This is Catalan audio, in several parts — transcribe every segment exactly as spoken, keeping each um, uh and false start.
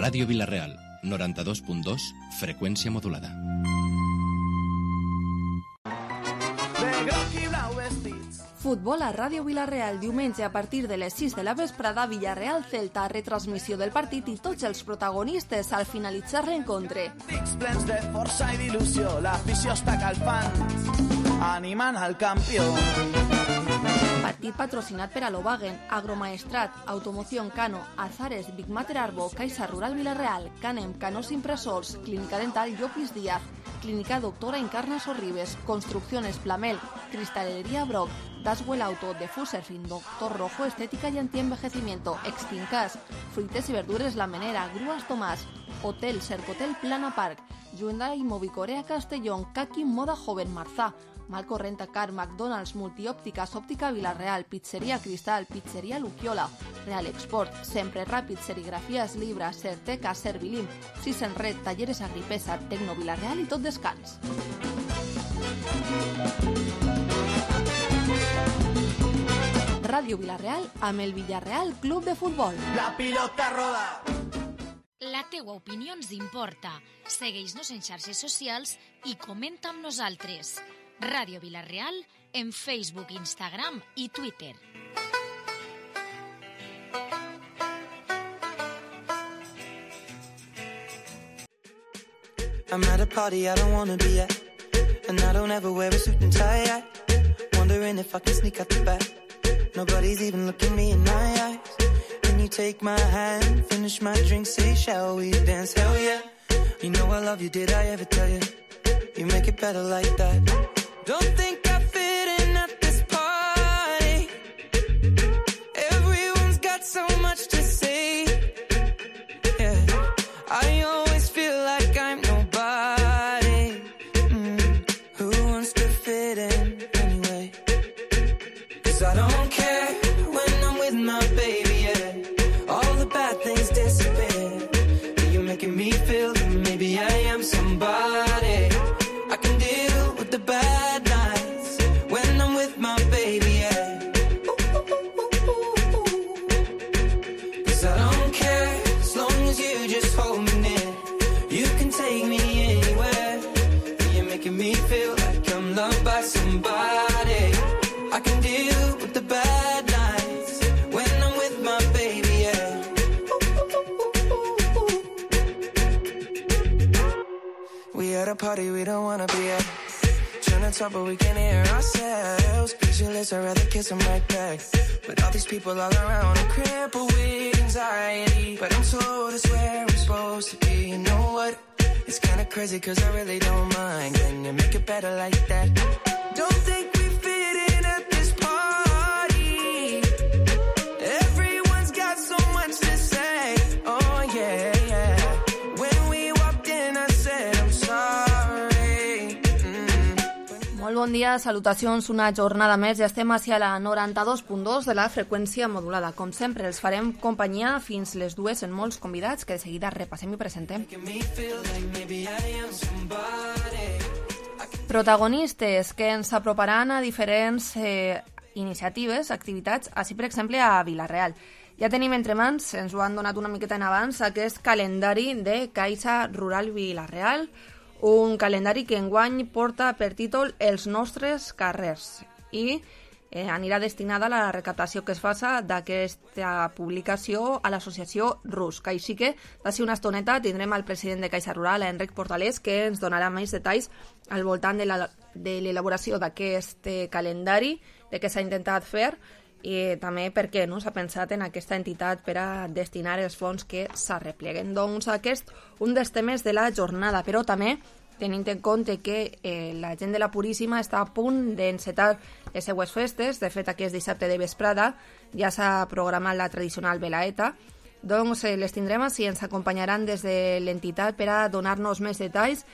Ràdio Vila-real, noranta-dos punt dos, freqüència modulada. Futbol a Ràdio Vila-real, diumenge a partir de les sis de la vesprada, Villarreal Celta, retransmissió del partit i tots els protagonistes al finalitzar l'encontre. Dics plens de força i d'il·lusió, l'afició està calfant, animant al campió. Partit patrocinat per Alobagen, Agromaestrat, Automoción Cano, Azares, Big Mater Arbo, Caixa Rural Vila-real, Canem, Canos Impressors, Clínica Dental Llopis Díaz, Clínica Doctora Encarna Sorribes, Construcciones Plamel, Cristalería Brock, Daswell Auto, de Fuserfin, Doctor Rojo, Estética y Antienvejecimiento, Extincas, Fruites y Verduras La Menera, Grúas Tomás, Hotel Cercotel Plana Park, Hyundai Movicorea Castellón, Kaki Moda Joven Marzá, Malco Renta Car, McDonald's, Multiópticas, Óptica Vila-real, Pizzería Cristal, Pizzería Luquiola, Real Export, Sempre Ràpid, Serigrafías Libra, Certeca, Servilim, Sis en Red, Talleres Agripesa, Tecno Vila-real i tot descans. Ràdio Vila-real amb el Villarreal Club de Futbol. La pilota roda. La teua opinió ens importa. Segueix-nos en xarxes socials i comenta amb nosaltres. Ràdio Vila-real en Facebook, Instagram i Twitter. I'm at a party I don't wanna be at, and I don't ever wear a suit and tie at. Wondering if I can sneak out the back. Nobody's even looking me in my eyes. Can you take my hand, finish my drink, say shall we dance? Hell yeah. You know I love you, did I ever tell you? You make it better like that. Don't think I fit in at this party. Everyone's got so much to say. Yeah, I always feel like I'm nobody. Mm. Who wants to fit in anyway? 'Cause I don't care when I'm with my baby, yeah. All the bad things disappear. You're making me feel that maybe I am somebody. I can deal with the bad nights when I'm with my baby, yeah. 'Cause I don't care as long as you just hold me near. You can take me anywhere. You're making me feel like I'm loved by somebody. I can deal with the bad nights when I'm with my baby, yeah. We at a party we don't wanna be at. Trying to talk but we can't hear ourselves. Pictureless, I'd rather kiss them right back. But all these people all around, I'm crippled with anxiety. But I'm told it's where I'm supposed to be. You know what? It's kinda crazy 'cause I really don't mind. Can you make it better like that? Don't think we fit in at this party. Everyone's got so much to say. Oh yeah, yeah. When we walked in I said I'm sorry. Mm. Molt bon dia, salutacions, una jornada més. Ja estem hacia la noranta-dos punt dos de la freqüència modulada. Com sempre, els farem companyia fins les dues en molts convidats que de seguida repassem i presentem. Protagonistes que ens aproparan a diferents eh, iniciatives, activitats, així per exemple a Vila-real. Ja tenim entre mans, ens ho han donat una miqueta en abans, aquest calendari de Caixa Rural Vila-real, un calendari que enguany porta per títol Els nostres carrers i eh, anirà destinada a la recaptació que es faça d'aquesta publicació a l'associació Rusc. Així que, d'ací una estoneta, tindrem el president de Caixa Rural, Enric Portalés, que ens donarà més detalls al voltant de la, de l'elaboració d'aquest calendari, de què s'ha intentat fer i també perquè no s'ha pensat en aquesta entitat per a destinar els fons que s'arrepleguen. Doncs aquest, un dels temes de la jornada, però també tenint en compte que eh, la gent de la Puríssima està a punt d'encetar les seues festes. De fet, aquest dissabte de vesprada ja s'ha programat la tradicional velaeta. Doncs eh, les tindrem així, ens acompanyaran des de l'entitat per a donar-nos més detalls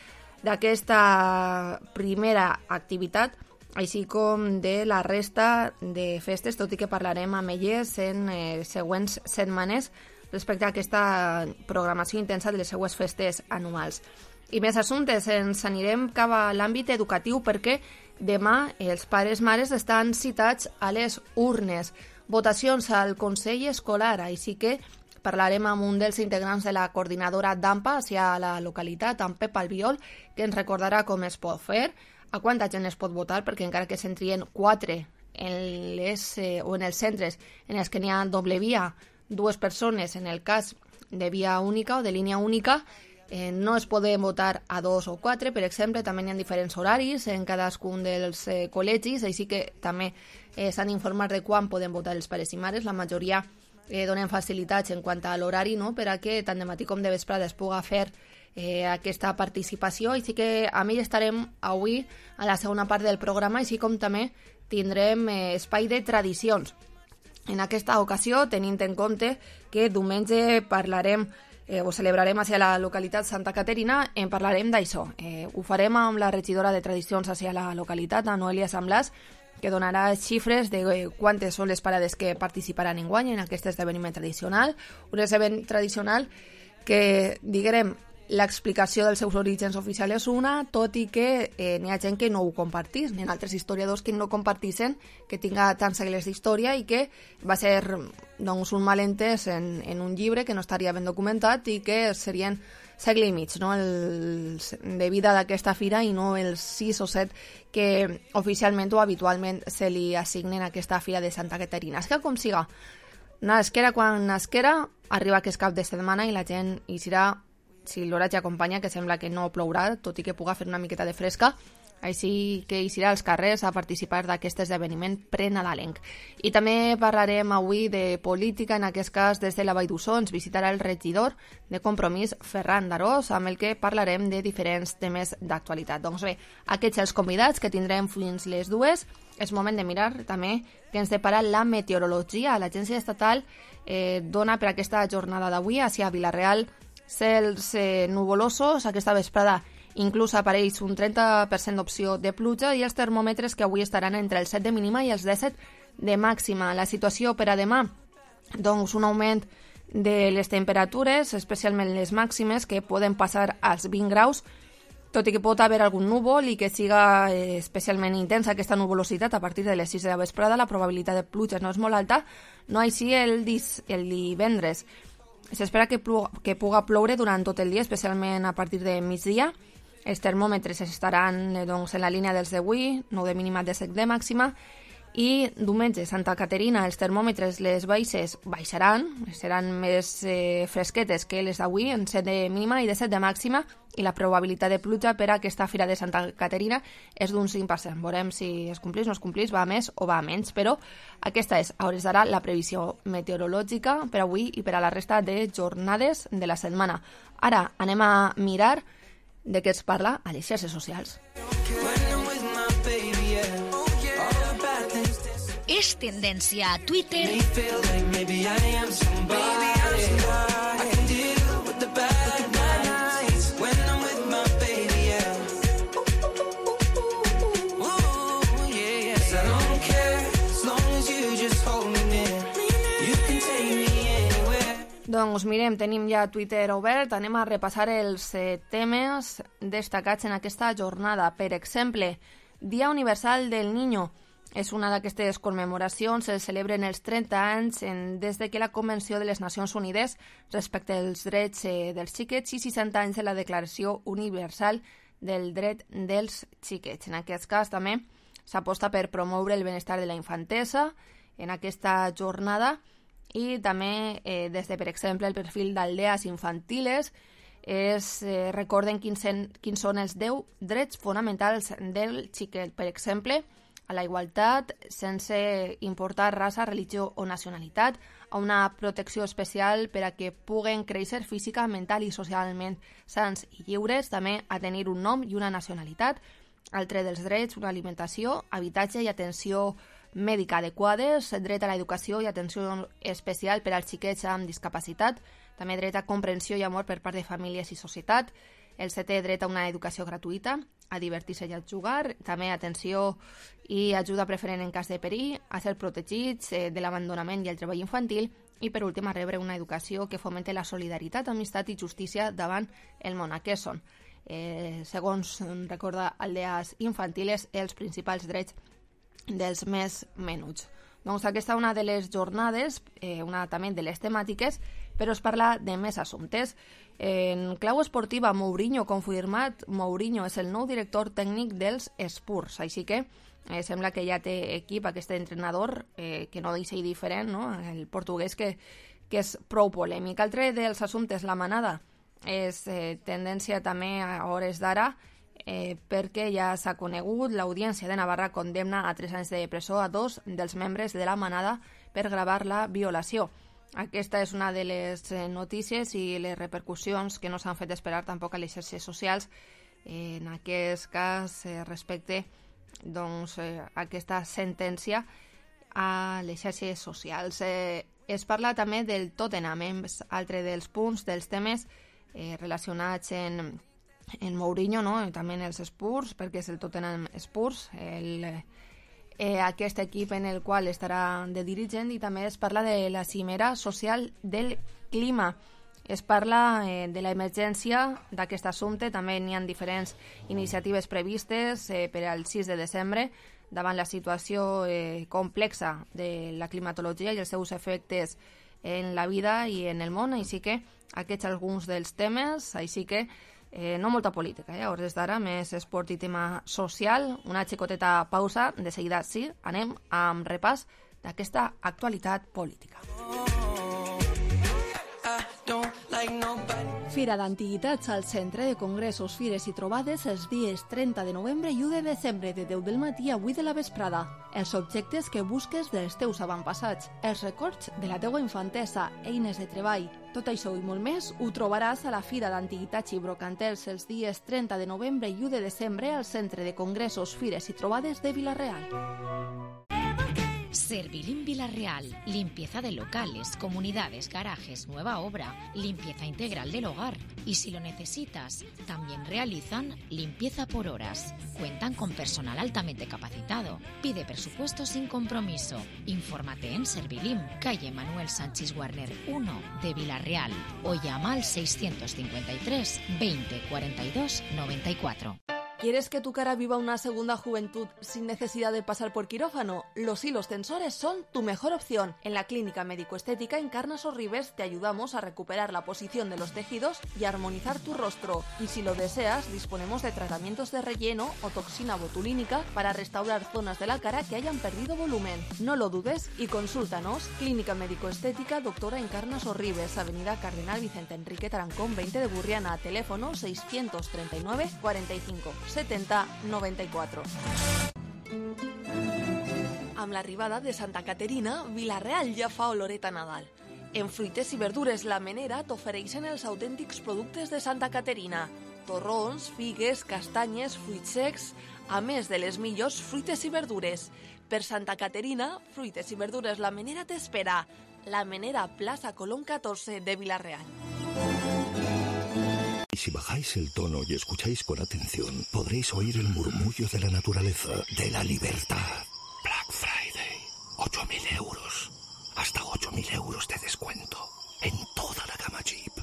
d'aquesta primera activitat, així com de la resta de festes, tot i que parlarem amb elles en eh, següents setmanes respecte a aquesta programació intensa de les seues festes anuals. I més assumptes, ens anirem cap a l'àmbit educatiu perquè demà els pares-mares estan citats a les urnes. Votacions al Consell Escolar, així que parlarem amb un dels integrants de la coordinadora d'AMPA hacia la localitat, amb Pep Albiol, que ens recordarà com es pot fer, a quanta gent es pot votar, perquè encara que se'n trien quatre en les, eh, o en els centres en els que n'hi ha doble via, dues persones en el cas de via única o de línia única, eh, no es poden votar a dos o quatre, per exemple, també hi ha diferents horaris en cadascun dels eh, col·legis, així que també eh, s'han d'informar de quan poden votar els pares i mares. La majoria eh, donen facilitats en quant a l'horari, no?, per a que tant de matí com de vesprada es puga fer eh, aquesta participació. Així que amb ell estarem avui a la segona part del programa, així com també tindrem eh, espai de tradicions. En aquesta ocasió, tenint en compte que diumenge parlarem eh, o celebrarem hacia la localitat Santa Caterina, en parlarem d'això. Eh, ho farem amb la regidora de tradicions hacia la localitat, a Noelia Samblàs, que donarà xifres de eh, quantes són les parades que participaran enguany en aquest esdeveniment tradicional. Un esdeveniment tradicional que, diguem, l'explicació dels seus orígens oficials és una, tot i que eh, n'hi ha gent que no ho compartís, n'hi ha altres historiadors que no compartissin que tinga tants segles d'història i que va ser doncs, un malentès en, en un llibre que no estaria ben documentat i que serien segle i mig, no?, el, de vida d'aquesta fira i no els sis o set que oficialment o habitualment se li assignen a aquesta fira de Santa Caterina. És que com siga, nasquera quan nasquera, arriba que és cap de setmana i la gent hi serà, si l'oratge acompanya, que sembla que no plourà, tot i que puga fer una miqueta de fresca, així que hi serà als carrers a participar d'aquest esdeveniment prenadalenc. I també parlarem avui de política, en aquest cas des de la Vall d'Uixó ens visitarà el regidor de Compromís, Ferran Darós, amb el que parlarem de diferents temes d'actualitat. Doncs bé, aquests els convidats que tindrem fins les dues. És moment de mirar també que ens depara la meteorologia. L'Agència Estatal eh, dona per aquesta jornada d'avui hacia Vila-real cels eh, nuvolosos. Aquesta vesprada inclús apareix un trenta per cent d'opció de pluja i els termòmetres que avui estaran entre els set de mínima i els disset de màxima. La situació per a demà, doncs un augment de les temperatures, especialment les màximes, que poden passar als vint graus, tot i que pot haver algun núvol i que siga eh, especialment intensa aquesta nuvolositat a partir de les sis de la vesprada. La probabilitat de pluja no és molt alta, no així el, dis, el divendres. S'espera que, que puga ploure durant tot el dia, especialment a partir de migdia. Els termòmetres estaran doncs, en la línia dels d'avui, nou de mínima, disset de màxima. I diumenge, Santa Caterina, els termòmetres, les baixes, baixaran, seran més eh, fresquetes que les d'avui, en set de mínima i disset de màxima, i la probabilitat de pluja per a aquesta fira de Santa Caterina és d'un cinc per cent. Veurem si es complís o no es complís, va a més o va a menys, però aquesta és, a hores d'ara, la previsió meteorològica per avui i per a la resta de jornades de la setmana. Ara anem a mirar de què es parla a les xarxes socials. És tendència a Twitter Doncs mirem, tenim ja Twitter obert, anem a repassar els eh, temes destacats en aquesta jornada. Per exemple, Dia Universal del Niño. És una d'aquestes commemoracions, se celebren els trenta anys en, des de que la Convenció de les Nacions Unides respecte als drets eh, dels xiquets i seixanta anys de la Declaració Universal del Dret dels Xiquets. En aquest cas també s'aposta per promoure el benestar de la infantesa en aquesta jornada i també eh, des de, per exemple, el perfil d'Aldeas Infantiles es eh, recorden quins, en, quins són els deu drets fonamentals del xiquet. Per exemple, a la igualtat sense importar raça, religió o nacionalitat, a una protecció especial per a que puguen créixer física, mental i socialment sants i lliures, també a tenir un nom i una nacionalitat, altre dels drets, una alimentació, habitatge i atenció mèdica adequades, dret a l'educació i atenció especial per als xiquets amb discapacitat, també dret a comprensió i amor per part de famílies i societat, el setè dret a una educació gratuïta, a divertir-se i a jugar, també atenció i ajuda preferent en cas de perill, a ser protegits eh, de l'abandonament i el treball infantil i per últim a rebre una educació que fomente la solidaritat, amistat i justícia davant el món. Aquests són, eh, segons recorda Aldeas Infantiles, els principals drets dels més menuts. Doncs aquesta és una de les jornades, eh, una també de les temàtiques però es parla de més assumptes. En clau esportiva, Mourinho confirmat. Mourinho és el nou director tècnic dels Spurs, així que eh, sembla que ja té equip aquest entrenador, eh, que no deixa diferent, no? El portuguès que, que és prou polèmic. Altre dels assumptes, la manada, és eh, tendència també a hores d'ara, eh, perquè ja s'ha conegut, l'Audiència de Navarra condemna a tres anys de presó a dos dels membres de la manada per gravar la violació. Aquesta és una de les eh, notícies i les repercussions que no s'han fet esperar tampoc a les xarxes socials, eh, en aquest cas eh, respecte doncs, eh, a aquesta sentència a les xarxes socials. Eh, es parla també del Tottenham, és altre dels punts, dels temes eh, relacionats en, en Mourinho, no? I també en els Spurs, perquè és el Tottenham Spurs, el, eh, aquest equip en el qual estarà de dirigent, i també es parla de la cimera social del clima. Es parla eh, de l'emergència d'aquest assumpte, també n'hi ha diferents iniciatives previstes eh, per al sis de desembre, davant la situació eh, complexa de la climatologia i els seus efectes en la vida i en el món, així que aquests alguns dels temes, així que eh, no molta política, eh? A hores d'ara més esport i tema social. Una xicoteta pausa, de seguida sí, anem amb repàs d'aquesta actualitat política. Fira d'Antiguitats al Centre de Congressos, Fires i Trobades els dies trenta de novembre i u de desembre de deu del matí a vuit de la vesprada. Els objectes que busques dels teus avantpassats, els records de la teua infantesa, eines de treball. Tot això i molt més ho trobaràs a la Fira d'Antiguitats i Brocantels els dies trenta de novembre i u de desembre al Centre de Congressos, Fires i Trobades de Vila-real. Servilim Vila-real, limpieza de locales, comunidades, garajes, nueva obra, limpieza integral del hogar. Y si lo necesitas, también realizan limpieza por horas. Cuentan con personal altamente capacitado. Pide presupuesto sin compromiso. Infórmate en Servilim, calle Manuel Sánchez Warner uno de Vila-real, o llama al seiscientos cincuenta y tres veinte cuarenta y dos noventa y cuatro. ¿Quieres que tu cara viva una segunda juventud sin necesidad de pasar por quirófano? Los hilos tensores son tu mejor opción. En la Clínica Médico-Estética Encarnas Sorribes te ayudamos a recuperar la posición de los tejidos y armonizar tu rostro. Y si lo deseas, disponemos de tratamientos de relleno o toxina botulínica para restaurar zonas de la cara que hayan perdido volumen. No lo dudes y consúltanos. Clínica Médico-Estética Doctora Encarnas Sorribes, Avenida Cardenal Vicente Enrique Tarancón veinte de Burriana, teléfono seiscientos treinta y nueve cuarenta y cinco setenta noventa y cuatro. Amb l'arribada de Santa Caterina, Vila-real ja fa oloret a Nadal. En Fruites i Verdures La Menera t'ofereixen els autèntics productes de Santa Caterina. Torrons, figues, castanyes, fruits secs, a més de les millors fruites i verdures. Per Santa Caterina, Fruites i Verdures La Menera t'espera. La Menera, Plaza Colón catorze de Vila-real. Si bajáis el tono y escucháis con atención, podréis oír el murmullo de la naturaleza, de la libertad. Black Friday, ocho mil euros. Hasta ocho mil euros de descuento en toda la gama Jeep.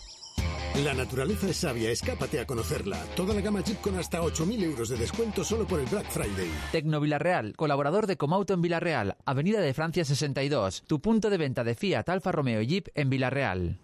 La naturaleza es sabia, escápate a conocerla. Toda la gama Jeep con hasta ocho mil euros de descuento solo por el Black Friday. Tecno Vila-real, colaborador de Comauto en Vila-real, Avenida de Francia sesenta y dos, tu punto de venta de Fiat, Alfa Romeo y Jeep en Vila-real.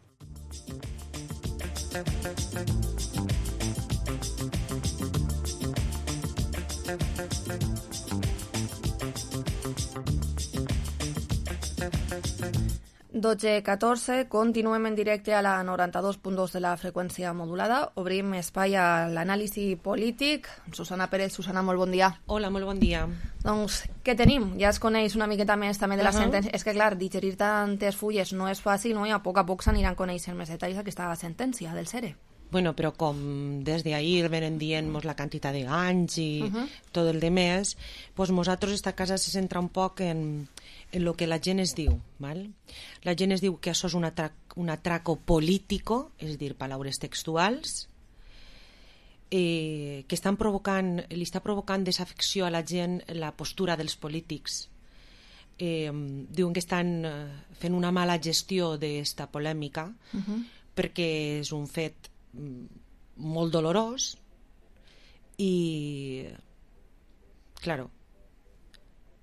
dotze catorze, continuem en directe a la noranta-dos punt dos de la freqüència modulada. Obrim espai a l'anàlisi polític. Susana Pérez. Susana, molt bon dia. Hola, molt bon dia. Doncs, què tenim? Ja es coneix una miqueta més també de la uh -huh. sentència. És que, clar, digerir tantes fulles no és fàcil, no? I a poc a poc s'aniran coneixent més detalls d'aquesta sentència del SERE. Bueno, però com des d'ahir venen dient-nos la quantitat de anys i uh -huh. tot el de més, doncs nosaltres esta casa se centra un poc en, en el que la gent es diu. Val? La gent es diu que això és un, atrac, un atraco político, és a dir, paraules textuals, eh, que estan provocant, li està provocant desafecció a la gent la postura dels polítics. Eh, diuen que estan fent una mala gestió d'esta polèmica uh -huh. perquè és un fet molt dolorós i, claro,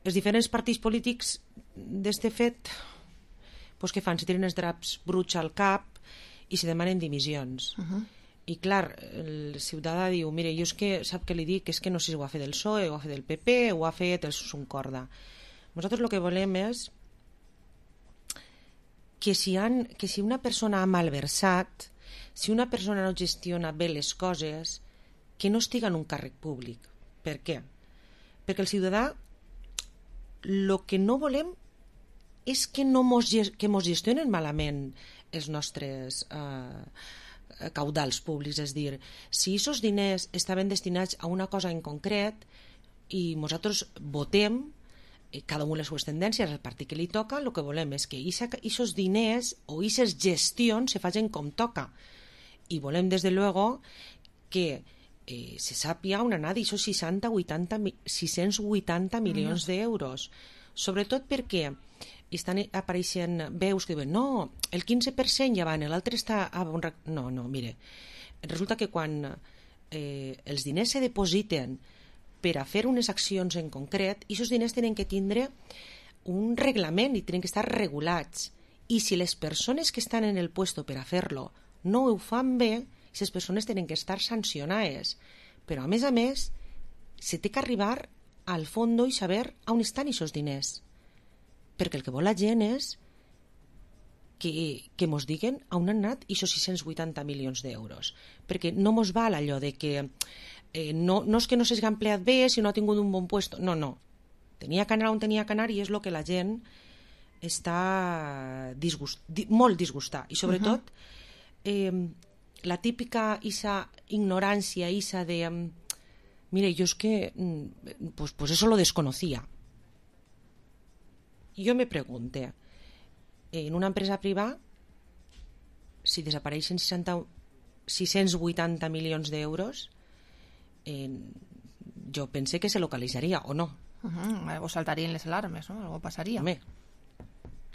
els diferents partits polítics d'este fet, pues, què fan? Se tiren els draps bruts al cap i se demanen dimissions. Uh-huh. I clar, el ciutadà diu, mire, jo és que, sap què li dic? És que no sé si ho ha fet el P S O E, ho ha fet el P P, ho ha fet el Suncorda. Nosaltres el que volem és que si, han, que si una persona ha malversat, si una persona no gestiona bé les coses, que no estiga en un càrrec públic. Per què? Perquè el ciutadà el que no volem és que no mos, que mos gestionen malament els nostres eh, caudals públics. És dir, si aquests diners estaven destinats a una cosa en concret i nosaltres votem, cada un les seues tendències, el partit que li toca, el que volem és que aquests diners o aquestes gestions se facin com toca. I volem, des de luego, que eh, se sàpia on anar d'aquests seixanta vuitanta, sis-cents vuitanta milions mm. d'euros. Sobretot perquè estan apareixent veus que diuen no, el quinze per cent ja van, l'altre està... A... No, no, mire, resulta que quan eh, els diners se depositen per a fer unes accions en concret, i aquests diners tenen que tindre un reglament i tenen que estar regulats. I si les persones que estan en el puesto per a fer-lo no ho fan bé, aquestes persones tenen que estar sancionades. Però, a més a més, se té que arribar al fons i saber on estan aquests diners. Perquè el que vol la gent és que, que mos diguen on han anat aquests sis-cents vuitanta milions d'euros. Perquè no mos val allò de que Eh, no, no és que no s'hagi empleat bé si no ha tingut un bon puesto, no, no, tenia que anar on tenia que anar i és el que la gent està disgust, di, molt disgustada i sobretot uh-huh. eh, la típica isa ignorància, isa de mire, jo és que pues, pues eso lo desconocía. Jo me pregunte, en una empresa privada si desapareixen seixanta, sis-cents vuitanta milions d'euros, Eh, jo pensé que se localizaría o no. Uh-huh. Algo saltarían las alarmas, ¿no? Algo pasaría. Home.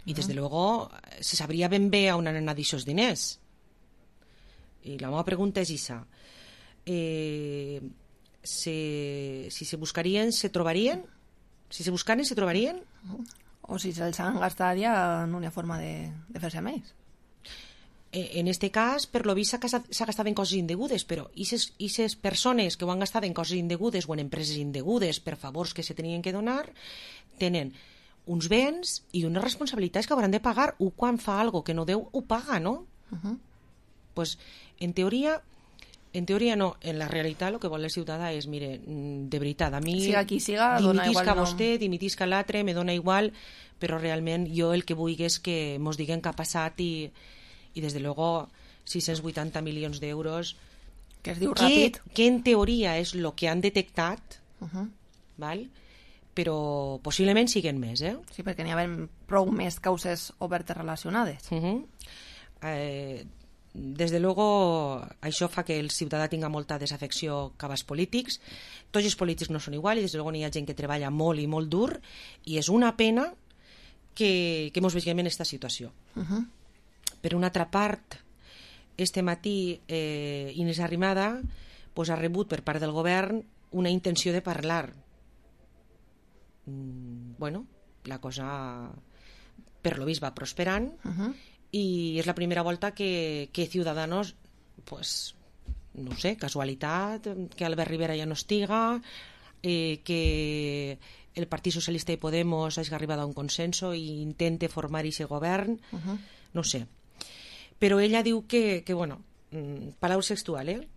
Y uh-huh. desde luego se sabría ben bé on han anat aquests diners. I la meva pregunta és esa. Eh, se, si se buscarien, se trobarien? Si se buscaren, se trobarien? Uh-huh. O si se'ls han gastat ja en una forma de, de fer-se més. En este cas, per lo vist, s'ha gastat en coses indegudes, però aquestes persones que ho han gastat en coses indegudes o en empreses indegudes per favors que se tenien que donar, tenen uns béns i unes responsabilitats que hauran de pagar. Un quan fa algo que no deu, ho paga, no? Uh-huh. Pues, en teoria, en teoria no. En la realitat, el que vol el ciutadà és, mire, de veritat, a mi... Siga qui siga, dona igual. Dimitisca vostè, dimitisca l'altre, me dona igual, però realment jo el que vull és que mos diguen què ha passat i... i des de luego sis-cents vuitanta milions d'euros que es diu que, ràpid que en teoria és el que han detectat uh-huh. val? Però possiblement siguen més, eh? Sí, perquè n'hi ha prou més causes obertes relacionades. Uh-huh. eh, des de luego això fa que el ciutadà tinga molta desafecció cap als polítics. Tots els polítics no són igual i des de luego n'hi ha gent que treballa molt i molt dur i és una pena que, que mos veiem en aquesta situació. Uh-huh. Per una altra part, este matí eh, Inés Arrimada pues, ha rebut per part del govern una intenció de parlar. Mm, bueno, la cosa per lo vist va prosperant uh-huh. i és la primera volta que, que Ciudadanos, pues, no sé, casualitat, que Albert Rivera ja no estiga, eh, que el Partit Socialista i Podemos hagi arribat a un consenso i intente formar aquest govern, uh-huh. no sé. Pero ella diu que, que bueno, palabras textual, ¿eh?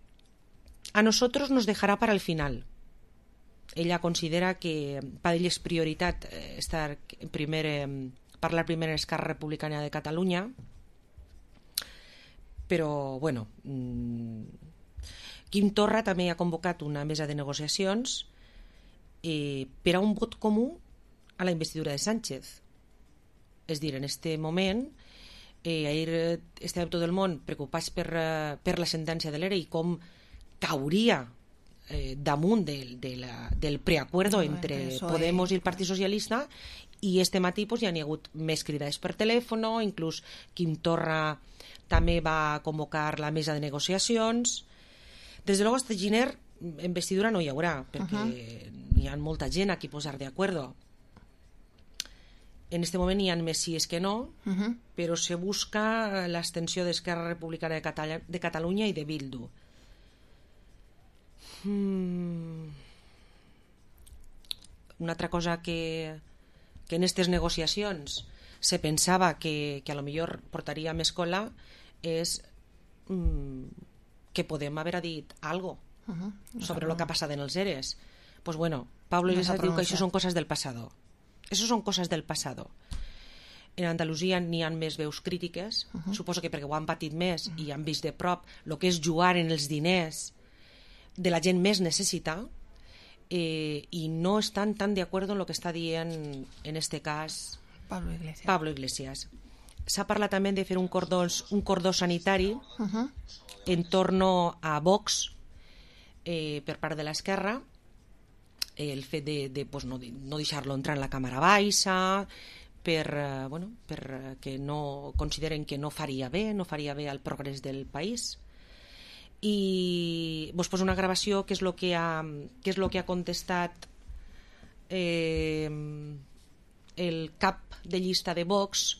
A nosotros nos dejará para el final. Ella considera que para ella es prioritat estar primer, eh, parlar primer en Esquerra Republicana de Catalunya, però, bueno, mmm, Quim Torra també ha convocat una mesa de negociacions eh, per a un vot comú a la investidura de Sánchez. És dir, en este moment... Eh, ahir estàvem tot el món preocupats per, uh, per la sentència de l'E R E i com cauria eh, damunt de, de la, del preacuerdo no, entre Podemos i el Partit Socialista i este matí pues, ja n'hi ha hagut més cridades per telèfon, inclús Quim Torra també va convocar la mesa de negociacions. Des de luego este giner en vestidura no hi haurà perquè uh-huh. hi ha molta gent a qui posar de acuerdo. En este moment hi ha més sí que no, Uh -huh. però se busca l'extensió d'Esquerra Republicana de, Catala de Catalunya i de Bildu. Mm. Una altra cosa que, que en aquestes negociacions se pensava que, que a lo millor portaria més cola és mm, que Podem haver dit algo Uh -huh. No sobre sé, el que ha passat en els ERES. Pues bueno, Pablo No Iglesias s'ha diu que això pronunciat. són coses del pasado. Eso son cosas del pasado. En Andalusia n'hi ha més veus crítiques, uh -huh. suposo que perquè ho han patit més uh -huh. i han vist de prop el que és jugar en els diners de la gent més necessita, eh, i no estan tan de acuerdo en el que està dient en este cas Pablo Iglesias. Pablo Iglesias. S'ha parlat també de fer un cordó, un cordó sanitari Uh -huh. en torno a Vox eh, per part de l'esquerra, el fet de, de pues, no, no deixar-lo entrar en la Càmera Baixa, per, eh, bueno, per eh, que no consideren que no faria bé, no faria bé al progrés del país. I vos poso una gravació que és el que ha, que és lo que ha contestat eh, el cap de llista de Vox,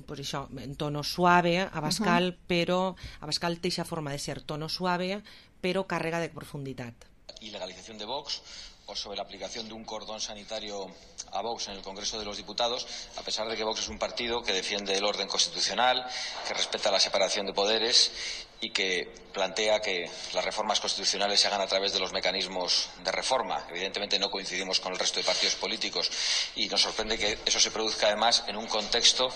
pues això, en tono suave, Abascal, uh-huh. però Abascal té aquesta forma de ser tono suave, però carrega de profunditat. Ilegalización de Vox o sobre la aplicación de un cordón sanitario a Vox en el Congreso de los Diputados, a pesar de que Vox es un partido que defiende el orden constitucional, que respeta la separación de poderes y que plantea que las reformas constitucionales se hagan a través de los mecanismos de reforma. Evidentemente no coincidimos con el resto de partidos políticos y nos sorprende que eso se produzca además en un contexto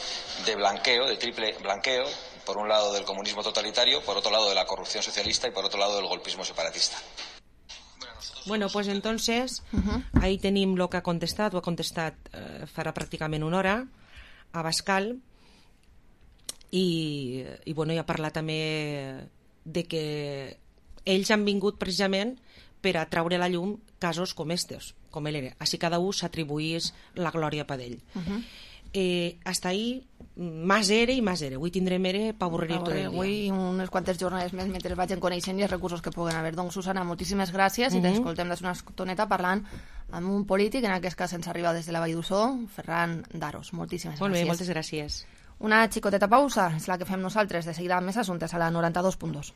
de blanqueo, de triple blanqueo, por un lado del comunismo totalitario, por otro lado de la corrupción socialista y por otro lado del golpismo separatista. Bueno, pues entonces, Uh-huh. ahí tenim lo que ha contestat, ho ha contestat eh, farà pràcticament una hora, Abascal, i, i bueno, ja ha parlat també de que ells han vingut precisament per a traure a la llum casos com estos, com ell era. Així cada un s'atribuís la glòria per ell. Uh-huh. Eh, hasta ahí, más ere i més ere. Avui tindrem ere per avorrir tot el dia. Avui unes quantes jornades més mentre vagin coneixent i els recursos que puguen haver. Doncs, Susana, moltíssimes gràcies Mhm. i t'escoltem des d'una estoneta parlant amb un polític, en aquest cas ens arriba des de la Vall d'Ussó, Ferran Daros. Moltíssimes Molt bé, gràcies. moltes gràcies. Una xicoteta pausa és la que fem nosaltres. De seguida amb més assumptes a la noranta-dos punt dos.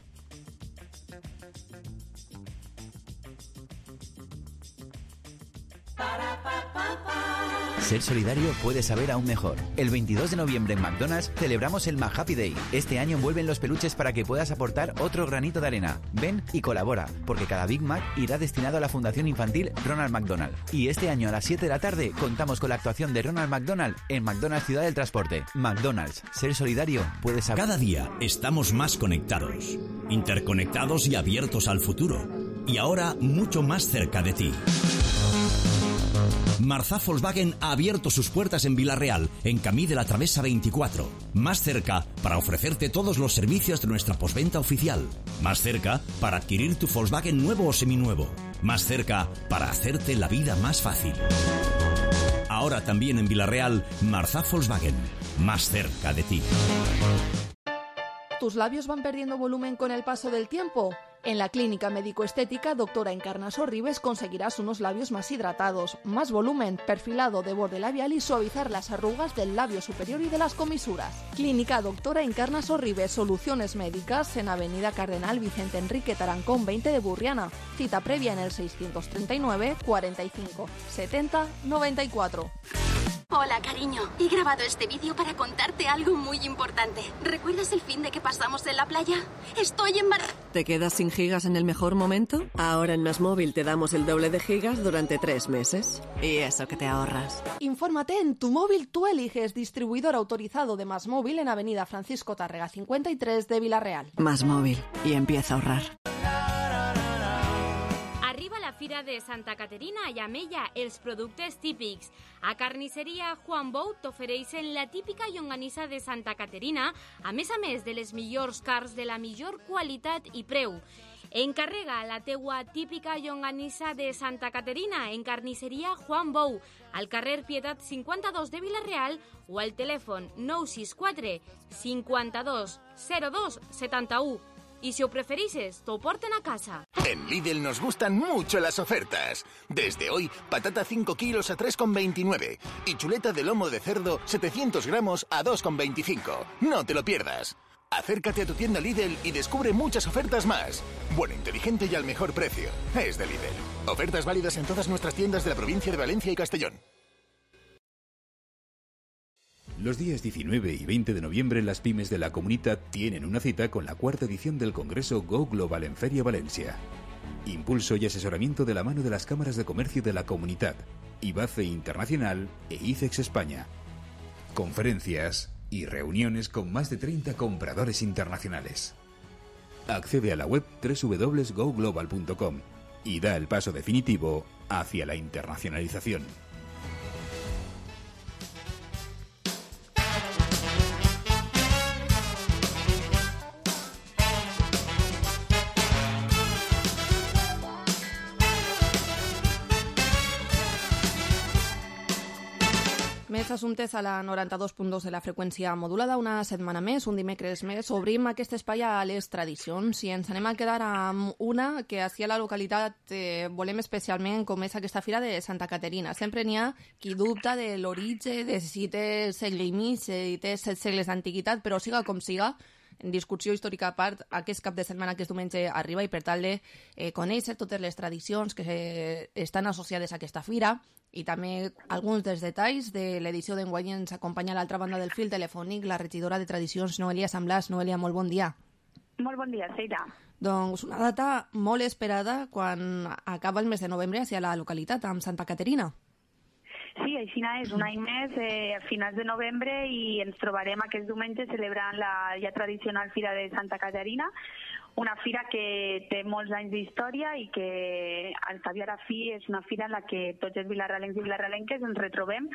Ser solidario puede saber aún mejor. El veintidós de noviembre en McDonald's celebramos el McHappy Day. Este año envuelven los peluches para que puedas aportar otro granito de arena. Ven y colabora, porque cada Big Mac irá destinado a la Fundación Infantil Ronald McDonald. Y este año a las siete de la tarde contamos con la actuación de Ronald McDonald en McDonald's Ciudad del Transporte. McDonald's, ser solidario puede saber. Cada día estamos más conectados, interconectados y abiertos al futuro. Y ahora mucho más cerca de ti. Marzá Volkswagen ha abierto sus puertas en Vila-real, en Camí de la Travesa veinticuatro. Más cerca para ofrecerte todos los servicios de nuestra postventa oficial. Más cerca para adquirir tu Volkswagen nuevo o seminuevo. Más cerca para hacerte la vida más fácil. Ahora también en Vila-real, Marzá Volkswagen. Más cerca de ti. ¿Tus labios van perdiendo volumen con el paso del tiempo? En la clínica médico-estética Doctora Encarna Sorribes conseguirás unos labios más hidratados, más volumen, perfilado de borde labial y suavizar las arrugas del labio superior y de las comisuras. Clínica Doctora Encarna Sorribes, soluciones médicas en Avenida Cardenal Vicente Enrique Tarancón veinte de Burriana. Cita previa en el seiscientos treinta y nueve, cuarenta y cinco, setenta, noventa y cuatro. Hola, cariño. He grabado este vídeo para contarte algo muy importante. ¿Recuerdas el fin de que pasamos en la playa? Estoy embarazada. ¿Te quedas sin gigas en el mejor momento? Ahora en MásMóvil te damos el doble de gigas durante tres meses. Y eso que te ahorras. Infórmate en Tu Móvil Tú Eliges, distribuidor autorizado de MásMóvil en Avenida Francisco Tárrega cincuenta y tres de Vila-real. MásMóvil. Y empieza a ahorrar. Arriba la Fira de Santa Caterina i amb ella els productes típics. A Carnisseria Juan Bou t'ofereixen la típica llonganissa de Santa Caterina, a més a més de les millors carns de la millor qualitat i preu. Encarrega la teua típica llonganissa de Santa Caterina en Carnisseria Juan Bou, al carrer Pietat cinquanta-dos de Vila-real o al telèfon nou sis quatre cinquanta-dos zero dos setanta-u. y si os preferís, te porten a casa. En Lidl nos gustan mucho las ofertas. Desde hoy, patata cinco kilos a tres con veintinueve y chuleta de lomo de cerdo setecientos gramos a dos con veinticinco. No te lo pierdas. Acércate a tu tienda Lidl y descubre muchas ofertas más. Bueno, inteligente y al mejor precio. Es de Lidl. Ofertas válidas en todas nuestras tiendas de la provincia de Valencia y Castellón. Los días diecinueve y veinte de noviembre las pymes de la Comunidad tienen una cita con la cuarta edición del Congreso Go Global en Feria Valencia. Impulso y asesoramiento de la mano de las cámaras de comercio de la Comunidad, IBACE Internacional e ICEX España. Conferencias y reuniones con más de treinta compradores internacionales. Accede a la web doble u doble u doble u punto go global punto com y da el paso definitivo hacia la internacionalización. Més assumptes a la noranta-dos punt dos de la freqüència modulada. Una setmana més, un dimecres més, obrim aquest espai a les tradicions i ens anem a quedar amb una que ací a la localitat eh, volem especialment, com és aquesta fira de Santa Caterina. Sempre n'hi ha qui dubta de l'origen, de si té segle i mig, si té set segles d'antiguitat, però siga com siga, en discussió històrica a part, aquest cap de setmana, aquest diumenge, arriba i per tal de eh, conèixer totes les tradicions que eh, estan associades a aquesta fira i també alguns dels detalls de l'edició d'enguany. Ens acompanya a l'altra banda del fil telefònic la regidora de Tradicions, Noelia Samblàs. Noelia, molt bon dia. Molt bon dia, Seira. Doncs una data molt esperada quan acaba el mes de novembre hacia la localitat, amb Santa Caterina. Sí, així és, un any més, eh, a finals de novembre, i ens trobarem aquest diumenge celebrant la ja tradicional Fira de Santa Caterina, una fira que té molts anys d'història i que al cap i a la fi és una fira en la que tots els vilarralencs i vilarralenques ens retrobem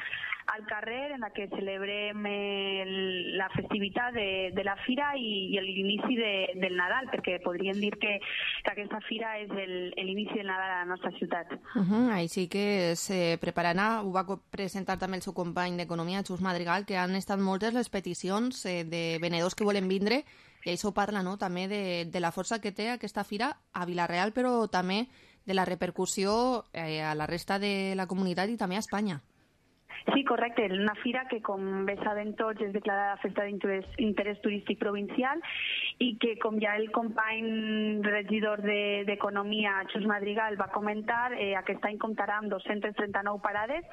al carrer, en la que celebrem el, la festivitat de, de la fira i, i l'inici de, del Nadal, perquè podríem dir que, que aquesta fira és l'inici del Nadal a la nostra ciutat. Uh -huh, així que se prepararà, ho va presentar també el seu company d'Economia, Xus Madrigal, que han estat moltes les peticions eh, de venedors que volen vindre. I això parla, no?, també de, de la força que té aquesta fira a Vila-real, però també de la repercussió eh, a la resta de la comunitat i també a Espanya. Sí, correcte. Una fira que, com bé sabem tots, és declarada festa d'interès turístic provincial i que, com ja el company regidor d'Economia, de, Xus Madrigal, va comentar, eh, aquest any comptarà amb dos-centes trenta-nou parades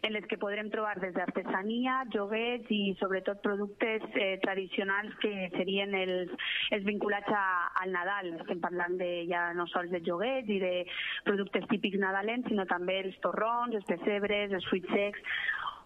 en les que podrem trobar des d'artesania, joguets i sobretot productes eh, tradicionals que serien els, els vinculats a, al Nadal. Estem parlant de, ja no sols de joguets i de productes típics nadalens, sinó també els torrons, els pessebres, els fruits secs,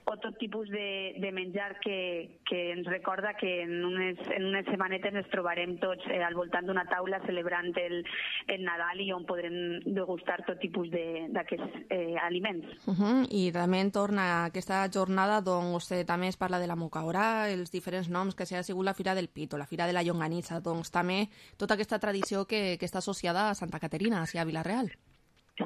o tot tipus de, de menjar que, que ens recorda que en unes, en unes setmanetes ens trobarem tots eh, al voltant d'una taula celebrant el, el Nadal i on podrem degustar tot tipus d'aquests eh, aliments. Uh -huh. I també torna aquesta jornada, doncs eh, també es parla de la mocaora, els diferents noms que s'ha sigut la Fira del Pito, la Fira de la Llonganissa, doncs també tota aquesta tradició que, que està associada a Santa Caterina, a Vila-real.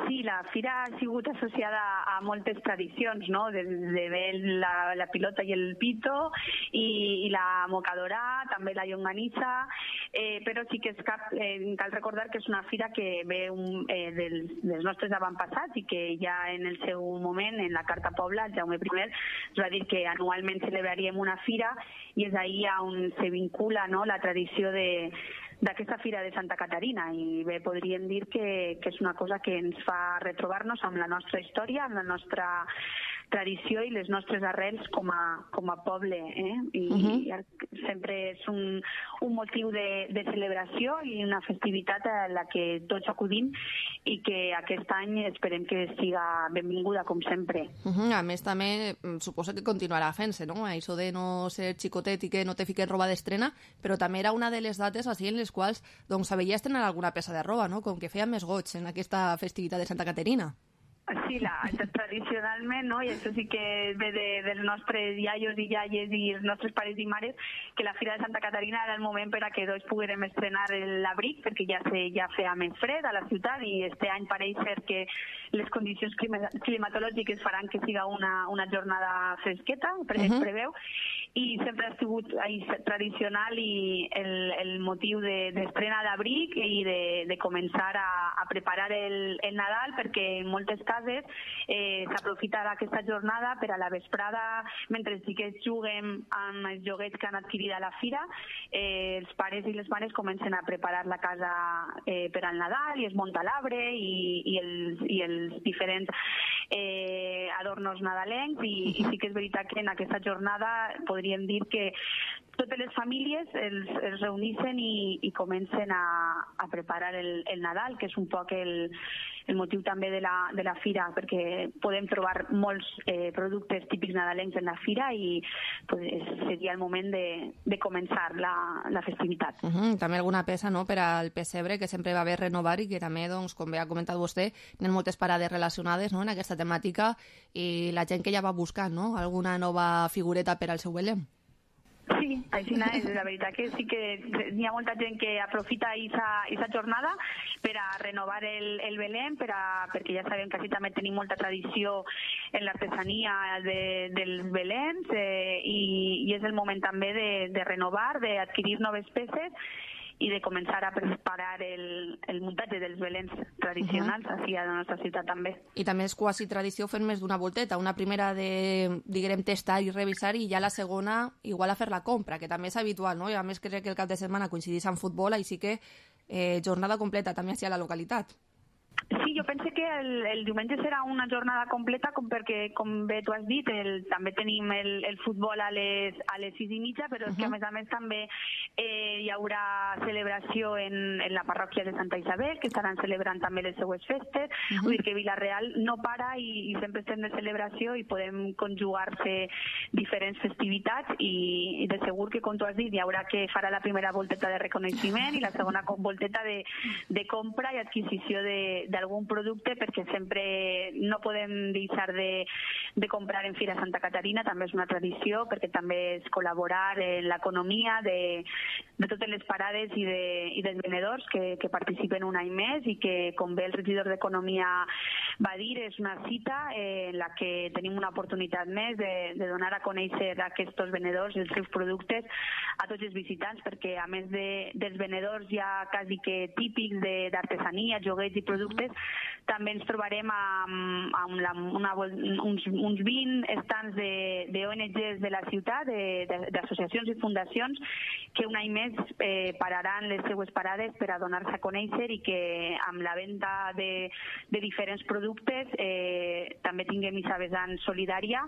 Sí, la fira ha sigut associada a moltes tradicions, no?, des de bé la, la pilota i el pito i, i la mocadora, també la llonganissa, eh, però sí que és cap, eh, cal recordar que és una fira que ve un, eh, dels, dels nostres avantpassats i que ja en el seu moment, en la Carta Pobla, el Jaume primer es va dir que anualment celebraríem una fira i és ahir on se vincula, no?, la tradició de d'aquesta Fira de Santa Caterina, i bé, podríem dir que, que és una cosa que ens fa retrobar-nos amb la nostra història, amb la nostra tradició i les nostres arrels com a, com a poble, eh? I, uh-huh. i sempre és un, un motiu de, de celebració i una festivitat a la que tots acudim i que aquest any esperem que siga benvinguda com sempre. Uh-huh. A més també suposo que continuarà fent-se, no?, això de no ser xicotet i que no te fiquen roba d'estrena, però també era una de les dates així en les quals doncs s'havia estrenat alguna peça de roba, no?, com que feia més goig en aquesta festivitat de Santa Caterina. Sí, la, tradicionalment, no? I això sí que ve de, dels nostres iaios i iaies i els nostres pares i mares, que la Fira de Santa Caterina era el moment per a que tots poguérem estrenar l'abric, perquè ja, se, ja feia més fred a la ciutat i este any pareix ser que les condicions climatològiques faran que siga una, una jornada fresqueta, per uh-huh. es preveu, i sempre ha sigut tradicional i el, el motiu d'estrena de, d'abric i de, de començar a, a preparar el, el Nadal, perquè en moltes cases eh, s'aprofita d'aquesta jornada per a la vesprada, mentre sí que juguem amb els joguets que han adquirit a la fira, eh, els pares i les mares comencen a preparar la casa eh, per al Nadal i es munta l'arbre i, i, els, i els diferents eh, adornos nadalencs i, i sí que és veritat que en aquesta jornada podríem dir que totes les famílies els, els reuneixen i, i comencen a, a preparar el, el Nadal, que és un poc el, el motiu també de la, de la fira, perquè podem trobar molts eh, productes típics nadalencs en la fira i pues, seria el moment de, de començar la, la festivitat. Uh -huh. També alguna peça, no?, per al pessebre, que sempre va bé renovar i que també, doncs, com bé ha comentat vostè, hi ha moltes parades relacionades, no?, en aquesta temàtica i la gent que ja va buscant, no?, alguna nova figureta per al seu Belém. Sí, així és, la veritat que sí que hi ha molta gent que aprofita aquesta jornada per a renovar el, el Belém, per a, perquè ja sabem que així també tenim molta tradició en l'artesania de, dels Beléms eh, i, i és el moment també de, de renovar, d'adquirir noves peces i de començar a preparar el, el muntatge dels Beléns tradicionals uh -huh. així a la nostra ciutat també. I també és quasi tradició fer més d'una volteta, una primera de, diguem, testar i revisar i ja la segona igual a fer la compra, que també és habitual, no? I a més crec que el cap de setmana coincidís amb futbol, així que eh, jornada completa també així a la localitat. Sí, jo penso que el, el diumenge serà una jornada completa com perquè, com bé tu has dit, el, també tenim el, el futbol a les, a les sis i mitja, però uh-huh. és que a més a més també eh, hi haurà celebració en, en la parròquia de Santa Isabel, que estaran celebrant també les seues festes, uh-huh. vull dir que Vila-real no para i, i sempre estem de celebració i podem conjugar-se diferents festivitats i, i de segur que, com tu has dit, hi haurà que farà la primera volteta de reconeixement i la segona volteta de, de compra i adquisició de d'algun producte, perquè sempre no podem deixar de, de comprar en Fira Santa Caterina, també és una tradició, perquè també és col·laborar en l'economia de, de totes les parades i, de, i dels venedors que, que participen un any més i que, com bé el regidor d'Economia va dir, és una cita eh, en la que tenim una oportunitat més de, de donar a conèixer a aquests venedors els seus productes a tots els visitants, perquè a més de, dels venedors ja quasi que típics d'artesania, joguets i productes, també ens trobarem amb, amb la, una, uns, uns vint estants d'O N Ges de la ciutat, d'associacions i fundacions, que un any més eh, pararan les seues parades per a donar-se a conèixer i que amb la venda de, de diferents productes eh, també tinguem aquesta vessant solidària,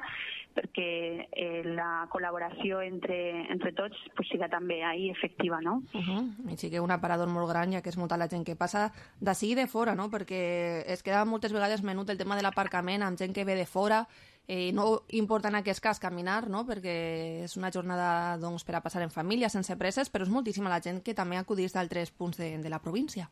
perquè eh, la col·laboració entre, entre tots pues, siga també ahí efectiva, no? Uh -huh. I sí que un aparador molt gran, ja que és molta la gent que passa d'ací i de fora, no? Perquè es queda moltes vegades menut el tema de l'aparcament amb gent que ve de fora, eh, no importa en aquest cas caminar, no? Perquè és una jornada doncs, per a passar en família, sense presses, però és moltíssima la gent que també acudís d'altres punts de, de la província.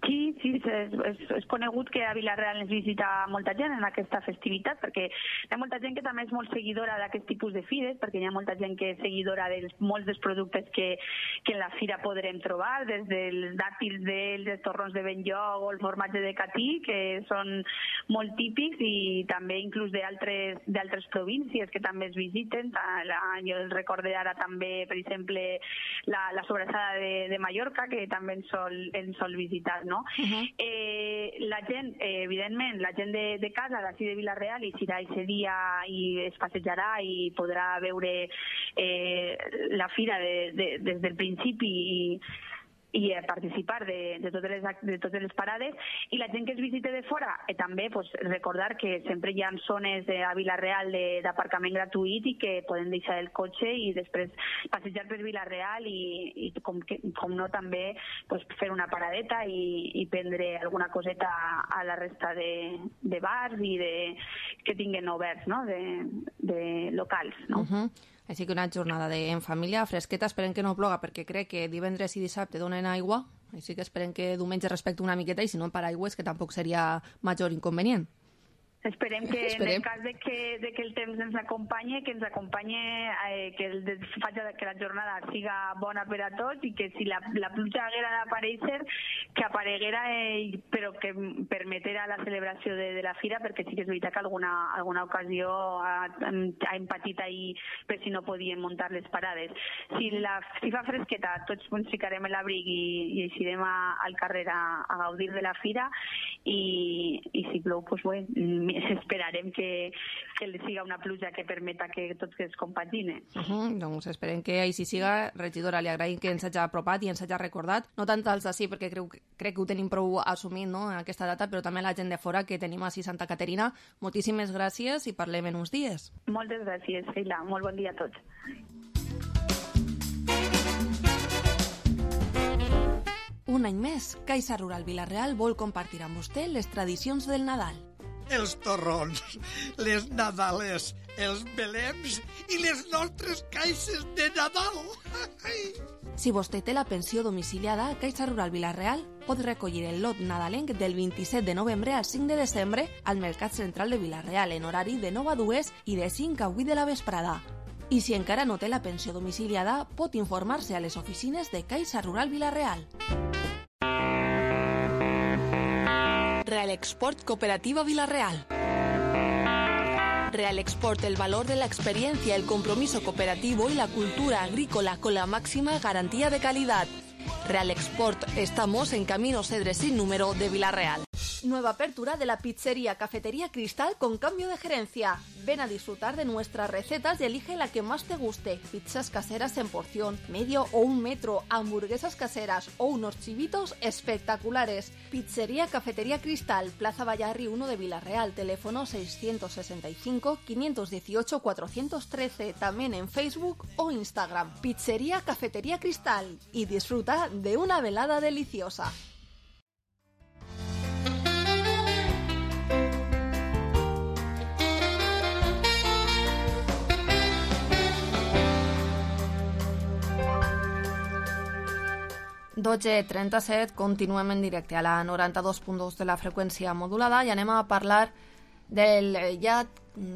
Sí, sí, és, és, és conegut que a Vila-real ens visita molta gent en aquesta festivitat, perquè hi ha molta gent que també és molt seguidora d'aquest tipus de fires, perquè hi ha molta gent que és seguidora de molts dels productes que, que en la fira podrem trobar, des dels dàtils d'ells, els torrons de Benlloc o el formatge de Catí, que són molt típics, i també inclús d'altres d'altres províncies que també es visiten. La, jo el recorde ara també, per exemple, la, la sobrassada de, de Mallorca, que també ens sol, ens sol visitar, no? Uh-huh. eh, la gent, eh, evidentment, la gent de, de casa, d'ací de Vila-real, i serà aquest dia i es passejarà i podrà veure eh, la fira de, de, des del principi i i participar de, de, totes les, de totes les parades, i la gent que es visite de fora eh, també pues, recordar que sempre hi ha zones de, a Vila-real d'aparcament gratuït i que poden deixar el cotxe i després passejar per Vila-real i, i com, que, com no també pues, fer una paradeta i, i prendre alguna coseta a, a la resta de, de bars i de, que tinguen oberts, no? de, de locals, no? Uh-huh. Així que una jornada de, en família, fresqueta, esperem que no ploga, perquè crec que divendres i dissabte donen aigua, així que esperem que diumenge respecte una miqueta, i si no en paraigües, que tampoc seria major inconvenient. Esperem que Esperem. en el cas de que, de que el temps ens acompanyi, que ens acompanyi, eh, que, el, faci que la jornada siga bona per a tots i que si la, la pluja haguera d'aparèixer, que apareguera, eh, però que permetera la celebració de, de la fira, perquè sí que és veritat que alguna, alguna ocasió ha, ha empatit ahir per si no podien muntar les parades. Si, la, si fa fresqueta, tots ens ficarem en l'abric i, i eixirem a, al carrer a, a gaudir de la fira i, i si plou, doncs bé, esperarem que, que siga una pluja que permeta que tots es compagine. Uh -huh, doncs esperem que així siga. Regidora, li agraïm que ens hagi apropat i ens hagi recordat, no tant als d'ací, perquè crec, crec que ho tenim prou assumit, no?, en aquesta data, però també la gent de fora que tenim així a Santa Caterina. Moltíssimes gràcies i parlem en uns dies. Moltes gràcies, Sheila. Molt bon dia a tots. Un any més, Caixa Rural Vila-real vol compartir amb vostè les tradicions del Nadal. Els torrons, les nadales, els belems i les nostres caixes de Nadal. Si vostè té la pensió domiciliada, Caixa Rural Vila-real pot recollir el lot nadalenc del vint-i-set de novembre al cinc de desembre al Mercat Central de Vila-real en horari de nou a dues i de cinc a vuit de la vesprada. I si encara no té la pensió domiciliada, pot informar-se a les oficines de Caixa Rural Vila-real. Real Export Cooperativa Vila-real. Real Export, el valor de la experiencia, el compromiso cooperativo y la cultura agrícola con la máxima garantía de calidad. Real Export, estamos en Camino Cedres sin número de Vila-real. Nueva apertura de la pizzería Cafetería Cristal con cambio de gerencia. Ven a disfrutar de nuestras recetas y elige la que más te guste. Pizzas caseras en porción, medio o un metro, hamburguesas caseras o unos chivitos espectaculares. Pizzería Cafetería Cristal, Plaza Vallarri uno de Vila-real, teléfono seiscientos sesenta y cinco, quinientos dieciocho, cuatrocientos trece, también en Facebook o Instagram. Pizzería Cafetería Cristal y disfruta de una velada deliciosa. dotze trenta-set, continuem en directe a la noranta-dos punt dos de la freqüència modulada i anem a parlar del ja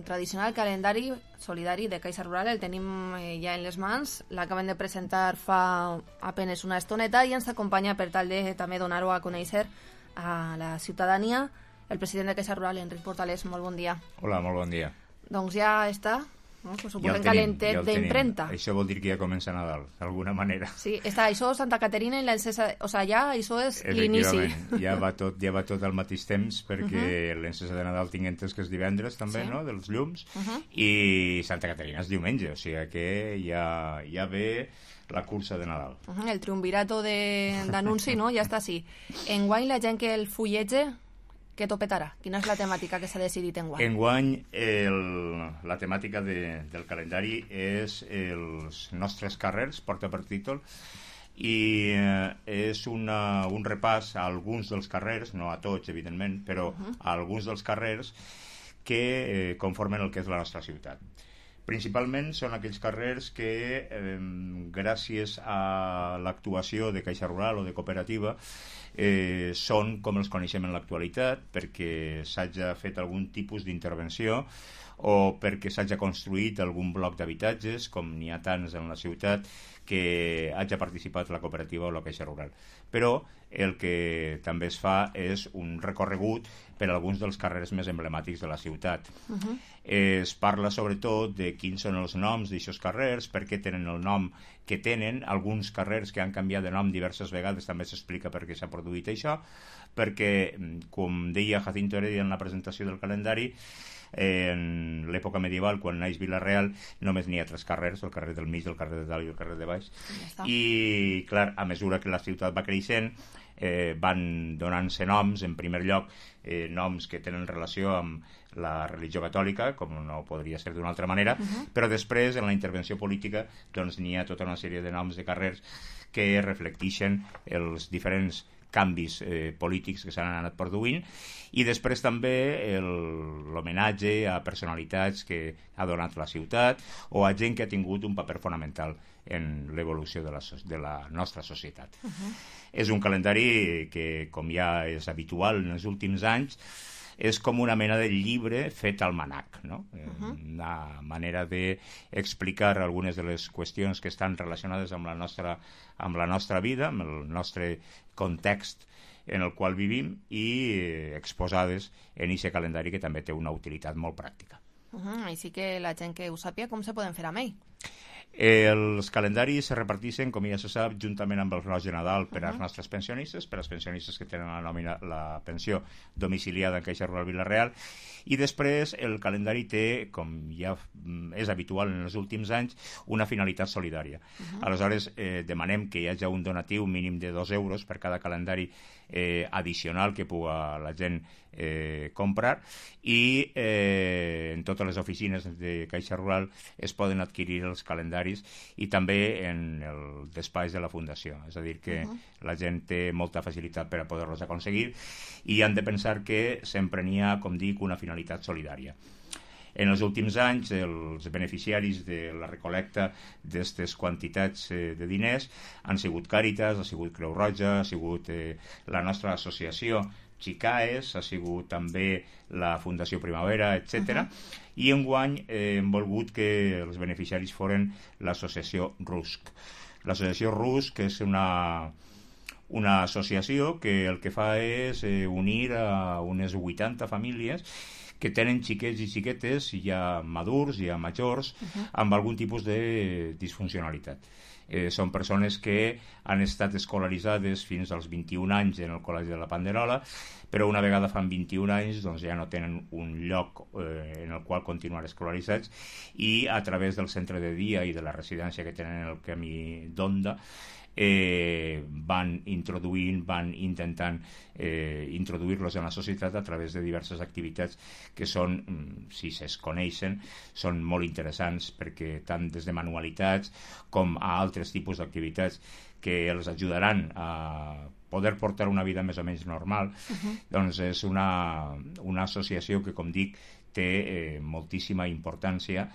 tradicional calendari solidari de Caixa Rural. El tenim ja en les mans, l'acaben de presentar fa apenes una estoneta i ens acompanya per tal de també donar-ho a conèixer a la ciutadania el president de Caixa Rural, Enric Portales. Molt bon dia. Hola, molt bon dia. Doncs ja està, no? Pues suposem ja calentet ja d'imprenta. Això vol dir que ja comença Nadal, d'alguna manera. Sí, està això Santa Caterina i l'encesa, o sigui, ja això és l'inici. Ja va tot, ja va tot al mateix temps, perquè uh -huh. l'encesa de Nadal tinc entès que és divendres també, sí. no?, dels llums, uh -huh. i Santa Caterina és diumenge, o sigui que ja, ja ve la cursa de Nadal. Uh -huh. El triumvirato d'anunci, no?, ja està així. Enguany la gent que el fullege, què topetarà? Quina és la temàtica que s'ha decidit enguany? Enguany el, la temàtica de, del calendari és els nostres carrers, porta per títol, i eh, és una, un repàs a alguns dels carrers, no a tots evidentment, però uh -huh. a alguns dels carrers que eh, conformen el que és la nostra ciutat. Principalment són aquells carrers que eh, gràcies a l'actuació de Caixa Rural o de cooperativa eh, són com els coneixem en l'actualitat, perquè s'hagi fet algun tipus d'intervenció o perquè s'hagi construït algun bloc d'habitatges, com n'hi ha tants en la ciutat, que hagi participat la cooperativa o la Caixa Rural. Però el que també es fa és un recorregut per alguns dels carrers més emblemàtics de la ciutat. Uh -huh. Es parla sobretot de quins són els noms d'aixòs carrers, per què tenen el nom que tenen, alguns carrers que han canviat de nom diverses vegades, també s'explica per què s'ha produït això, perquè, com deia Jacinto Heredia en la presentació del calendari, en l'època medieval, quan naix Vila-real, només n'hi ha tres carrers, el carrer del mig, el carrer de dalt i el carrer de baix. Ja I, clar, a mesura que la ciutat va creixent, eh, van donant-se noms, en primer lloc, eh, noms que tenen relació amb la religió catòlica, com no podria ser d'una altra manera, uh -huh. però després, en la intervenció política, doncs n'hi ha tota una sèrie de noms de carrers que reflecteixen els diferents canvis eh, polítics que s'han anat produint, i després també l'homenatge a personalitats que ha donat la ciutat o a gent que ha tingut un paper fonamental en l'evolució de, la, de la nostra societat. Uh-huh. És un calendari que, com ja és habitual en els últims anys, és com una mena de llibre fet al manac, no? Uh-huh. Una manera d'explicar algunes de les qüestions que estan relacionades amb la nostra, amb la nostra vida, amb el nostre context en el qual vivim i eh, exposades en aquest calendari que també té una utilitat molt pràctica. Uh-huh. Així que la gent que ho sàpia, com se poden fer amb ell? Els calendaris se reparteixen, com ja se sap, juntament amb el reloj de Nadal per als uh-huh. nostres pensionistes, per als pensionistes que tenen la, nòmina, la pensió domiciliada en Caixa Rural Vila-real, i després el calendari té, com ja és habitual en els últims anys, una finalitat solidària. Uh-huh. Aleshores, eh, demanem que hi hagi un donatiu mínim de dos euros per cada calendari eh, addicional que puga la gent eh, comprar, i eh, en totes les oficines de Caixa Rural es poden adquirir els calendaris i també en el despatx de la Fundació. És a dir, que uh-huh. la gent té molta facilitat per a poder-los aconseguir i han de pensar que sempre n'hi ha, com dic, una finalitat solidària. En els últims anys, els beneficiaris de la recolecta d'aquestes quantitats eh, de diners han sigut Càritas, ha sigut Creu Roja, ha sigut eh, la nostra associació Xicaes, ha sigut també la Fundació Primavera, etcètera. Uh-huh. I enguany eh, hem volgut que els beneficiaris foren l'associació RUSC. L'associació RUSC és una, una associació que el que fa és eh, unir a unes vuitanta famílies que tenen xiquets i xiquetes, ja madurs, ja majors, uh-huh. amb algun tipus de disfuncionalitat. Eh, són persones que han estat escolaritzades fins als vint-i-un anys en el Col·legi de la Panderola, però una vegada fan vint-i-un anys doncs ja no tenen un lloc eh, en el qual continuar escolaritzats, i a través del centre de dia i de la residència que tenen en el camí d'Onda eh, van introduint, van intentant eh, introduir-los en la societat a través de diverses activitats que són, si es coneixen, són molt interessants, perquè tant des de manualitats com a altres tipus d'activitats que els ajudaran a poder portar una vida més o menys normal, uh-huh. doncs és una, una associació que, com dic, té eh, moltíssima importància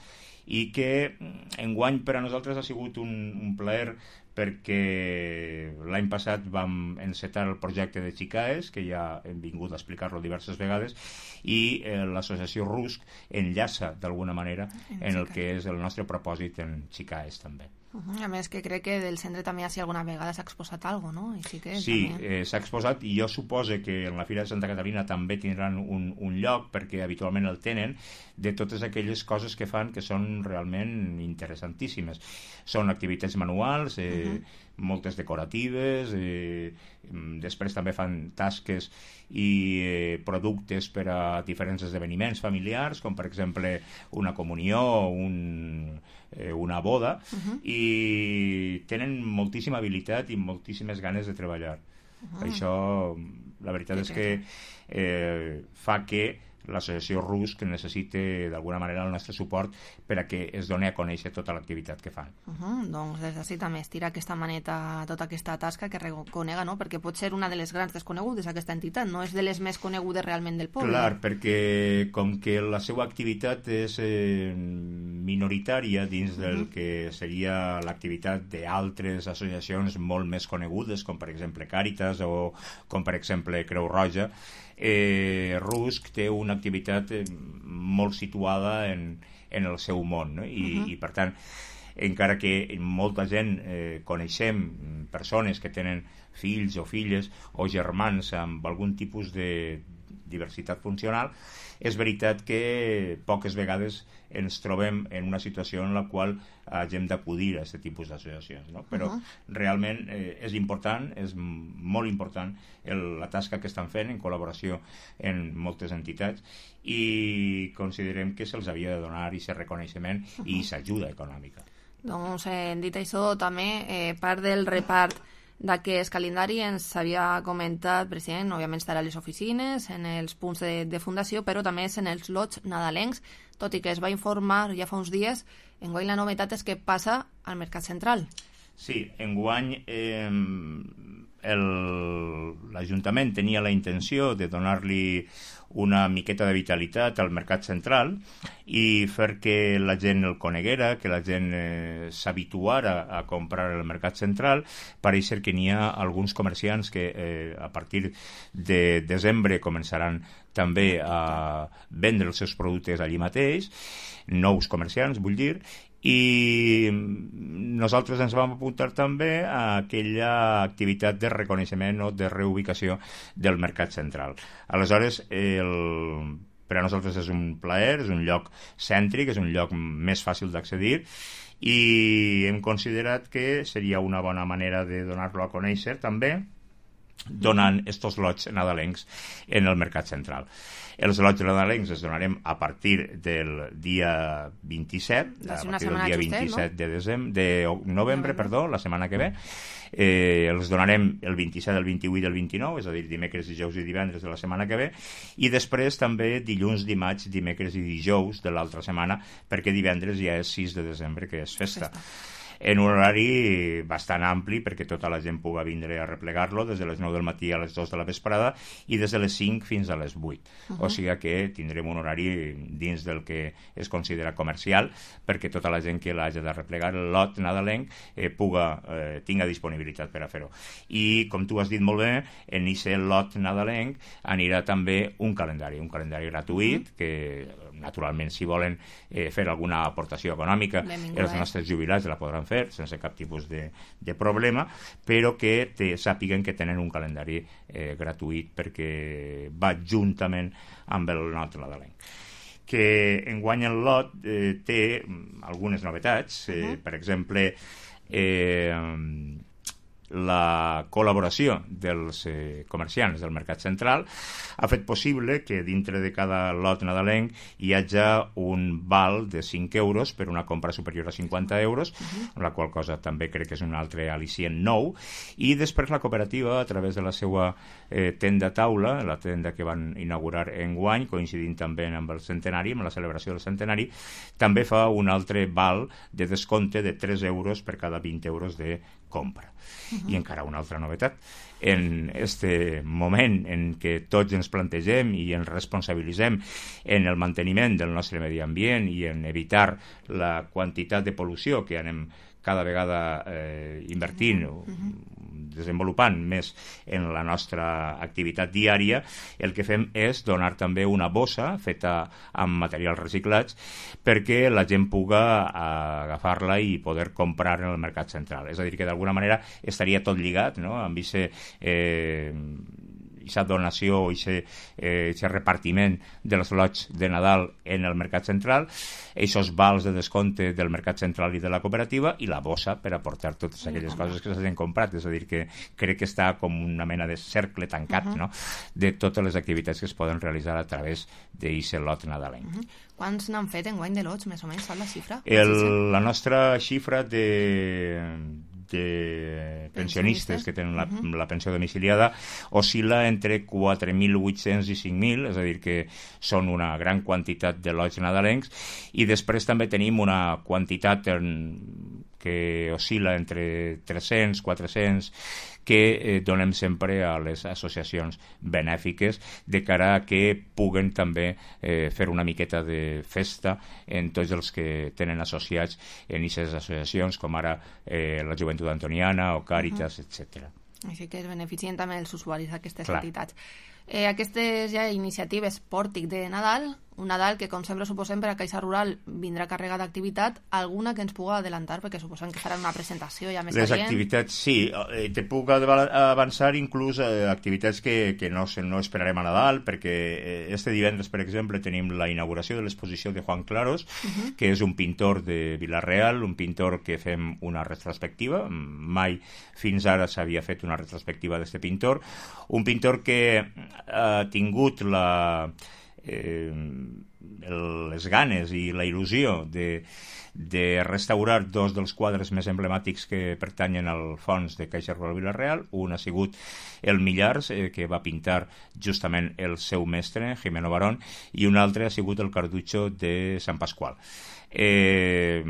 i que enguany per a nosaltres ha sigut un, un plaer, perquè l'any passat vam encetar el projecte de Xicaes, que ja hem vingut a explicar-lo diverses vegades, i eh, l'associació RUSC enllaça d'alguna manera en, en el que és el nostre propòsit en Xicaes també. Uh-huh. A més que crec que del centre també si alguna vegada s'ha exposat alguna cosa, no? I sí, que sí eh, s'ha exposat, i jo supose que en la Fira de Santa Caterina també tindran un, un lloc, perquè habitualment el tenen, de totes aquelles coses que fan que són realment interessantíssimes. Són activitats manuals, eh, uh-huh. moltes decoratives, eh, després també fan tasques i eh, productes per a diferents esdeveniments familiars, com per exemple una comunió o un, eh, una boda, uh-huh. i tenen moltíssima habilitat i moltíssimes ganes de treballar. Uh-huh. Això, la veritat sí, és que eh, fa que l'associació RUSC necessita d'alguna manera el nostre suport per a que es doni a conèixer tota l'activitat que fan. Uh-huh. Doncs des d'ací també estira aquesta maneta tota aquesta tasca que reconega, no? Perquè pot ser una de les grans desconegudes aquesta entitat, no és de les més conegudes realment del poble. Clar, perquè com que la seva activitat és eh, minoritària dins uh-huh. del que seria l'activitat d'altres associacions molt més conegudes, com per exemple Càritas o com per exemple Creu Roja, eh, RUSC té una activitat eh, molt situada en, en el seu món, no? I, uh-huh. i per tant, encara que molta gent eh, coneixem persones que tenen fills o filles o germans amb algun tipus de diversitat funcional, és veritat que poques vegades ens trobem en una situació en la qual hagem d'acudir a aquest tipus d'associacions, no? Però uh-huh. realment eh, és important, és molt important el, la tasca que estan fent en col·laboració en moltes entitats, i considerem que se'ls havia de donar i aquest reconeixement uh-huh. i s'ajuda econòmica. Doncs, eh, dit això, també eh, part del repart d'aquest calendari ens havia comentat, president, òbviament estarà a les oficines, en els punts de, de fundació, però també és en els lots nadalencs, tot i que es va informar ja fa uns dies, enguany la novetat és que passa al Mercat Central. Sí, enguany eh, el, l'Ajuntament tenia la intenció de donar-li una miqueta de vitalitat al mercat central i fer que la gent el coneguera, que la gent eh, s'habituara a comprar el mercat central. Pareix ser que n'hi ha alguns comerciants que eh, a partir de desembre començaran també a vendre els seus productes allí mateix, nous comerciants, vull dir, i nosaltres ens vam apuntar també a aquella activitat de reconeixement o de reubicació del mercat central. Aleshores, el, per a nosaltres és un plaer, és un lloc cèntric, és un lloc més fàcil d'accedir i hem considerat que seria una bona manera de donar-lo a conèixer també donant estos lots nadalencs en el mercat central. Els lots nadalencs els donarem a partir del dia vint-i-set, a partir del dia vint-i-set de desembre, de novembre, perdó, la setmana que ve. Eh, els donarem el vint-i-set, el vint-i-vuit i el vint-i-nou, és a dir, dimecres, dijous i divendres de la setmana que ve, i després també dilluns, dimarts, dimecres i dijous de l'altra setmana, perquè divendres ja és sis de desembre, que és festa. En un horari bastant ampli perquè tota la gent pugui vindre a replegar-lo des de les nou del matí a les dos de la vesprada i des de les cinc fins a les vuit. Uh -huh. O sigui que tindrem un horari dins del que es considera comercial perquè tota la gent que l'hagi de replegar el lot nadalenc eh, puga, eh, tinga disponibilitat per a fer-ho. I com tu has dit molt bé, en aquest lot nadalenc anirà també un calendari, un calendari gratuït uh -huh. que naturalment si volen eh, fer alguna aportació econòmica els nostres jubilats la podran fer sense cap tipus de, de problema, però que te, sàpiguen que tenen un calendari eh, gratuït perquè va juntament amb el lot nadalenc. Que enguany el lot eh, té algunes novetats, eh, uh-huh. per exemple eh, la col·laboració dels eh, comerciants del mercat central ha fet possible que dintre de cada lot nadalenc hi hagi un val de cinc euros per una compra superior a cinquanta euros, uh-huh. la qual cosa també crec que és un altre al·licient nou, i després la cooperativa, a través de la seva eh, tenda taula, la tenda que van inaugurar enguany, coincidint també amb el centenari, amb la celebració del centenari, també fa un altre val de descompte de tres euros per cada vint euros de compra. Uh-huh. I encara una altra novetat. En este moment en què tots ens plantegem i ens responsabilitzem en el manteniment del nostre medi ambient i en evitar la quantitat de pol·lució que anem cada vegada eh, invertint uh-huh. desenvolupant més en la nostra activitat diària, el que fem és donar també una bossa feta amb materials reciclats perquè la gent puga agafar-la i poder comprar en el mercat central. És a dir, que d'alguna manera estaria tot lligat, no?, amb aquest eh, aquesta donació, aquest eh, repartiment dels lots de Nadal en el mercat central, aquests vals de descompte del mercat central i de la cooperativa i la bossa per aportar totes aquelles coses que s'han comprat. És a dir, que crec que està com una mena de cercle tancat, uh-huh. no?, de totes les activitats que es poden realitzar a través d'aquest lot nadalenc. Uh-huh. Quants n'han fet enguany de lots, més o menys, saps la xifra? El, la nostra xifra de... de pensionistes que tenen la, uh-huh. la pensió domiciliada oscil·la entre quatre mil vuit-cents i cinc mil, és a dir que són una gran quantitat de lots nadalencs, i després també tenim una quantitat en, que oscil·la entre tres-cents, quatre-cents, que eh, donem sempre a les associacions benèfiques de cara a que puguen també eh, fer una miqueta de festa en tots els que tenen associats en aquestes associacions, com ara eh, la Joventut Antoniana o Càritas, uh-huh. etcètera. Així que es beneficien també els usuaris d'aquestes entitats. Eh, aquestes ja iniciatives pòrtic de Nadal, un Nadal que, com sempre suposem, per a Caixa Rural vindrà càrrega d'activitat, alguna que ens puga adelantar, perquè suposem que faran una presentació ja més Les adient. activitats, sí, eh, te puc avançar inclús eh, activitats que, que no, no esperarem a Nadal, perquè eh, este divendres, per exemple, tenim la inauguració de l'exposició de Juan Claros, uh-huh. que és un pintor de Vila-real, un pintor que fem una retrospectiva, mai fins ara s'havia fet una retrospectiva d'aquest pintor, un pintor que ha tingut la... Eh, les ganes i la il·lusió de, de restaurar dos dels quadres més emblemàtics que pertanyen al fons de Caixa Rural Vila-real. Un ha sigut el Millars, eh, que va pintar justament el seu mestre, Jimeno Barón, i un altre ha sigut el Carducho de Sant Pasqual. Eh,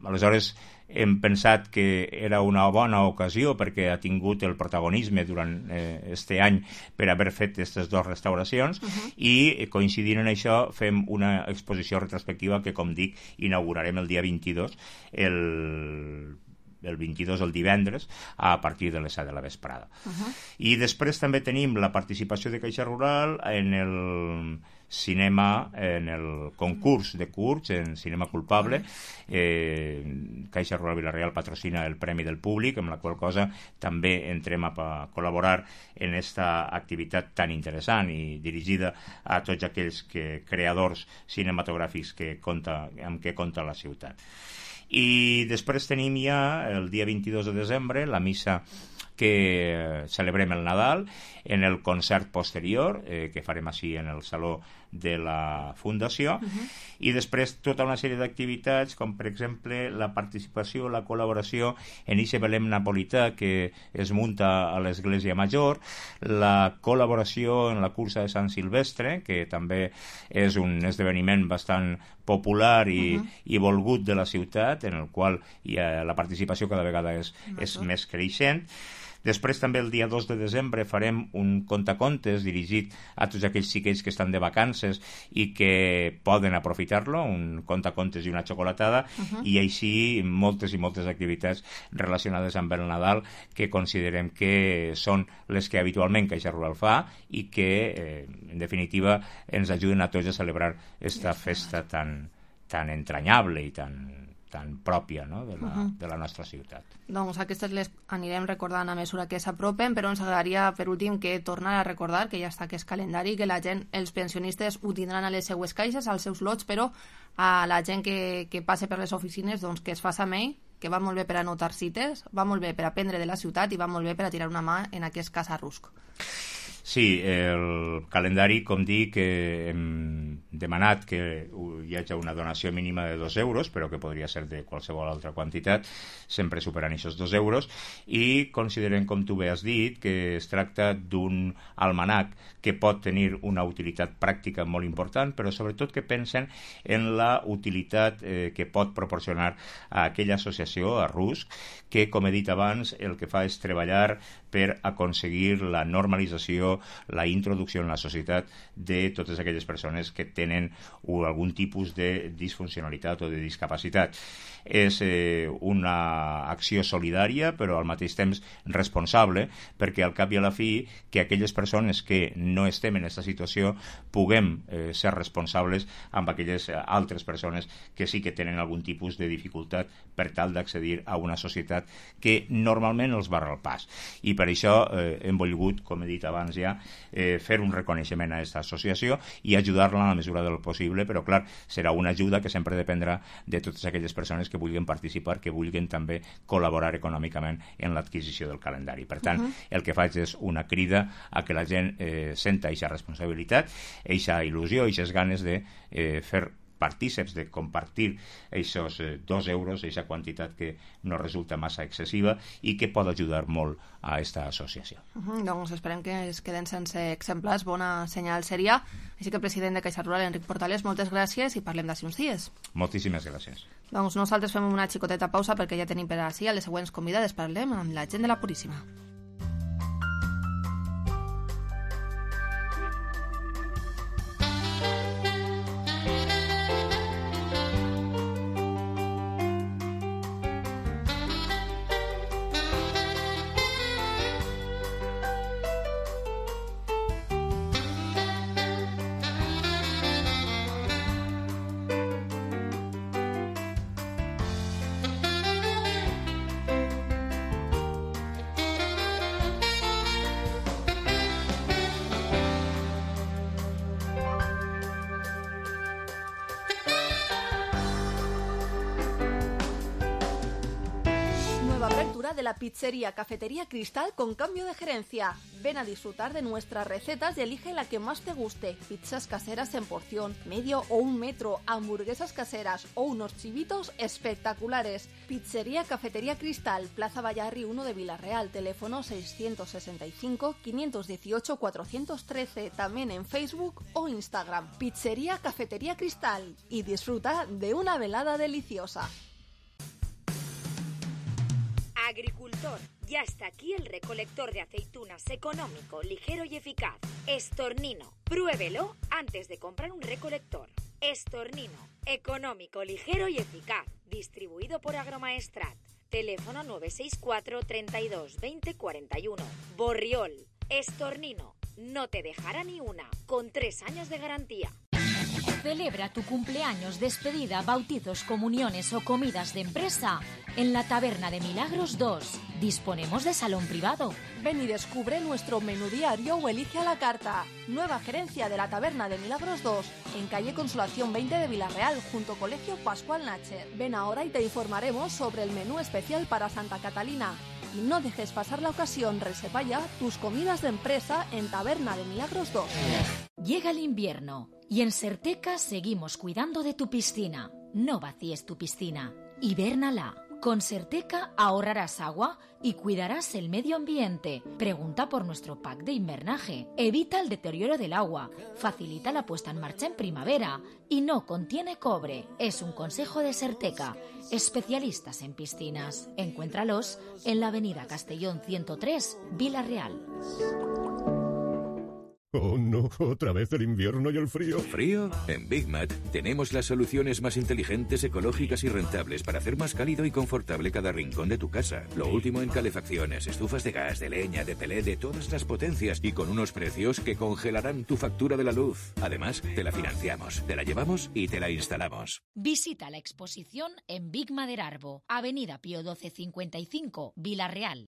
aleshores, hem pensat que era una bona ocasió perquè ha tingut el protagonisme durant eh, este any per haver fet aquestes dues restauracions uh-huh. i coincidint en això fem una exposició retrospectiva que, com dic, inaugurarem el dia vint-i-dos, el el vint-i-dos, el divendres, a partir de les set de la vesprada. Uh-huh. I després també tenim la participació de Caixa Rural en el cinema, en el concurs de curts, en cinema culpable. Eh, Caixa Rural Vila-real patrocina el Premi del Públic, amb la qual cosa també entrem a col·laborar en esta activitat tan interessant i dirigida a tots aquells que, creadors cinematogràfics que compta, amb què compta la ciutat. I després tenim ja el dia vint-i-dos de desembre la missa que celebrem el Nadal en el concert posterior eh, que farem així en el saló de la Fundació uh-huh. i després tota una sèrie d'activitats com per exemple la participació, la col·laboració en eixe Belém napolità que es munta a l'Església Major, la col·laboració en la cursa de Sant Silvestre que també és un esdeveniment bastant popular i, uh-huh. i volgut de la ciutat en el qual hi ha, la participació cada vegada és, és més creixent. Després també el dia dos de desembre farem un contacontes dirigit a tots aquells xiquets que estan de vacances i que poden aprofitar-lo, un contacontes i una xocolatada uh-huh. i així moltes i moltes activitats relacionades amb el Nadal que considerem que són les que habitualment Caixa Rural fa i que eh, en definitiva ens ajuden a tots a celebrar esta festa tan, tan entranyable i tan tan pròpia, no? de, la, uh-huh. de la nostra ciutat. Doncs aquestes les anirem recordant a mesura que s'apropen, però ens agradaria per últim que tornar a recordar que ja està aquest calendari, que la gent, els pensionistes ho tindran a les seues caixes, als seus lots, però a la gent que, que passe per les oficines doncs que es faça mail, que va molt bé per anotar cites, va molt bé per aprendre de la ciutat i va molt bé per a tirar una mà en aquest cas a Rusc. Sí, el calendari, com dic, eh, hem demanat que hi hagi una donació mínima de dos euros, però que podria ser de qualsevol altra quantitat, sempre superant aquests dos euros, i considerem, com tu bé has dit, que es tracta d'un almanac que pot tenir una utilitat pràctica molt important, però sobretot que pensen en la utilitat eh, que pot proporcionar a aquella associació, a Rusc, que, com he dit abans, el que fa és treballar per aconseguir la normalització, la introducció en la societat de totes aquelles persones que tenen algun tipus de disfuncionalitat o de discapacitat. És eh, una acció solidària, però al mateix temps responsable, perquè al cap i a la fi que aquelles persones que no estem en aquesta situació puguem eh, ser responsables amb aquelles altres persones que sí que tenen algun tipus de dificultat per tal d'accedir a una societat que normalment els barra el pas. I per això eh, hem volgut, com he dit abans ja, eh, fer un reconeixement a aquesta associació i ajudar-la en la mesura del possible, però clar, serà una ajuda que sempre dependrà de totes aquelles persones que vulguin participar, que vulguin també col·laborar econòmicament en l'adquisició del calendari. Per tant, uh-huh. el que faig és una crida a que la gent eh, senta aquesta responsabilitat, aquesta il·lusió, aquestes ganes de eh, fer partíceps, de compartir aquests eh, dos euros, aquesta quantitat que no resulta massa excessiva i que pot ajudar molt a aquesta associació. Uh-huh, doncs esperem que es queden sense exemplars, bona senyal seria. Així que, president de Caixa Rural, Enric Portales, moltes gràcies i parlem d'ací uns dies. Moltíssimes gràcies. Doncs nosaltres fem una xicoteta pausa perquè ja tenim per ací a les següents convidades. Parlem amb la gent de la Puríssima. De la pizzería Cafetería Cristal con cambio de gerencia. Ven a disfrutar de nuestras recetas y elige la que más te guste. Pizzas caseras en porción, medio o un metro, hamburguesas caseras o unos chivitos espectaculares. Pizzería Cafetería Cristal, Plaza Vallarri uno de Vila-real, teléfono seiscientos sesenta y cinco, quinientos dieciocho, cuatrocientos trece, también en Facebook o Instagram. Pizzería Cafetería Cristal y disfruta de una velada deliciosa. Agricultor, ya está aquí el recolector de aceitunas económico, ligero y eficaz. Estornino, pruébelo antes de comprar un recolector. Estornino, económico, ligero y eficaz. Distribuido por Agromaestrat. Teléfono nueve seis cuatro, treinta y dos, veinte, cuarenta y uno. Borriol, Estornino, no te dejará ni una, con tres años de garantía. Celebra tu cumpleaños, despedida, bautizos, comuniones o comidas de empresa en la Taberna de Milagros dos. Disponemos de salón privado. Ven y descubre nuestro menú diario o elige a la carta. Nueva gerencia de la Taberna de Milagros dos, en calle Consolación veinte de Villarreal, junto Colegio Pascual Nacher. Ven ahora y te informaremos sobre el menú especial para Santa Catalina. Y no dejes pasar la ocasión, reserva ya tus comidas de empresa en Taberna de Milagros dos. Llega el invierno y en Serteca seguimos cuidando de tu piscina. No vacíes tu piscina, hibérnala. Con Serteca ahorrarás agua y cuidarás el medio ambiente. Pregunta por nuestro pack de invernaje. Evita el deterioro del agua, facilita la puesta en marcha en primavera y no contiene cobre. Es un consejo de Serteca, especialistas en piscinas. Encuéntralos en la avenida Castellón ciento tres, Villarreal. Oh, no, otra vez el invierno y el frío. ¿Frío? En Big Mat tenemos las soluciones más inteligentes, ecológicas y rentables para hacer más cálido y confortable cada rincón de tu casa. Lo último en calefacciones, estufas de gas, de leña, de pelé, de todas las potencias y con unos precios que congelarán tu factura de la luz. Además, te la financiamos, te la llevamos y te la instalamos. Visita la exposición en Big Maderarbo, avenida Pío doce cincuenta y cinco, Villarreal.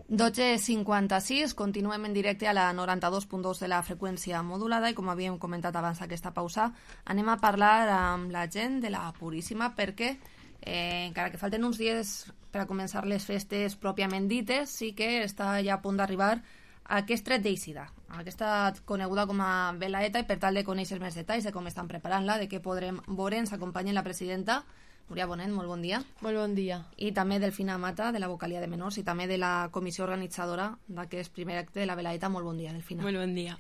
dotze cinquanta-sis, continuem en directe a la noranta-dos punt dos de la freqüència modulada i com havíem comentat abans aquesta pausa, anem a parlar amb la gent de la Puríssima perquè eh, encara que falten uns dies per a començar les festes pròpiament dites, sí que està ja a punt d'arribar aquest tret d'eixida, aquesta coneguda com a velaeta, i per tal de conèixer més detalls de com estan preparant-la, de què podrem veure, ens acompanya la presidenta Núria Bonet, molt bon dia. Molt bon dia. I també Delfina Mata, de la Vocalia de Menors, i també de la comissió organitzadora d'aquest primer acte de la velaeta. Molt bon dia, Delfina. Molt bon dia.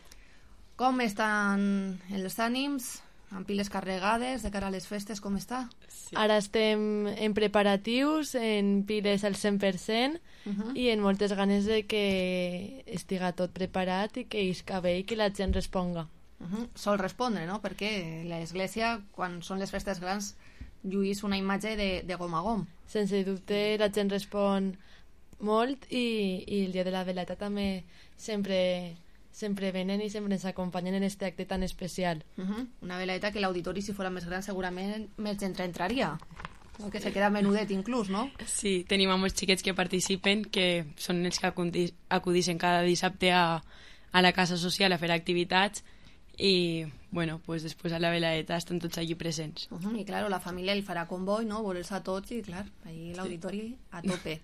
Com estan els ànims? Amb piles carregades de cara a les festes, com està? Sí. Ara estem en preparatius, en piles al cent per cent uh -huh. i en moltes ganes de que estiga tot preparat i que isca bé i que la gent responga. Uh -huh. Sol respondre, no? Perquè l'Església, quan són les festes grans, lluís una imatge de, de gom a gom. Sense dubte, la gent respon molt i, i el dia de la veleta també sempre... sempre venen i sempre ens acompanyen en aquest acte tan especial. Uh -huh. Una veleta que l'auditori, si fos més gran, segurament més gent entraria. O que se queda menudet inclús, no? Sí, tenim a molts xiquets que participen, que són els que acudixen cada dissabte a, a la casa social a fer activitats i, bueno, pues després a la veleta estan tots allí presents. Uh -huh. I, clar, la família el farà comboi, no? Veure'ls a tots i, clar, allí l'auditori sí. a tope.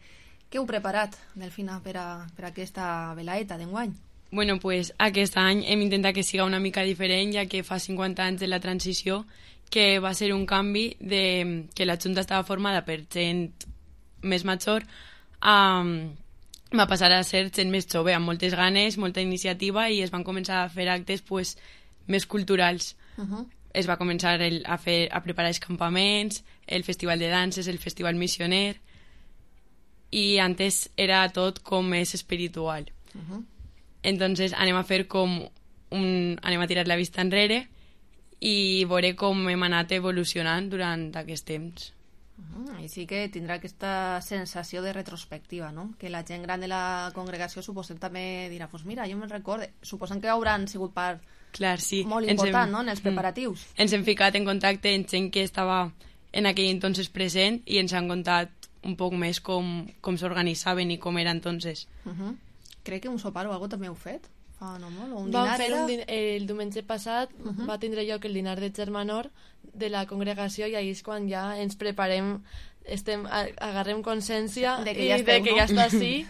Què heu preparat, Delfina, per a, per a aquesta velaeta d'enguany? Bueno, pues aquest any hem intentat que siga una mica diferent, ja que fa cinquanta anys de la transició, que va ser un canvi de que la Junta estava formada per gent més major, um, va passar a ser gent més jove, amb moltes ganes, molta iniciativa, i es van començar a fer actes pues, més culturals. Uh -huh. Es va començar el, a, fer, a preparar els campaments, el festival de danses, el festival missioner, i antes era tot com més espiritual. Uh -huh. Entonces anem a fer com un, anem a tirar la vista enrere i veure com hem anat evolucionant durant aquest temps. Uh -huh. I sí que tindrà aquesta sensació de retrospectiva, no? Que la gent gran de la congregació suposem també dirà, pues mira, jo me'n recordo, suposem que hauran sigut part Clar, sí. molt important, hem, no?, en els preparatius. Mm, ens hem ficat en contacte amb gent que estava en aquell entonces present i ens han contat un poc més com, com s'organitzaven i com era entonces. Uh -huh. Crec que un sopar o alguna cosa també heu fet fa no molt, o un Vam dinar fer era... un din el diumenge passat uh -huh. va tindre lloc el dinar de germanor de la congregació i ahir és quan ja ens preparem, estem, agarrem consciència de que i ja esteu, de que no? ja està així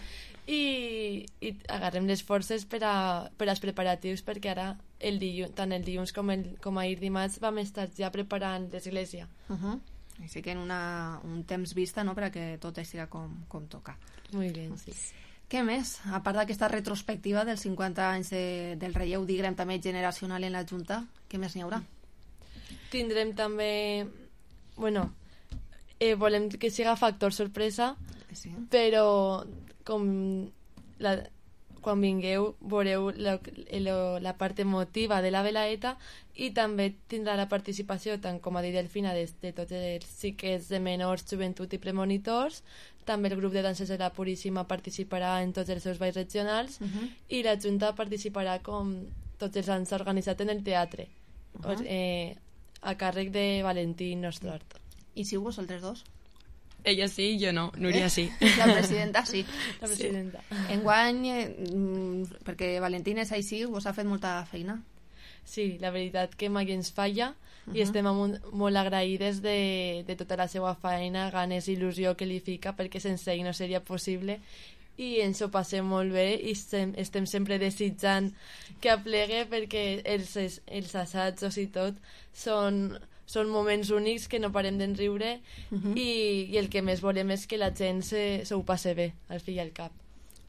i, i agarrem les forces per, a, per als preparatius, perquè ara el dilluns, tant el dilluns com, el, com ahir dimarts vam estar ja preparant l'església. Uh -huh. Així que en una, un temps vista, no?, perquè tot estirà com, com toca. Molt bé, sí. Què més? A part d'aquesta retrospectiva dels cinquanta anys de, del relleu, diguem, també generacional en la Junta, què més n'hi haurà? Tindrem també... Bueno, eh, volem que siga factor sorpresa, sí. Però com la, quan vingueu veureu la, la, la part emotiva de la velaeta i també tindrà la participació, tant com ha dit Delfina, de, de tots els xiquets de menors, joventut i premonitors. També el grup de danses de la Puríssima participarà en tots els seus balls regionals uh -huh. i la Junta participarà, com tots els anys organitzat, en el teatre, uh -huh. eh, a càrrec de Valentí Nostrart. I si vosaltres dos? Ella sí, jo no, Núria sí. La presidenta sí. La presidenta. Sí. Enguany, eh, perquè Valentín és així, vos ha fet molta feina. Sí, la veritat que mai ens falla uh -huh. i estem molt, molt agraïdes de, de tota la seva feina, ganes i il·lusió que li fica, perquè sense ell no seria possible, i ens ho passem molt bé i estem, estem sempre desitjant que aplegue, perquè els, els assajos i tot són... són moments únics que no parem d'enriure uh -huh. i, i el que més volem és que la gent se, se ho passe bé, al fi i al cap.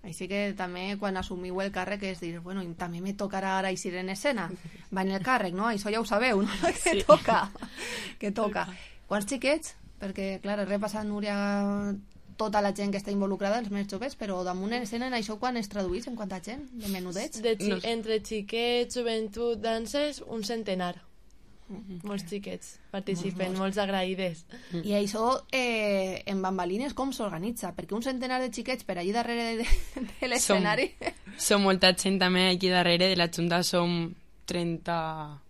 Així que també quan assumiu el càrrec és dir, bueno, també me tocarà ara eixir en escena. Va en el càrrec, no? Això ja ho sabeu, no? Que sí. toca. Que toca. Quants xiquets? Perquè, clar, he repassat, Núria, tota la gent que està involucrada, els més joves, però damunt en escena, en això quan es traduís, en quanta gent? De menudets? De xi- no. Entre xiquets, joventut, danses, un centenar. Molts xiquets participen, molts, molts agraïdes. I això eh, en bambalines com s'organitza? Perquè un centenar de xiquets per allí darrere de, de l'escenari... Som, som molta gent també aquí darrere, de la Junta som trenta,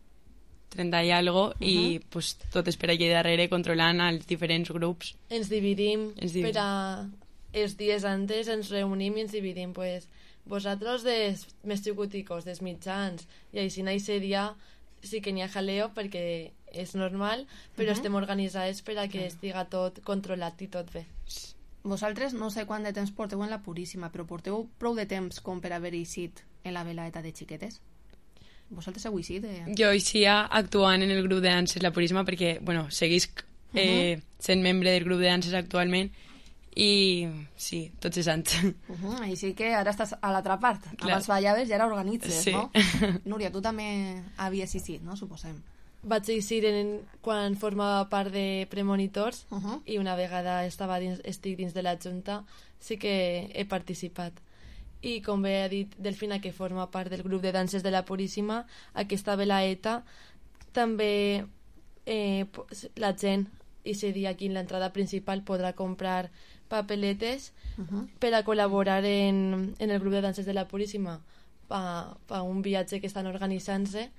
trenta i algo, uh -huh. i pues, totes per allí darrere controlant els diferents grups. Ens dividim, ens dividim. Per a els dies antes ens reunim i ens dividim, pues, vosaltres dels més xicoticos, dels mitjans, i així aquest dia sí que n'hi ha jaleo perquè és normal, però uh-huh. estem organitzades per a que estiga tot controlat i tot bé. Vosaltres no sé quant de temps porteu en la Puríssima, però porteu prou de temps com per haver eixit en la velaeta de xiquetes? Vosaltres heu eixit? Eh? Jo eixia actuant en el grup de danses La Puríssima perquè, bueno, seguís eh, uh-huh. sent membre del grup de danses actualment i sí, tots els anys. Uh -huh, així que ara estàs a l'altra part. Clar. Abans ballaves i ara organitzes, sí. no? Núria, tu també havies eixit, no? Suposem. Vaig eixir en, quan formava part de premonitors uh -huh. i una vegada estava dins, estic dins de la Junta, sí que he participat. I com bé ha dit Delfina, que forma part del grup de danses de la Puríssima, aquesta velaeta també eh, la gent, i se dia aquí en l'entrada principal, podrà comprar papeletes uh -huh. per a col·laborar en, en el grup de danses de la Puríssima pa, pa un viatge que estan organitzant-se,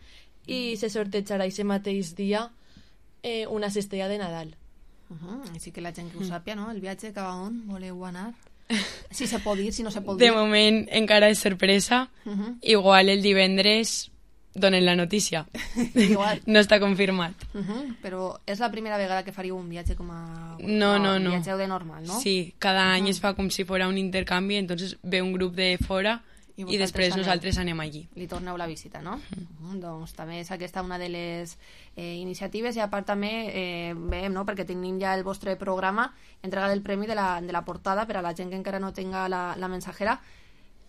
i se sortejarà aquest mateix dia eh, una cistella de Nadal. Uh -huh. Així que la gent que ho sàpia, no? El viatge cap a on voleu anar? Si se pot dir, si no se pot dir. De moment encara és sorpresa. Uh -huh. Igual el divendres donen la notícia. Igual. No està confirmat. Uh -huh. Però és la primera vegada que faríeu un viatge com a... No, no, no. Un viatge de normal, no? Sí, cada any uh -huh. es fa com si fos un intercanvi, entonces ve un grup de fora i, i després aneu. Nosaltres anem allí. Li torneu la visita, no? Uh -huh. Uh -huh. Doncs també és aquesta una de les eh, iniciatives, i a part també eh, veiem, no?, perquè tenim ja el vostre programa, entrega del premi de la, de la portada per a la gent que encara no tenga la, la mensajera.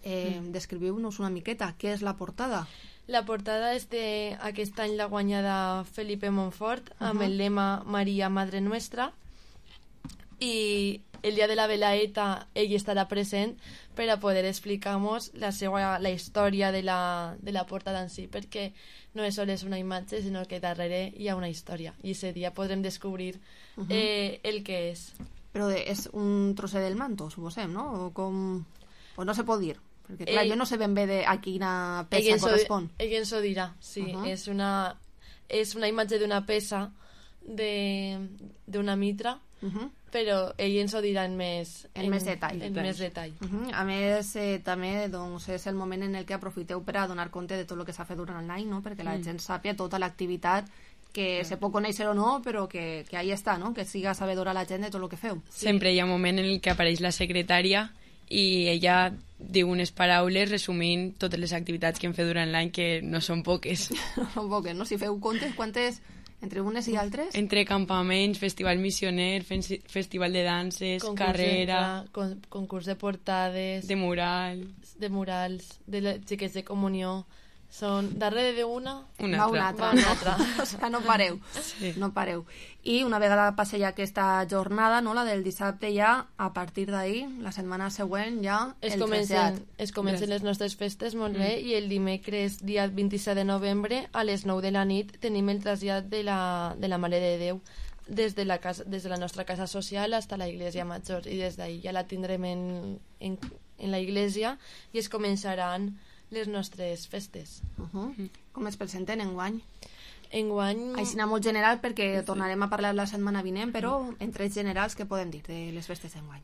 Eh, mm. Descriviu-nos una miqueta, què és la portada? La portada és de aquest any la guanyada Felipe Montfort, uh -huh. amb el lema Maria Madre Nuestra, i el dia de la velaeta ell estarà present per a poder explicar-nos la seva, la història de la, de la portada en si, perquè no és sols una imatge, sinó que darrere hi ha una història, i ese dia podrem descobrir uh -huh. eh, el que és. Però és un trosset del manto, suposem, no? O com... O no se pot dir? Perquè, clar, ell, jo no sé ben bé de a quina peça ell correspon. Ell ens ho dirà, sí. Uh -huh. És una, és una imatge d'una peça d'una mitra, uh -huh. però ell ens ho dirà en més, en, en més detall. En més detall. Uh -huh. A més, eh, també doncs, és el moment en el que aprofiteu per a donar compte de tot el que s'ha fet durant l'any, no? Perquè la mm. gent sàpia tota l'activitat, que mm. se pot conèixer o no, però que, que ahí està, no? Que siga sabedora la gent de tot el que feu. Sí. Sempre hi ha un moment en el que apareix la secretària i ella diu unes paraules resumint totes les activitats que hem fet durant l'any, que no són poques. No són poques, no? Si feu comptes, quantes entre unes i altres? Entre campaments, festival missioner, festival de danses, concurs carrera... De, con, concurs de portades... De murals... De murals, de les xiques de comunió... Són darrere d'una... Una altra. Una altra, una altra. O sigui, no pareu. Sí. No pareu. I una vegada passi ja aquesta jornada, no, la del dissabte, ja, a partir d'ahir, la setmana següent, ja, es el comencen, es comencen les nostres festes, molt bé, mm. i el dimecres, dia vint-i-set de novembre, a les nou de la nit, tenim el trasllat de la, de la Mare de Déu des de, la casa, des de la nostra casa social fins a la Iglesia Major, i des d'ahir ja la tindrem en, en, en la Iglesia i es començaran les nostres festes. Uh -huh. Com es presenten enguany? Enguany... Així molt general, perquè sí. tornarem a parlar la setmana vinent, però en trets generals, què podem dir de les festes enguany?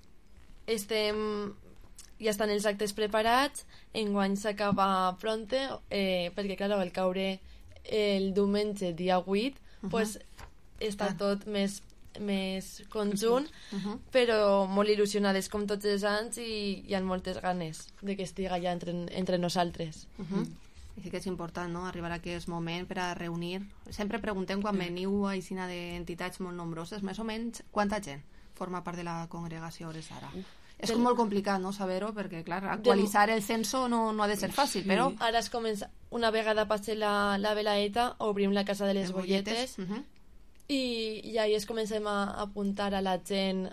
Estem... Ja estan els actes preparats, enguany s'acaba pronte, eh, perquè, clar, al caure el diumenge, dia vuit, uh -huh. pues, està ah. tot més més conjunt, uh -huh. però molt il·lusionades com tots els anys i hi ha moltes ganes de que estiga ja entre, entre nosaltres. Uh -huh. I sí que és important, no?, arribar a aquest moment per a reunir. Sempre preguntem quan veniu a aixina d'entitats molt nombroses, més o menys, quanta gent forma part de la congregació a hores d'ara? Uh. És com molt complicat, no?, saber-ho, perquè, clar, actualitzar el censo no, no ha de ser fàcil, però... Ara es comença, una vegada passi la, la velaeta, obrim la Casa de les Bolletes, uh -huh. i, i ahir es comencem a apuntar a la gent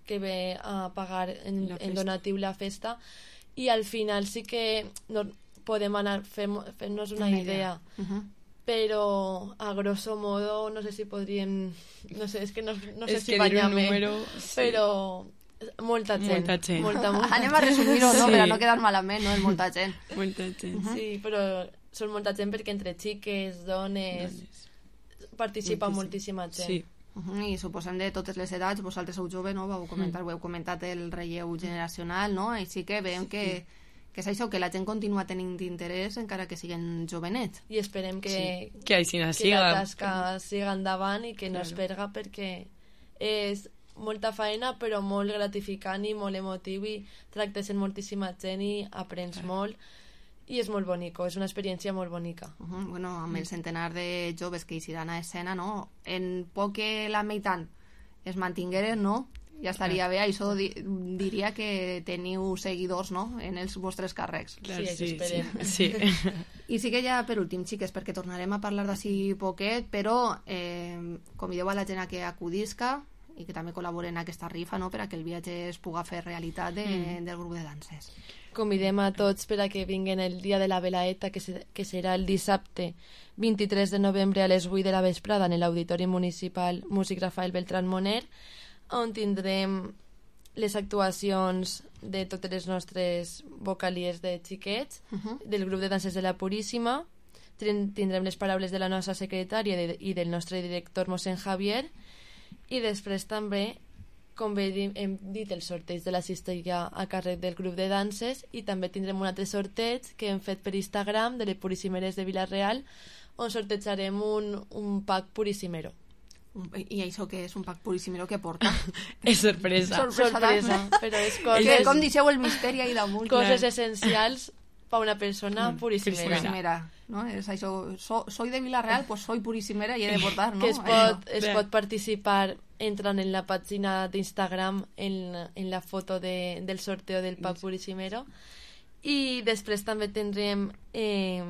que ve a pagar en, en donatiu la festa, i al final sí que no, podem anar fent-nos una idea, idea. Uh -huh. però a grosso modo no sé si podríem, no sé, és que no, no sé es si que banyar-me, número, però molta gent, molta gent. molta, molta. Anem a resumir-ho, no? Sí. Per a no quedar malament, no? És molta gent. Molta gent. Uh -huh. Sí, però són molta gent perquè entre xiques, dones, dones. participa moltíssim. moltíssima gent. Sí. Uh -huh. I suposem de totes les edats, vosaltres sou jove, no? Vau comentar, mm. ho heu comentat el relleu generacional, no? Així que veiem que, que és això, que la gent continua tenint interès encara que siguen jovenets. I esperem que, sí. que, així que siga. la tasca siga endavant i que claro. no es perga, perquè és molta feina però molt gratificant i molt emotiu i tractes amb moltíssima gent i aprens claro. molt i és molt bonico, és una experiència molt bonica. Uh -huh. Bueno, amb el centenar de joves que hi iran a escena, no? En poc que la meitat es mantingueren, no? Ja estaria bé, això di diria que teniu seguidors, no?, en els vostres càrrecs. Sí, sí, esperem. Sí. sí. I sí que ja per últim, xiques, perquè tornarem a parlar d'ací poquet, però eh, convideu a la gent a que acudisca i que també col·laboren en aquesta rifa, no?, per a que el viatge es puga fer realitat de, mm. del grup de danses. Convidem a tots per a que vinguin el dia de la velaeta, que, se, que serà el dissabte vint-i-tres de novembre a les vuit de la vesprada en l'Auditori Municipal Músic Rafael Beltrán Moner, on tindrem les actuacions de totes les nostres vocalies de xiquets, uh -huh. del grup de danses de la Puríssima, tindrem les paraules de la nostra secretària de, i del nostre director mossèn Javier, i després també, com bé hem dit, el sorteig de la cistella a càrrec del grup de danses, i també tindrem un altre sorteig que hem fet per Instagram de les Puríssimeres de Vila-real, on sortejarem un, un pack purissimero. I això què és? Un pack purissimero que porta? És sorpresa. Sorpresa, sorpresa però és coses... Com deixeu el misteri ahí damunt. Coses clar. essencials per una persona mm, purissimera. purissimera. No? És això, so, soy de Vila-real, pues soy purissimera i he de portar, no? Que es pot, es pot participar entrant en la pàgina d'Instagram en, en la foto de, del sorteo del pack purissimero, i després també tindrem eh,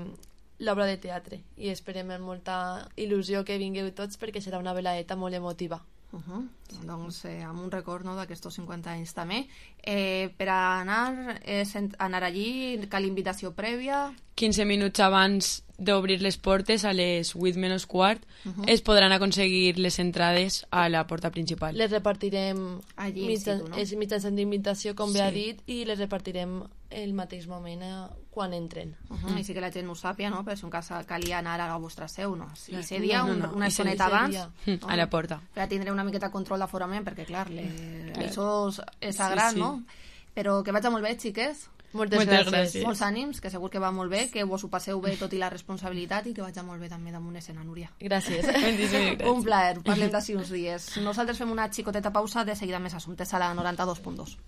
l'obra de teatre i esperem amb molta il·lusió que vingueu tots perquè serà una velaeta molt emotiva. Uh -huh. Doncs eh, amb un record, no, d'aquests cinquanta anys també. Eh, per a anar, eh, anar allí cal invitació prèvia? quinze minuts abans d'obrir les portes, a les vuit menys quart, uh -huh. es podran aconseguir les entrades a la porta principal. Les repartirem allí, mitjan, situ, no? és mitjançant d'invitació, com sí. bé ha dit, i les repartirem el mateix moment eh, quan entren. Uh -huh. Mm. I sí que la gent ho sàpia, no?, però si un cas calia anar a la vostra seu, no? Si ese dia, no, no, no. una estoneta abans, no? A la porta. Per a tindre una miqueta control d'aforament, perquè, clar, le... això és sagrat, sí, sí. no? Però que vagi molt bé, xiques. Moltes, Moltes gràcies. gràcies. Molts ànims, que segur que va molt bé, que vos ho passeu bé tot i la responsabilitat i que vagi molt bé també damunt escena, Núria. Gràcies. Un plaer, parlem d'ací uns dies. Nosaltres fem una xicoteta pausa, de seguida més assumptes a la noranta dos punt dos.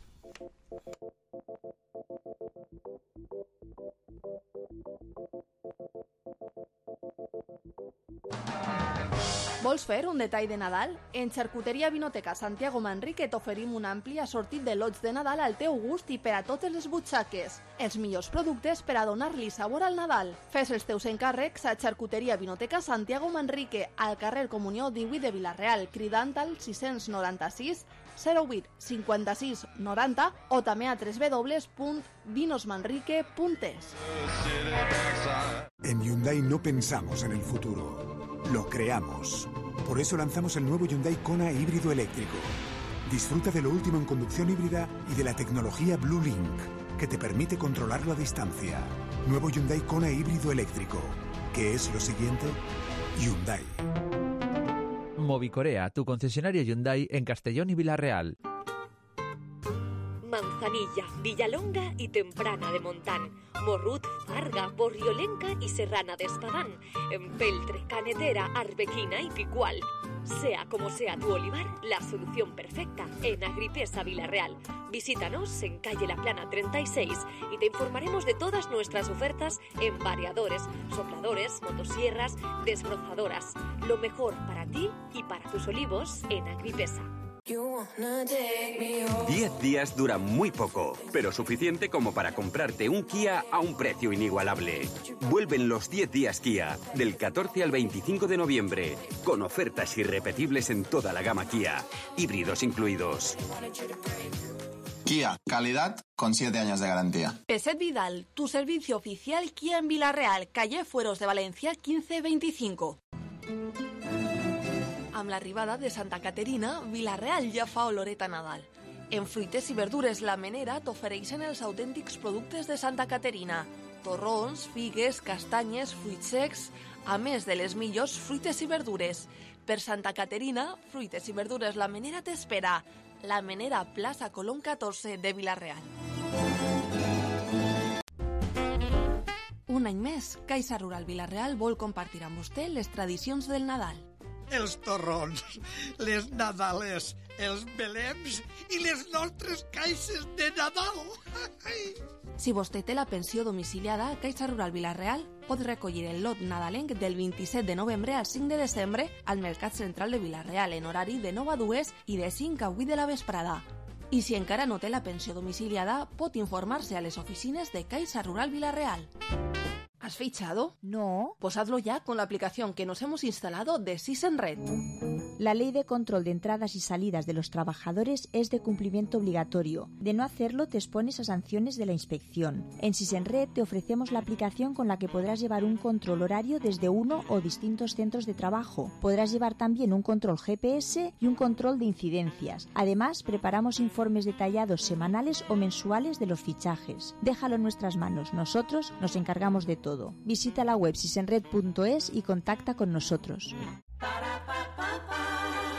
Vols fer un detall de Nadal? En Xarcuteria Vinoteca Santiago Manrique t'oferim un ampli assortit de lots de Nadal al teu gust i per a totes les butxaques. Els millors productes per a donar-li sabor al Nadal. Fes els teus encàrrecs a Xarcuteria Vinoteca Santiago Manrique, al carrer Comunió divuit de Vila-real, cridant al sis nou sis zero vuit cinquanta-sis noranta o també a w w w punt vinos manrique punt es. En Hyundai no pensamos en el futuro, lo creamos. Por eso lanzamos el nuevo Hyundai Kona híbrido eléctrico. Disfruta de lo último en conducción híbrida y de la tecnología Blue Link, que te permite controlarlo a distancia. Nuevo Hyundai Kona híbrido eléctrico. ¿Qué es lo siguiente? Hyundai. Movicorea, tu concesionario Hyundai en Castellón y Vila-real. Manzanilla, Villalonga y Temprana de Montán, Morrut, Farga, Borriolenca y Serrana de Espadán, Empeltre, Canetera, Arbequina y Picual. Sea como sea tu olivar, la solución perfecta en Agripesa Vila-real. Visítanos en calle La Plana treinta y seis y te informaremos de todas nuestras ofertas en variadores, sopladores, motosierras, desbrozadoras. Lo mejor para ti y para tus olivos en Agripesa. Diez días dura muy poco, pero suficiente como para comprarte un Kia a un precio inigualable. Vuelven los diez días Kia, del catorce al veinticinco de noviembre, con ofertas irrepetibles en toda la gama Kia, híbridos incluidos. Kia, calidad con siete años de garantía. Peset Vidal, tu servicio oficial Kia en Vila-real, calle Fueros de Valencia quince veinticinco. Amb l'arribada de Santa Caterina, Vila-real ja fa oloret a Nadal. En fruites i verdures La Menera t'ofereixen els autèntics productes de Santa Caterina. Torrons, figues, castanyes, fruits secs, a més de les millors fruites i verdures. Per Santa Caterina, fruites i verdures La Menera t'espera. La Menera, plaça Colom catorze de Vila-real. Un any més, Caixa Rural Vila-real vol compartir amb vostè les tradicions del Nadal. Els torrons, les nadales, els belems i les nostres caixes de Nadal. Si vostè té la pensió domiciliada, Caixa Rural Vila-real pot recollir el lot nadalenc del vint-i-set de novembre al cinc de desembre al Mercat Central de Vila-real en horari de nou a dues i de cinc a vuit de la vesprada. I si encara no té la pensió domiciliada, pot informar-se a les oficines de Caixa Rural Vila-real. ¿Has fichado? No. Pues hazlo ya con la aplicación que nos hemos instalado de SysEnRed. La ley de control de entradas y salidas de los trabajadores es de cumplimiento obligatorio. De no hacerlo te expones a sanciones de la inspección. En SysEnRed te ofrecemos la aplicación con la que podrás llevar un control horario desde uno o distintos centros de trabajo. Podrás llevar también un control G P S y un control de incidencias. Además, preparamos informes detallados semanales o mensuales de los fichajes. Déjalo en nuestras manos. Nosotros nos encargamos de todo. Visita la web sysenred punto es y contacta con nosotros.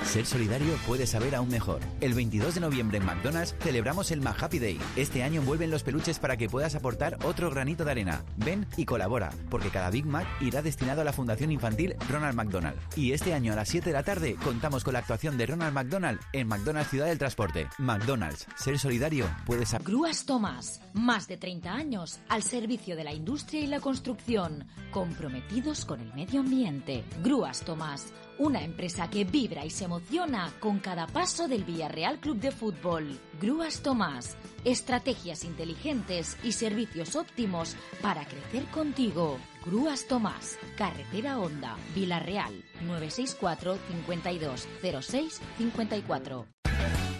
Ser solidario puede saber aún mejor. El veintidós de noviembre en McDonald's celebramos el McHappy Day. Este año vuelven los peluches para que puedas aportar otro granito de arena. Ven y colabora, porque cada Big Mac irá destinado a la Fundación Infantil Ronald McDonald. Y este año a las siete de la tarde contamos con la actuación de Ronald McDonald en McDonald's Ciudad del Transporte. McDonald's, ser solidario puede saber. Grúas Tomás, más de treinta años al servicio de la industria y la construcción, comprometidos con el medio ambiente. Grúas Tomás, una empresa que vibra y se emociona con cada paso del Villarreal Club de Fútbol. Grúas Tomás, estrategias inteligentes y servicios óptimos para crecer contigo. Grúas Tomás, Carretera Honda, Villarreal, nueve seis cuatro, cincuenta y dos, cero seis, cincuenta y cuatro.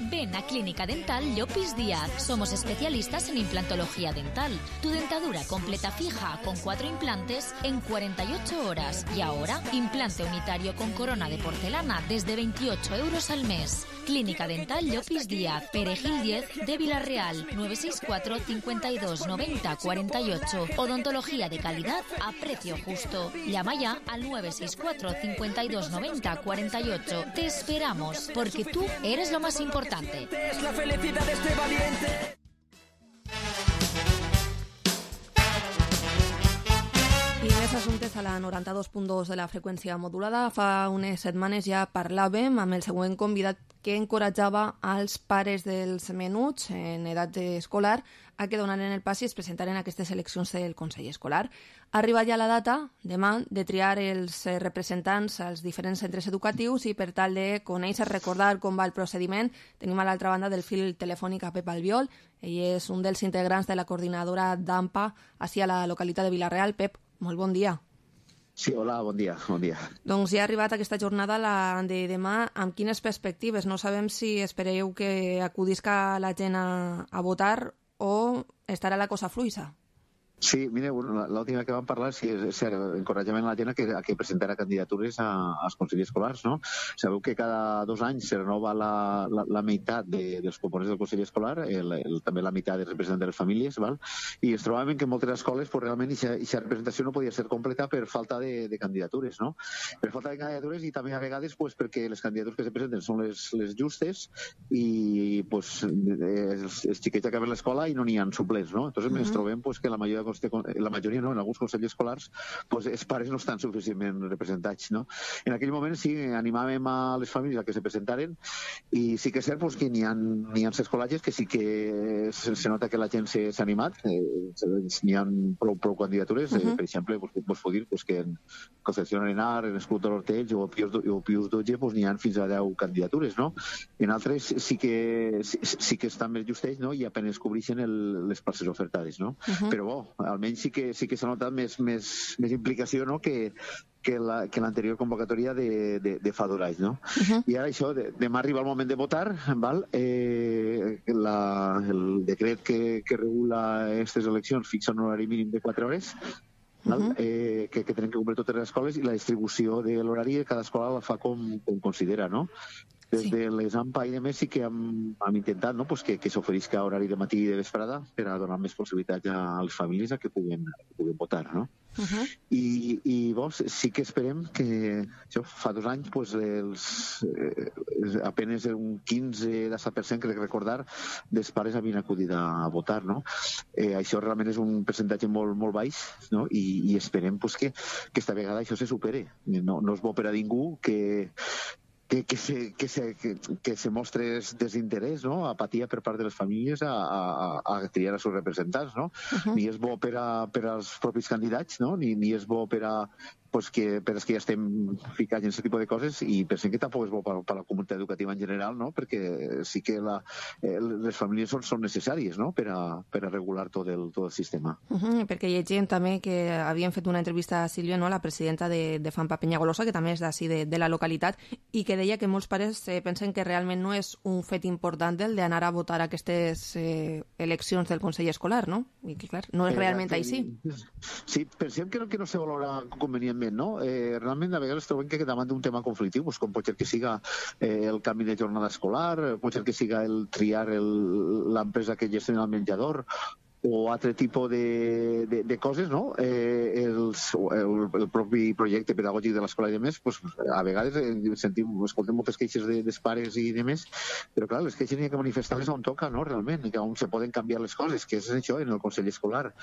Ven a Clínica Dental Llopis Díaz. Somos especialistas en implantología dental. Tu dentadura completa fija con cuatro implantes en cuarenta y ocho horas. Y ahora, implante unitario con corona de porcelana desde veintiocho euros al mes. Clínica Dental Llopis Díaz, Perejil diez de Vila-real, nueve seis cuatro, cincuenta y dos, noventa, cuarenta y ocho. Odontología de calidad a precio justo. Llama ya al nueve seis cuatro, cincuenta y dos, noventa, cuarenta y ocho. Te esperamos, porque tú eres lo más importante. Es la felicidad de este valiente. I més assumptes a la noranta-dos punt dos de la freqüència modulada. Fa unes setmanes ja parlàvem amb el següent convidat que encoratjava als pares dels menuts en edat escolar a que donaren el pas i es presentaren aquestes eleccions del Consell Escolar. Arriba ja la data, demà, de triar els representants als diferents centres educatius i per tal de conèixer, recordar com va el procediment, tenim a l'altra banda del fil telefònic a Pep Albiol. Ell és un dels integrants de la coordinadora d'AMPA ací a la localitat de Vila-real. Pep, molt bon dia. Sí, hola, bon dia, bon dia. Doncs ja ha arribat aquesta jornada, la de demà, amb quines perspectives? No sabem si espereu que acudisca la gent a, a votar o estarà la cosa fluixa. Sí, mire, bueno, l'última que vam parlar sí, és cert, encoratjament a la gent a que, a que presentarà candidatures a, als consells escolars, no? Sabeu que cada dos anys se renova la, la, la meitat de, dels components del consell escolar, el, el, també la meitat dels representants de les famílies, val? I ens trobàvem que en moltes escoles pues, realment aquesta representació no podia ser completa per falta de, de candidatures, no? Per falta de candidatures i també a vegades pues, perquè les candidatures que se presenten són les, les justes i pues, els, els xiquets acaben l'escola i no n'hi ha suplents, no? Entonces uh -huh. ens trobem pues, que la majoria la majoria no, en alguns consells escolars pues, els pares no estan suficientment representats, no? En aquell moment sí, animàvem a les famílies a que se presentaren i sí que és cert pues, que n'hi ha, n'hi ha escolatges que sí que se, se nota que la gent s'ha animat, eh, n'hi ha prou, prou candidatures, uh -huh. eh, per exemple, pues, pues, puc dir pues, que en Concepción Arenar, en Escut de l'Hortells o Pius, o Pius dotze pues, n'hi ha fins a deu candidatures, no? En altres sí que, sí, sí que estan més justells, no? I apenas cobreixen el, les places ofertades, no? Uh -huh. Però bo, almenys sí que sí que s'ha notat més, més, més implicació, no? que, que la, que l'anterior convocatòria de, de, de fa dos anys, no? Uh -huh. I ara això, de, demà arriba el moment de votar, val? Eh, la, el decret que, que regula aquestes eleccions fixa un horari mínim de quatre hores, val? Uh -huh. eh, que, que tenen que complir totes les escoles i la distribució de l'horari cada escola la fa com, com considera, no? Des sí. de les AMPA i demés sí que hem, hem intentat no? pues que, que s'oferisca horari de matí i de vesprada per a donar més possibilitats a les famílies a que puguen, que puguen votar, no? Uh -huh. I, i vos, sí que esperem que això, fa dos anys pues, els, eh, apenas un quinze a disset per cent, crec recordar, dels pares havien acudit a votar, no? Eh, això realment és un percentatge molt, molt baix, no? I, i esperem pues, que, que esta vegada això se supere. No, no és bo per a ningú que Que, que, se, que, se, que, que se mostre desinterès, no? Apatia per part de les famílies a, a, a triar els seus representants, no? Uh-huh. Ni és bo per, a, per als propis candidats, no? Ni, ni és bo per a pues que, per als que ja estem ficats en aquest tipus de coses i pensem que tampoc és bo per, per a la comunitat educativa en general, no? Perquè sí que la, eh, les famílies són, són necessàries, no? Per a, per a regular tot el, tot el sistema. Uh -huh, perquè llegim també que havien fet una entrevista a Sílvia, no? La presidenta de, de FAMPA Penyagolosa, que també és d'ací de, de la localitat, i que deia que molts pares eh, pensen que realment no és un fet important el d'anar a votar aquestes eh, eleccions del Consell Escolar, no? I que, clar, no és realment eh, així. Sí, pensem que no, que no se valora convenientment, no? Eh, realment a vegades trobem que davant d'un tema conflictiu, pues, com pot ser que siga eh, el canvi de jornada escolar, pot ser que siga el triar l'empresa que gestiona el menjador o altre tipus de, de, de coses, no? Eh, els, el, el propi projecte pedagògic de l'escola i demés, pues, a vegades eh, sentim, escoltem moltes queixes de, dels pares i demés, però clar, les queixes n'hi ha que manifestar-les on toca, no? Realment, i que on se poden canviar les coses, que és això, en el Consell Escolar.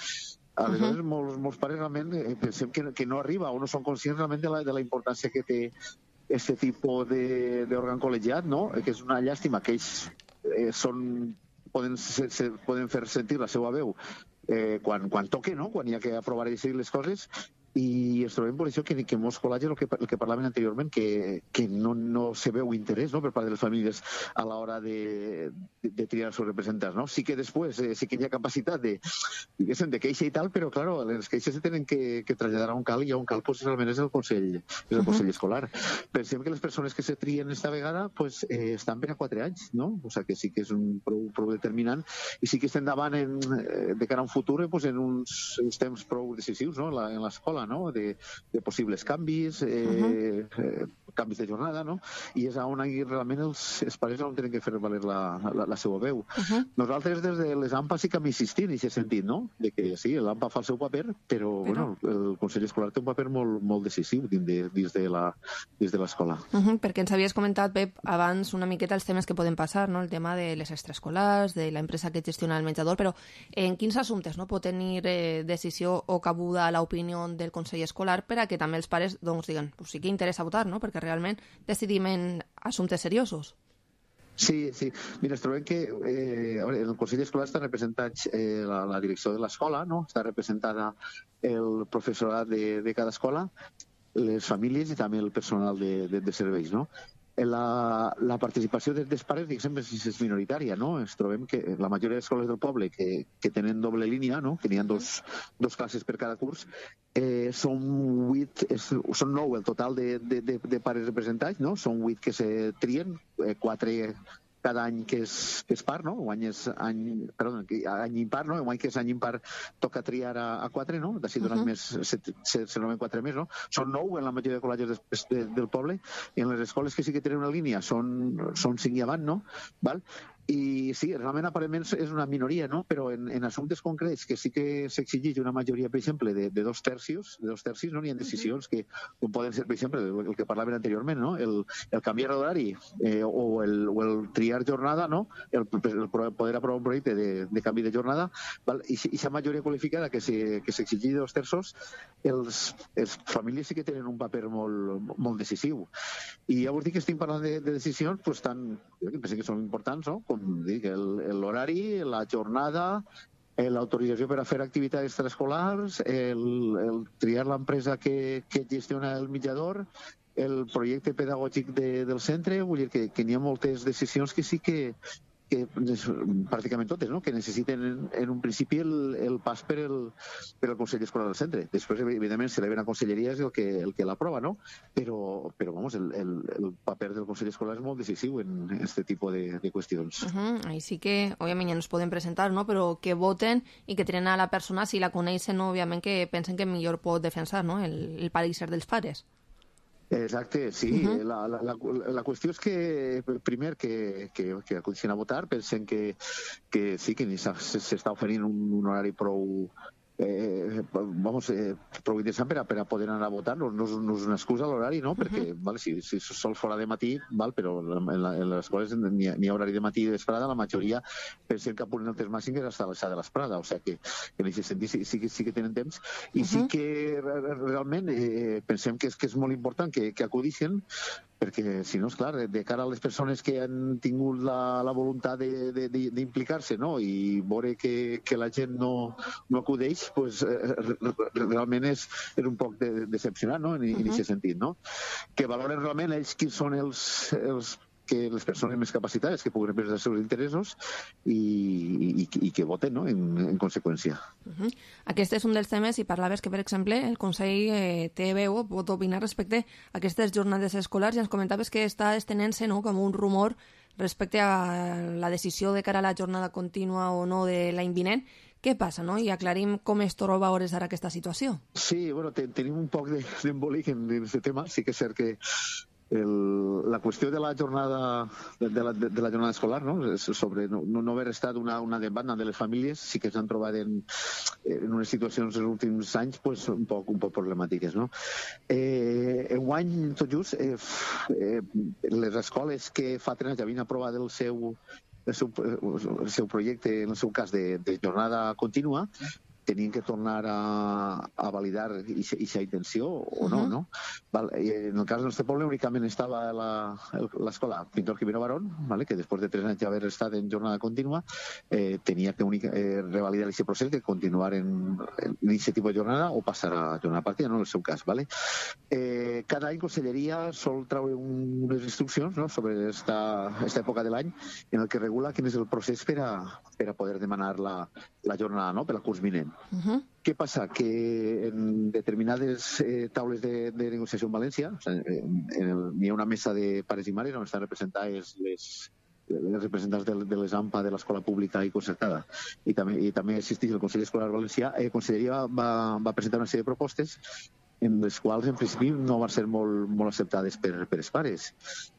Aleshores, uh -huh. molts, molts pares realment eh, pensem que, que no arriba o no són conscients realment de la, de la importància que té aquest tipus d'òrgan col·legiat, no? Que és una llàstima que ells eh, són poden, se, se, poden fer sentir la seva veu eh, quan, quan toque, no? Quan hi ha que aprovar i decidir les coses, i ens trobem per això que, que molts col·legis, el que, el que parlaven anteriorment, que, que no, no se veu interès, no? Per part de les famílies a l'hora de, de, de triar els seus representants, no? Sí que després eh, sí que hi ha capacitat de, de queixa i tal, però claro, les queixes se tenen que, que traslladar a un cal i a un cal pues, realment és el Consell, és el uh -huh. Consell Escolar. Pensem que les persones que se trien esta vegada pues, eh, estan per a quatre anys, no? O sigui que sí que és un prou, prou determinant i sí que estem davant en, de cara a un futur pues, en uns, uns temps prou decisius, no? En l'escola, no? De, de possibles canvis, eh, uh-huh. eh, canvis de jornada, no? I és on realment els, els pares on tenen que fer valer la, la, la seva veu. Uh-huh. Nosaltres des de les AMPA sí que hem insistit en aquest sentit, no? De que sí, l'AMPA fa el seu paper, però, però... Bueno, el Consell Escolar té un paper molt, molt decisiu dins de, dins de la, dins de l'escola. Uh-huh, perquè ens havies comentat, Pep, abans una miqueta els temes que poden passar, no? El tema de les extraescolars, de l'empresa que gestiona el menjador, però en quins assumptes no pot tenir eh, decisió o cabuda l'opinió del Consell Escolar per a que també els pares doncs, diguen, pues sí que interessa votar, no? Perquè realment decidim en assumptes seriosos. Sí, sí. Mira, es trobem que eh, en el Consell Escolar està representat eh, la, la direcció de l'escola, no? Està representada el professorat de, de cada escola, les famílies i també el personal de, de, de serveis, no? La, la participació dels pares, diguem, és, és minoritària, no? Ens trobem que la majoria d'escoles del poble que, que tenen doble línia, no? Que n'hi ha dos, dos classes per cada curs, eh, són vuit, és, són nou el total de, de, de, de pares representats, no? Són vuit que se trien, eh, quatre cada any que és, que és par, no? Guany és any, perdó, any impar, no? Guany que és any impar toca triar a, a quatre, no? D'ací d'un uh -huh. any més se, se, se nomen quatre més, no? Són nou en la majoria de col·legis de, de, del poble, i en les escoles que sí que tenen una línia són, són cinc i avant, no? Val? I sí, realment aparentment és una minoria, no? Però en, en assumptes concrets que sí que s'exigeix una majoria, per exemple, de, de dos tercios, de dos tercis, no? N'hi ha decisions que com poden ser, per exemple, el, el que parlaven anteriorment, no? El, el canviar d'horari eh, o, el, o el triar jornada, no? El, el poder aprovar un projecte de, de canvi de jornada, val? I aquesta majoria qualificada que s'exigeix de dos terços, els, els famílies sí que tenen un paper molt, molt decisiu. I ja vos dic que estem parlant de, de decisions pues, tan, que penso que són importants, no? Com dic, l'horari, la jornada, l'autorització per a fer activitats extraescolars, el, el triar l'empresa que, que gestiona el mitjador, el projecte pedagògic de, del centre, vull dir que, que n'hi ha moltes decisions que sí que, que pràcticament totes, no? Que necessiten en, en un principi el, el pas per el, per el Consell Escolar del centre. Després, evidentment, si l'E B a Conselleria és el que, el que l'aprova, no? Però, però vamos, el, el, el paper del Consell Escolar és molt decisiu en aquest tipus de, de qüestions. Uh -huh. Ahí sí que, òbviament, ja no es poden presentar, no? Però que voten i que tenen a la persona, si la coneixen, no? Òbviament que pensen que millor pot defensar, no? El, el pare i ser dels pares. Exacte, sí. Uh -huh. la, la, la, la qüestió és que, primer, que, que, que acudissin a votar, pensen que, que sí, que s'està oferint un, un horari prou, eh, vamos, eh, prou interessant per a, per a poder anar a votar. No, no, no és una excusa l'horari, no? Perquè, uh -huh. vale, si, si sol fora de matí, val, però en, la, en les escoles n'hi ha, ha horari de matí i de vesprada, la majoria pensen que apunen el temps màxim és hasta l'alçada de l'esprada, o sigui que en aquest sentit sí, sí, sí que tenen temps, i uh -huh. sí que realment eh, pensem que és, que és molt important que, que acudissin, perquè si no, és clar, de cara a les persones que han tingut la, la voluntat d'implicar-se, no? I veure que, que la gent no, no acudeix, pues, eh, realment és, és un poc de, decepcionant, no? En, uh-huh. en aquest sentit, no? Que valoren realment ells quins són els, els que les persones més capacitades que puguin representar els seus interessos i, i, i que voten, no? en, en conseqüència. Uh-huh. Aquest és un dels temes, i parlaves que, per exemple, el Consell eh, té veu, pot opinar respecte a aquestes jornades escolars, i ens comentaves que està estenent-se, no?, com un rumor respecte a la decisió de cara a la jornada contínua o no de l'any vinent. Què passa, no? I aclarim com es troba a hores ara aquesta situació. Sí, bueno, ten, tenim un poc d'embolic en aquest tema. Sí que és cert que El, la qüestió de la jornada de, de, la, de, de la jornada escolar, no? Sobre no, no haver estat una, una demanda de les famílies, sí que s'han trobat en, en unes situacions en els últims anys pues, un, poc, un poc problemàtiques, no? Eh, enguany, tot just, eh, eh, les escoles que fa tres anys havien aprovat el seu, el seu, el seu projecte, en el seu cas de, de jornada contínua, tenien que tornar a, a validar aquesta intenció o no, uh-huh. no? Val, en el cas del nostre poble únicament estava l'escola Pintor Quimero Barón, vale, que després de tres anys d'haver estat en jornada contínua eh, tenia que única, eh, revalidar aquest procés de continuar en, en aquest tipus de jornada o passar a jornada partida, no en el seu cas. Vale? Eh, cada any Conselleria sol treure un, unes instruccions, no?, sobre esta, esta època de l'any en el que regula quin és el procés per a, per a poder demanar la, la jornada, no?, per al curs vinent. Uh-huh. Què passa? Que en determinades eh, taules de, de negociació en València, o sigui, n'hi ha una mesa de pares i mares on estan representades les, les representants de, de les AMPA de l'escola pública i concertada, i també, i també assisteix el Consell Escolar Valencià. La eh, Conselleria va, va presentar una sèrie de propostes en les quals en principi no van ser molt, molt acceptades per, per els pares.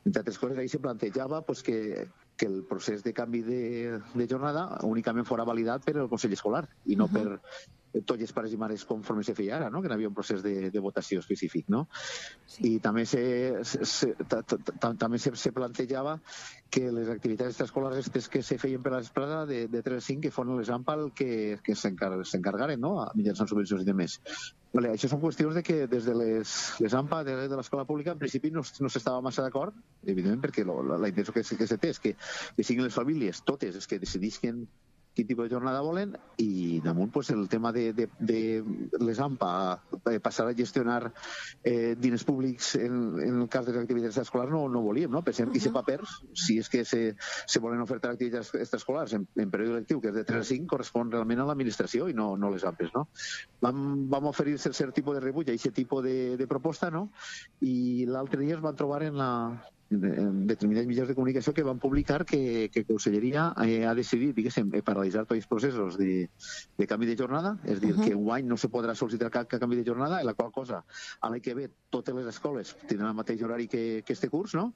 Entre altres coses, ahir se plantejava pues, que, que el procés de canvi de, de jornada únicament fora validat per el Consell Escolar i no uh-huh. per tots els pares i mares conforme se feia ara, no? Que hi havia un procés de, de votació específic, no? Sí. I també se, se, ta, ta, ta, també se, se plantejava que les activitats extraescolars que se feien per la vesprada de, de tres a cinc que foren les AMPA que, que s'encargaren, no? Mitjançant subvencions i demés. Vale, això són qüestions de que des de les, les AMPA de, de l'escola pública en principi no, no s'estava massa d'acord, evidentment perquè lo, la, la intenció que, que se té és que, que siguin les famílies totes els que decidisquen quin tipus de jornada volen i damunt pues, el tema de, de, de les AMPA eh, passar a gestionar eh, diners públics en, en el cas de les activitats extraescolars no, no volíem, no? Pensem que uh -huh. aquests papers, si és que se, se volen ofertar activitats extraescolars en, en període lectiu, que és de tres a cinc, correspon realment a l'administració i no, no les AMPes, no? Vam, vam oferir cert, cert tipus de rebuig a aquest tipus de, de proposta, no? I l'altre dia es van trobar en la en determinats mitjans de comunicació que van publicar que, que Conselleria eh, ha decidit, diguéssim, paralitzar tots els processos de, de canvi de jornada, és dir, uh -huh. que enguany no se podrà sol·licitar cap, cap canvi de jornada, en la qual cosa, a l'any que ve, totes les escoles tindran el mateix horari que, que este curs, no?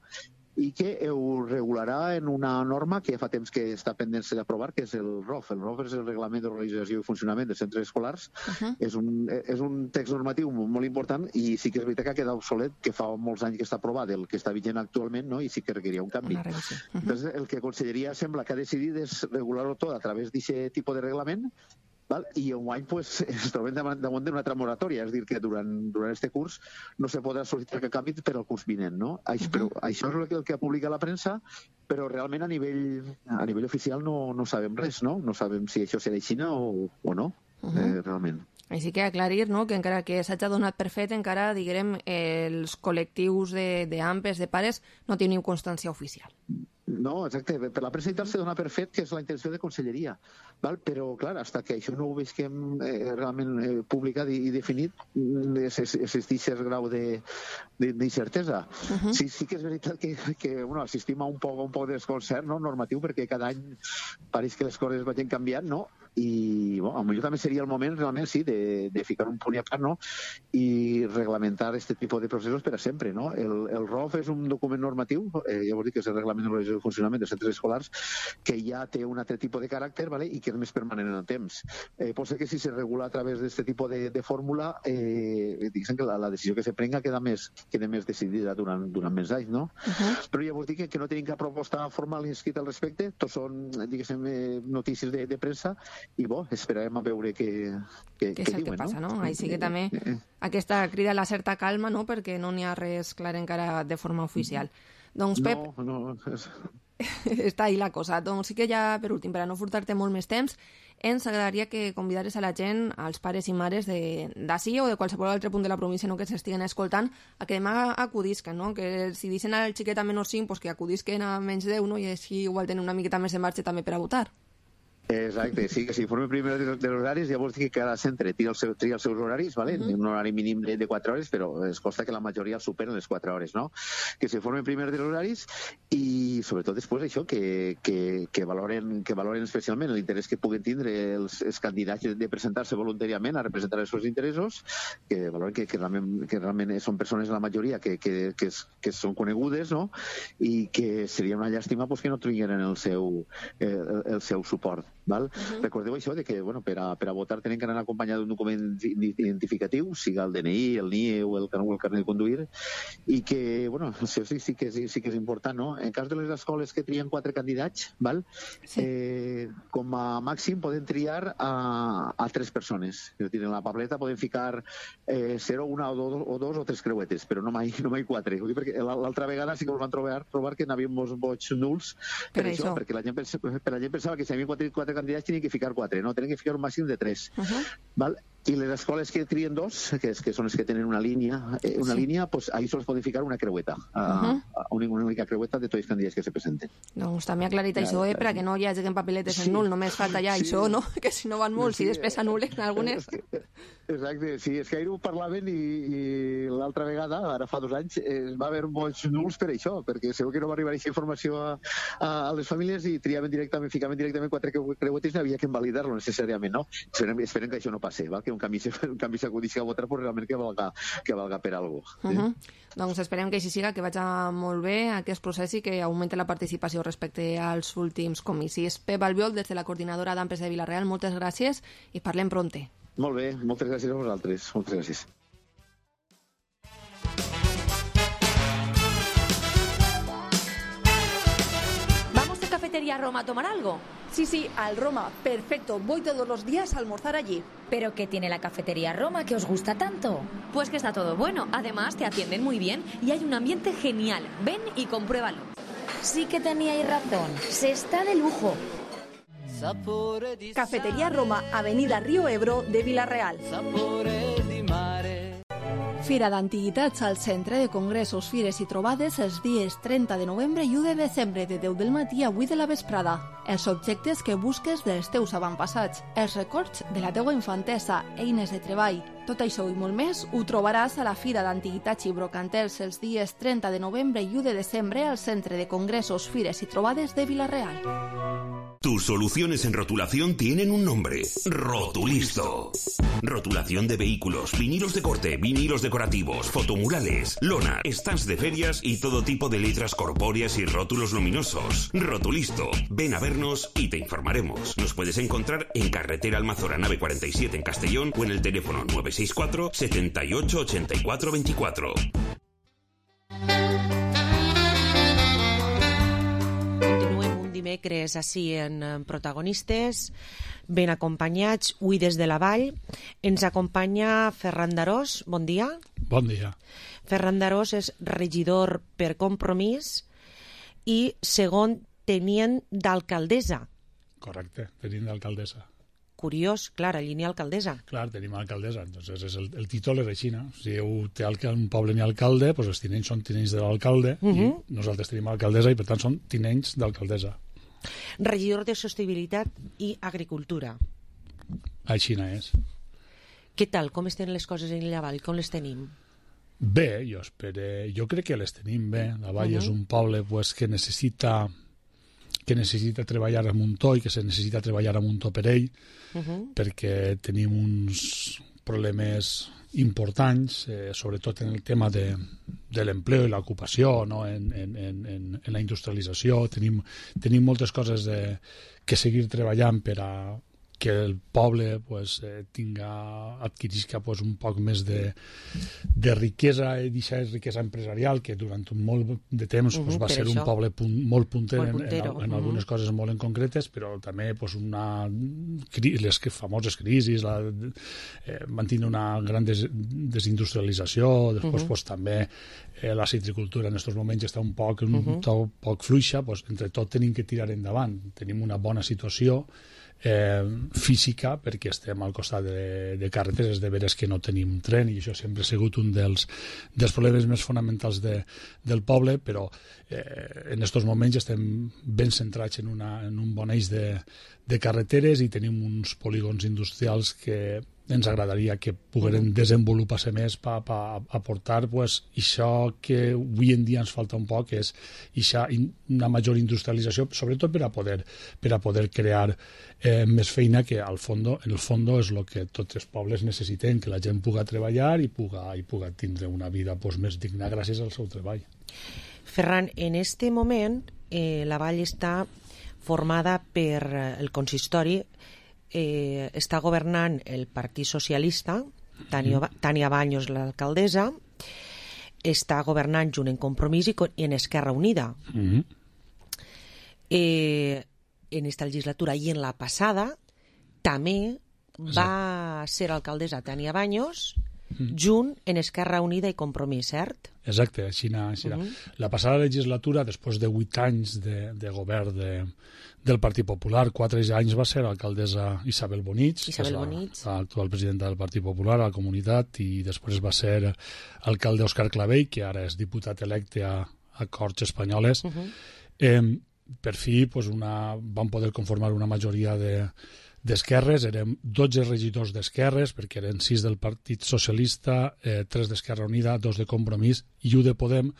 I que ho regularà en una norma que ja fa temps que està pendent d'aprovar, que és el R O F. El R O F és el Reglament d'Organització i Funcionament dels Centres Escolars. Uh-huh. És, un, és un text normatiu molt important i sí que és veritat que ha quedat obsolet, que fa molts anys que està aprovat, el que està vigent actualment, no? I sí que requeria un canvi. Uh-huh. Entonces, el que Conselleria sembla que ha decidit és regular-ho tot a través d'aquest tipus de reglament. Val? I enguany pues, es trobem damunt d'una altra moratòria, és a dir, que durant, durant este curs no se podrà sol·licitar cap canvi per al curs vinent, no? Això, uh-huh. però, això és el que, el que publica la premsa, però realment a nivell, a nivell oficial no, no sabem res, no? No sabem si això serà així o, o no, uh-huh. eh, realment. Així que aclarir, no?, que encara que s'hagi donat per fet, encara, diguem, els col·lectius d'AMPes, de, de pares, no teniu constància oficial. No, exacte. Per la premsa i tal se dona per fet que és la intenció de Conselleria. Val? Però, clar, fins que això no ho veiem eh, realment eh, publicat i, i definit, existeix el grau d'incertesa. Uh-huh. Sí, sí que és veritat que, que bueno, assistim a un poc, a un poc de desconcert, no?, normatiu, perquè cada any pareix que les coses vagin canviant, no? I bueno, potser també seria el moment realment sí, de, de ficar un punt a part, no? I reglamentar aquest tipus de processos per a sempre, no? El, el R O F és un document normatiu, eh, ja vos dic que és el Reglament d'Organització i Funcionament dels Centres Escolars, que ja té un altre tipus de caràcter, ¿vale? I que és més permanent en el temps. Eh, pot ser que si se regula a través d'aquest tipus de, de fórmula, eh, diguem que la, la decisió que se prenga queda més, queda més decidida durant, durant més anys, no? Uh-huh. Però ja vos dic que, que no tenim cap proposta formal inscrita al respecte, tots són, diguéssim, eh, notícies de, de premsa, i bo, esperarem a veure què, què, què què és el diuen, que passa, no? no? Així que també aquesta crida a la certa calma, no?, perquè no n'hi ha res clar encara de forma oficial. Doncs, Pep, no, no, és... està ahí la cosa. Doncs sí que ja, per últim, per a no furtar-te molt més temps, ens agradaria que convidares a la gent, als pares i mares d'ací o de qualsevol altre punt de la província, no?, que s'estiguen escoltant, a que demà acudisquen, no? Que si deixen al xiquet a menys cinc, pues que acudisquen a menys deu, no?, i així igual tenen una miqueta més de marxa també per a votar. Exacte, sí, que s'informe primer de, de los horaris, llavors dic que cada centre tria, el seu, tria els seus horaris, ¿vale? Uh-huh. Un horari mínim de, de quatre hores, però es consta que la majoria superen les quatre hores, no? Que s'informen primer de los horaris i sobretot després això, que, que, que, valoren, que valoren especialment l'interès que puguen tindre els, els candidats de presentar-se voluntàriament a representar els seus interessos, que valoren que, que, realment, que realment són persones, la majoria, que, que, que, que són conegudes, no? I que seria una llàstima pues, que no tingueren el seu, eh, el, el seu suport. Val? Uh-huh. Recordeu això de que bueno, per, a, per a votar tenen que anar acompanyat d'un document identificatiu, siga el D N I, el N I E o el, el carnet de conduir, i que, bueno, això sí, sí, que és, sí que és important, no? En cas de les escoles que trien quatre candidats, val? Sí. Eh, com a màxim poden triar a, a tres persones. És a dir, en la pableta poden ficar eh, zero, una o dos, o dos o tres creuetes, però no mai, no mai quatre. Perquè l'altra vegada sí que us van trobar, trobar que n'havíem uns vots nuls per, per això, això, perquè la gent, pens, per la gent pensava que si hi havia quatre, quatre candidats tenien que ficar quatre, no, tenen que ficar un màxim de tres. Uh-huh. Val? I les escoles que trien dos, que, és, que són les que tenen una línia, eh, una sí. línia, pues, ahí sols poden ficar una creueta, a, uh-huh. a una, una única creueta de tots els candidats que se presenten. Doncs també aclarit ja, això, eh, perquè no hi hagi papeletes sí. en nul, només falta ja sí. això, no? Que si no van molts sí. i després s'anulen algunes. Exacte, sí, és que ahir ho parlaven i, i l'altra vegada, ara fa dos anys, eh, va haver molts nuls per això, perquè segur que no va arribar aquesta informació a, a, a les famílies i triaven directament, ficaven directament quatre creuetes i havia que invalidar-lo necessàriament, no? Esperem, esperem que això no passi, val? Que un canvi, un canvi s'acudisca a votar, però realment que valga, que valga per algo. Uh -huh. sí? Doncs esperem que així siga, que vagi molt bé aquest procés i que augmenti la participació respecte als últims comicis. Pep Albiol, des de la coordinadora d'Ampes de Vila-real, moltes gràcies i parlem pronte. Molt bé, moltes gràcies a vosaltres. Moltes gràcies. ¿Vamos a Cafetería Roma a tomar algo? Sí, sí, al Roma. Perfecto. Voy todos los días a almorzar allí. ¿Pero qué tiene la Cafetería Roma que os gusta tanto? Pues que está todo bueno. Además, te atienden muy bien y hay un ambiente genial. Ven y compruébalo. Sí que teníais razón. Se está de lujo. Cafetería Roma, Avenida Río Ebro de Vila-real. Fira d'Antiguitats al Centre de Congressos, Fires i Trobades els dies trenta de novembre i u de desembre de deu del matí a vuit de la vesprada. Els objectes que busques dels teus avantpassats, els records de la teua infantesa, eines de treball. Tot això i molt més ho trobaràs a la Fira d'Antiguitats i Brocantels els dies trenta de novembre i u de desembre al Centre de Congressos, Fires i Trobades de Vila-real. Tus soluciones en rotulación tienen un nombre: Rotulisto. Rotulación de vehículos, vinilos de corte, vinilos decorativos, fotomurales, lona, stands de ferias y todo tipo de letras corpóreas y rótulos luminosos. Rotulisto. Ven a vernos y te informaremos. Nos puedes encontrar en Carretera Almazora Nave cuarenta y siete en Castellón o en el teléfono nueve seis cuatro, setenta y ocho, ochenta y cuatro veinticuatro. Dimecres així en protagonistes, ben acompanyats, avui des de la Vall. Ens acompanya Ferran Darós, bon dia. Bon dia. Ferran Darós és regidor per Compromís i segon tenient d'alcaldessa. Correcte, tenint d'alcaldessa. Curiós, clar, allí n'hi ha alcaldessa. Clar, tenim alcaldessa, entonces és el, el títol és així, no? Si té un poble n'hi ha alcalde, doncs els tinents són tinents de l'alcalde, uh -huh. i nosaltres tenim alcaldessa i per tant són tinents d'alcaldessa. Regidor de Sostenibilitat i Agricultura. Així és. Què tal? Com estan les coses en la Vall? Com les tenim? Bé, jo espero, jo crec que les tenim bé. La Vall uh -huh. és un poble pues, que necessita que necessita treballar amb un to i que se necessita treballar amb un to per ell, uh -huh. perquè tenim uns problemes importants, eh, sobretot en el tema de, de l'empleo i l'ocupació, no? en, en, en, en la industrialització. Tenim, tenim moltes coses de, que seguir treballant per a que el poble pues, eh, tinga, adquirisca pues, un poc més de, de riquesa, i d'aquesta riquesa empresarial, que durant un molt de temps uh -huh, pues, va ser això. Un poble punt, molt punter molt en, en, en uh -huh. algunes coses molt en concretes, però també pues, una, les famoses crisis, la, eh, van tindre una gran des, desindustrialització, després uh -huh. pues, també eh, la citricultura en aquests moments està un poc, un uh -huh. poc fluixa, pues, entre tot tenim que tirar endavant. Tenim una bona situació Eh, física, perquè estem al costat de, de carreteres, de veres que no tenim tren, i això sempre ha sigut un dels, dels problemes més fonamentals de, del poble, però eh, en aquests moments estem ben centrats en, una, en un bon eix de, de carreteres i tenim uns polígons industrials que ens agradaria que pogueren desenvolupar-se més per pa aportar pues, això que avui en dia ens falta un poc, és ixa, una major industrialització, sobretot per a poder, per a poder crear eh, més feina, que al fondo, en el fons és el que tots els pobles necessiten, que la gent puga treballar i puga, i puga tindre una vida pues, més digna gràcies al seu treball. Ferran, en este moment eh, la Vall està formada per el consistori. Eh, està governant el Partit Socialista, Tània, Tània Baños, l'alcaldessa, està governant junt en Compromís i en Esquerra Unida. Mm-hmm. eh, en esta legislatura i en la passada també va ser alcaldessa Tània Baños mm. junt en Esquerra Unida i Compromís, cert? Exacte, així anar. Uh-huh. La passada legislatura, després de vuit anys de, de govern de, del Partit Popular, quatre anys va ser alcaldessa Isabel Bonich, Isabel Bonich. l'actual presidenta del Partit Popular a la comunitat, i després va ser alcalde Òscar Clavell, que ara és diputat electe a, a Corts Espanyoles. Uh-huh. eh, per fi pues, una, van poder conformar una majoria de d'esquerres, érem dotze regidors d'esquerres, perquè eren sis del Partit Socialista, eh, tres d'Esquerra Unida, dos de Compromís i un de Podem,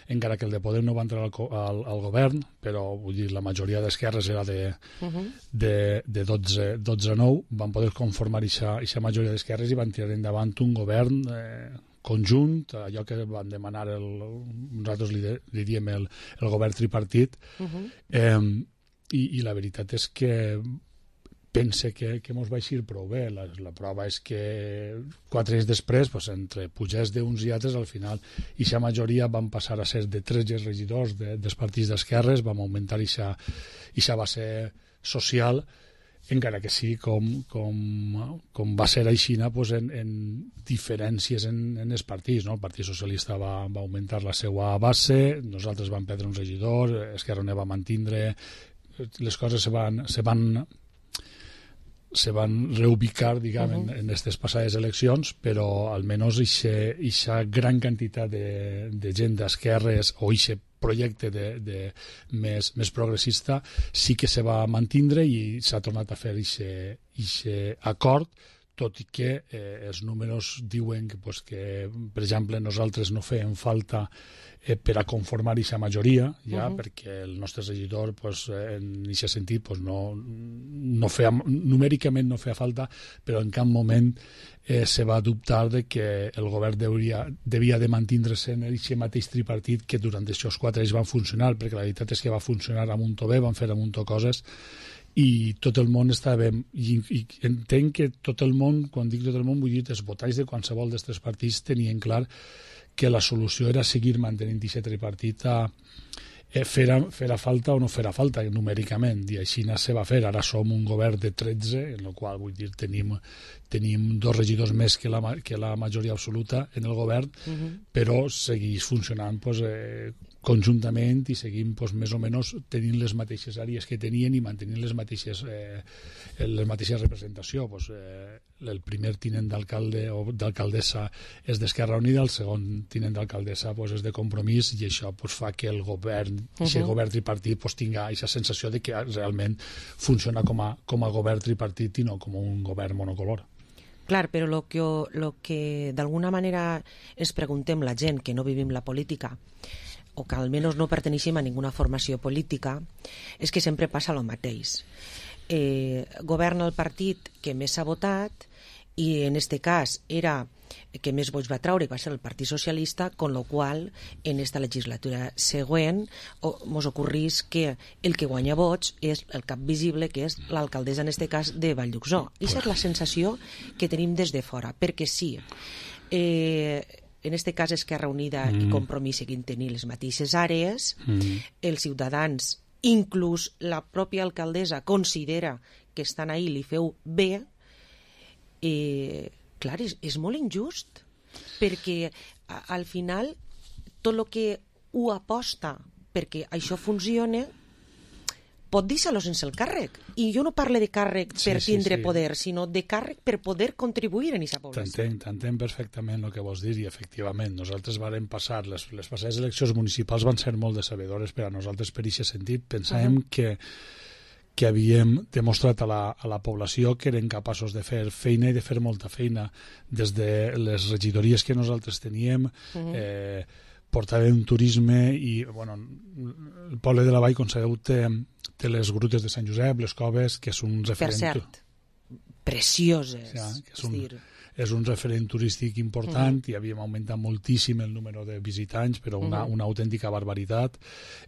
encara que el de Podem no va entrar al, al, al govern, però vull dir, la majoria d'esquerres era de, uh-huh. de, de dotze a nou, van poder conformar aquesta majoria d'esquerres i van tirar endavant un govern eh, conjunt, allò que van demanar, el, nosaltres li, de, li diem el, el govern tripartit, uh-huh. eh, i, i la veritat és que pense que, que mos va eixir prou bé. La, la prova és que quatre anys després, pues, entre pujats d'uns i altres, al final, ixa majoria van passar a ser de tres regidors de, dels partits d'esquerres, vam augmentar ixa, ixa base social, encara que sí, com, com, com va ser aixina, pues, en, en diferències en, en els partits. No? El Partit Socialista va, va augmentar la seva base, nosaltres vam perdre un regidor, Esquerra Unida va mantindre, les coses se van... Se van se van reubicar, diguem, uh -huh. en aquestes passades eleccions, però almenys aquesta gran quantitat de, de gent d'esquerres o aquest projecte de, de més, més progressista sí que se va mantindre i s'ha tornat a fer aquest acord, tot i que eh, els números diuen que, pues, que, per exemple, nosaltres no fèiem falta eh, per a conformar aquesta majoria, ja, uh -huh. perquè el nostre regidor, pues, en aquest sentit, pues, no, no feia, numèricament no feia falta, però en cap moment eh, se va dubtar de que el govern devia, devia de mantindre-se en aquest mateix tripartit que durant aquests quatre anys van funcionar, perquè la veritat és que va funcionar a muntó bé, van fer a muntó coses, i tot el món està bé, i, i entenc que tot el món, quan dic tot el món, vull dir els votants de qualsevol d'aquests partits tenien clar que la solució era seguir mantenint aquest tripartit a eh, fer, fer a falta o no fer a falta numèricament, i així se va fer. Ara som un govern de tretze, en el qual vull dir tenim, tenim dos regidors més que la, que la majoria absoluta en el govern, uh-huh. però segueix funcionant pues, eh, conjuntament i seguim pues, més o menys tenint les mateixes àrees que tenien i mantenint les mateixes, eh, les mateixes representació. Pues, eh, el primer tinent d'alcalde o d'alcaldessa és d'Esquerra Unida, el segon tinent d'alcaldessa pues, és de Compromís, i això pues, fa que el govern, uh-huh. aquest govern tripartit pues, tinga aquesta sensació de que realment funciona com a, com a govern tripartit i no com un govern monocolor. Clar, però lo que, lo que d'alguna manera ens preguntem la gent que no vivim la política o que almenys no perteneixem a ninguna formació política, és que sempre passa el mateix. Eh, governa el partit que més s'ha votat i en este cas era que més vots va traure, va ser el Partit Socialista, con lo qual en esta legislatura següent mos ocorrís que el que guanya vots és el cap visible, que és l'alcaldessa en este cas de Valldhuxó. I aquesta és la sensació que tenim des de fora, perquè sí, eh, en este cas Esquerra Unida mm. i Compromís seguint tenir les mateixes àrees, mm. els ciutadans, inclús la pròpia alcaldessa, considera que estan ahí, li feu bé, eh, clar, és, és molt injust, perquè a, al final tot el que ho aposta perquè això funcione pot deixar-lo sense el càrrec. I jo no parlo de càrrec per sí, tindre sí, sí. poder, sinó de càrrec per poder contribuir en aquesta població. T'entenc, t'entenc perfectament el que vols dir, i efectivament, nosaltres vàrem passar, les, les passades eleccions municipals van ser molt decebedores per a nosaltres per aquest sentit. Pensàvem uh -huh. que que havíem demostrat a la, a la població que eren capaços de fer feina i de fer molta feina. Des de les regidories que nosaltres teníem, uh-huh. eh, portàvem turisme i, bueno, el poble de la Vall, com sabeu, té, té les grutes de Sant Josep, les coves, que és un referent... Per cert, precioses. Sí, que és un, dir... és un referent turístic important, uh-huh. i havíem augmentat moltíssim el número de visitants, però una, uh-huh. una autèntica barbaritat.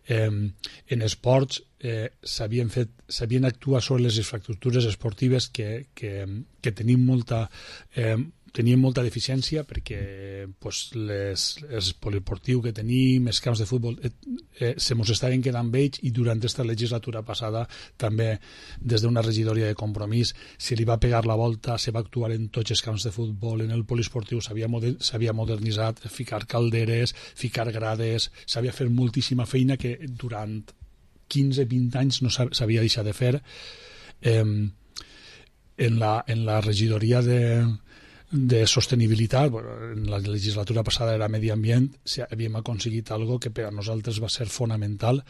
Eh, en esports eh, s'havien fet, s'havien actuat sobre les infraestructures esportives que, que, que tenim molta... Eh, teníem molta deficiència perquè pues, les, els poliportius que tenim, els camps de futbol, eh, eh, se mos estaven quedant vells, i durant aquesta legislatura passada també des d'una regidoria de Compromís se li va pegar la volta, se va actuar en tots els camps de futbol, en el poliesportiu s'havia moder, s'havia modernitzat, ficar calderes, ficar grades, s'havia fet moltíssima feina que durant quinze vint anys no s'havia deixat de fer. Eh, en, la, en la regidoria de de sostenibilitat, bueno, en la legislatura passada era medi ambient, havíem aconseguit algo que per a nosaltres va ser fonamental,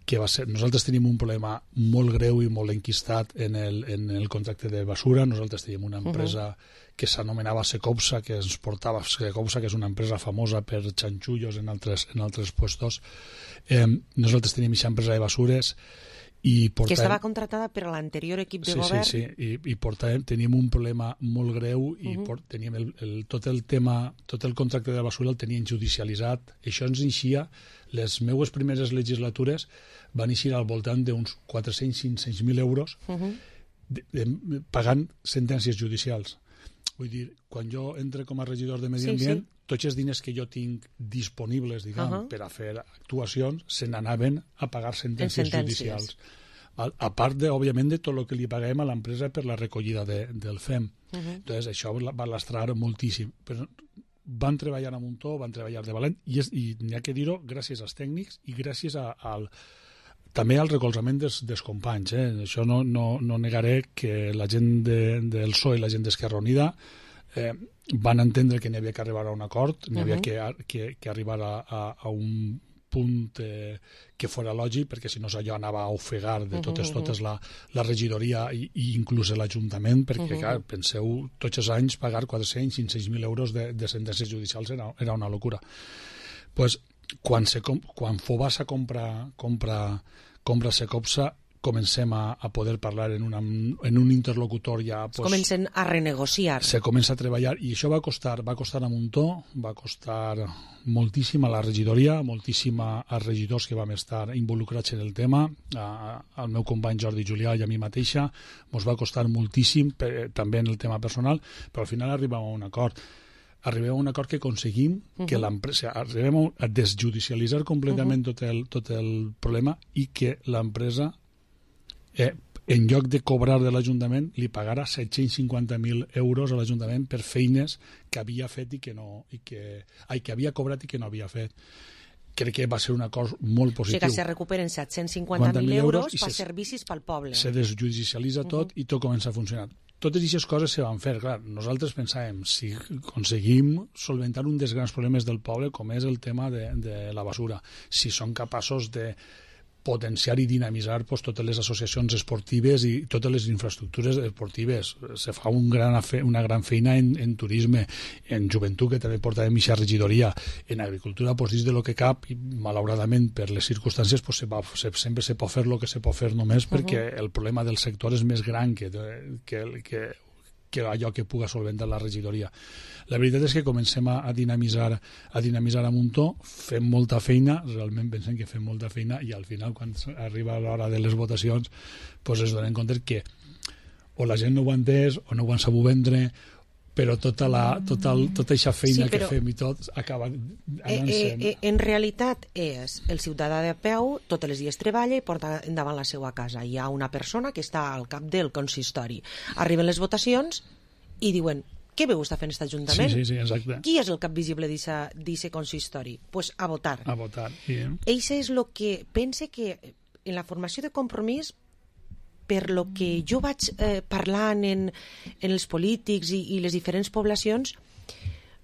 que va ser, nosaltres tenim un problema molt greu i molt enquistat en el, en el contracte de basura. Nosaltres teníem una empresa uh-huh. que s'anomenava Secopsa, que ens portava Secopsa, que és una empresa famosa per xanxullos en altres, en altres puestos. Eh, nosaltres teníem aquesta empresa de basures i portàvem... que estava contratada per a l'anterior equip de sí, govern. Sí, sí, i, i portàvem, teníem un problema molt greu i uh-huh. port, teníem el, el, tot el tema, tot el contracte de la basura el tenien judicialitzat. Això ens eixia, les meues primeres legislatures van eixir al voltant d'uns quatre-cents a cinc-cents mil euros, uh-huh. de, de, pagant sentències judicials. Vull dir, quan jo entre com a regidor de Medi Ambient, sí, sí. tots els diners que jo tinc disponibles, diguem, uh -huh. per a fer actuacions, se n'anaven a pagar sentències, sentències. judicials. A, a part, de, òbviament, de tot el que li paguem a l'empresa per la recollida de, del F E M. Uh -huh. Entonces, això va lastrar moltíssim. Però van treballar a muntó, van treballar de valent, i, és, i n'hi ha que dir-ho gràcies als tècnics i gràcies a, al, també al recolzament dels, dels companys. Eh? Això no, no, no negaré que la gent de, del P S O E i la gent d'Esquerra Unida eh, van entendre que n'hi havia que arribar a un acord, n'hi havia uh -huh. que, que, que arribar a, a, a un punt eh, que fora lògic, perquè si no allò anava a ofegar de totes, uh -huh. totes la, la regidoria i, i inclús l'Ajuntament, perquè, uh -huh. clar, penseu, tots els anys pagar quatre-cents, cinc-cents mil euros de, de sentències judicials era, era una locura. Pues, quan, se, quan Fobasa compra, compra, compra Secopsa, comencem a, a poder parlar en, una, en un interlocutor ja... Pues, comencen a renegociar. Se comença a treballar, i això va costar, va costar a muntó, va costar moltíssim a la regidoria, moltíssim als regidors que vam estar involucrats en el tema, a, al meu company Jordi Julià i a mi mateixa, ens va costar moltíssim, per, també en el tema personal, però al final arribàvem a un acord. Arribem a un acord que aconseguim uh -huh. que l'empresa, arribem a desjudicialitzar completament uh -huh. tot, el, tot el problema i que l'empresa Eh, en lloc de cobrar de l'Ajuntament, li pagara set-cents cinquanta mil euros a l'Ajuntament per feines que havia fet i que no... I que, ai, que havia cobrat i que no havia fet. Crec que va ser un acord molt positiu. O sigui que se recuperen set-cents cinquanta mil euros per servicis pel poble. Se desjudicialitza tot uh -huh. i tot comença a funcionar. Totes aquestes coses se van fer. Clar, nosaltres pensàvem, si aconseguim solventar un dels grans problemes del poble, com és el tema de, de la basura, si són capaços de potenciar i dinamitzar pues, totes les associacions esportives i totes les infraestructures esportives. Se fa un gran fe, una gran feina en, en turisme, en joventut, que també porta de mitja regidoria, en agricultura, pues, dins de lo que cap, i malauradament per les circumstàncies pues, se va, se, sempre se pot fer el que se pot fer només, uh -huh. perquè el problema del sector és més gran que, que, que, que allò que puga solventar la regidoria. La veritat és que comencem a, a dinamitzar a dinamitzar a muntó, fem molta feina, realment pensem que fem molta feina, i al final, quan arriba l'hora de les votacions, pues es donen compte que o la gent no ho ha entès o no ho han sabut vendre, però tota la, tota, tota aquesta feina sí, però, que fem i tot acaba anant eh, eh, en realitat és el ciutadà de peu, tots els dies treballa i porta endavant la seva casa. Hi ha una persona que està al cap del consistori. Arriben les votacions i diuen: què veu està fent aquest Ajuntament? Sí, sí, sí, exacte. Qui és el cap visible d'aquest consistori? Pues a votar. A votar, sí. Això és el que pense que en la formació de Compromís, per lo que jo vaig eh, parlant en, en els polítics i, i les diferents poblacions,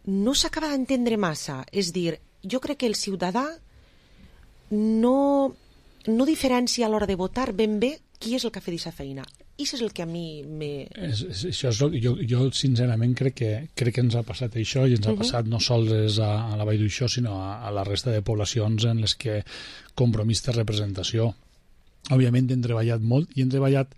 no s'acaba d'entendre massa. És dir, jo crec que el ciutadà no, no diferencia a l'hora de votar ben bé qui és el que ha fet aquesta feina. I això és el que a mi me... És, és, això és el, jo, jo sincerament crec que, crec que ens ha passat això, i ens ha uh -huh. passat no sols a, a la Vall d'Uixó, sinó a, a la resta de poblacions en les que Compromís té representació. Òbviament hem treballat molt, i hem treballat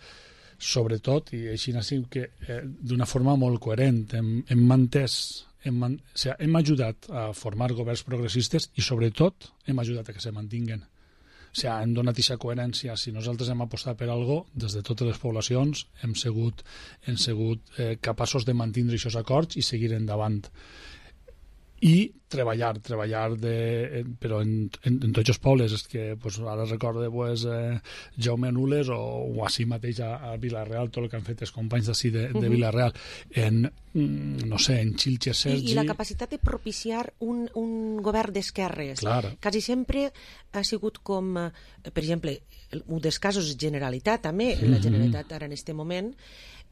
sobretot, i així ha sigut que eh, d'una forma molt coherent. Hem, hem mantès, hem, man, o sigui, hem ajudat a formar governs progressistes i sobretot hem ajudat a que se mantinguen. O sigui, hem donat aquesta coherència. Si nosaltres hem apostat per alguna cosa, des de totes les poblacions hem sigut, hem sigut eh, capaços de mantenir aquests acords i seguir endavant. I treballar, treballar de, però en, en, en tots els pobles. És que pues, ara recorde pues, eh, Jaume Anules o, o així mateix a, a Vila-real, tot el que han fet els companys d'ací de, de uh -huh. Vila-real, en, no sé, en Xilxes, Sergi... I, I la capacitat de propiciar un, un govern d'esquerres. Clar. Quasi sempre ha sigut com, per exemple, un dels casos Generalitat, també, uh -huh. la Generalitat ara en aquest moment,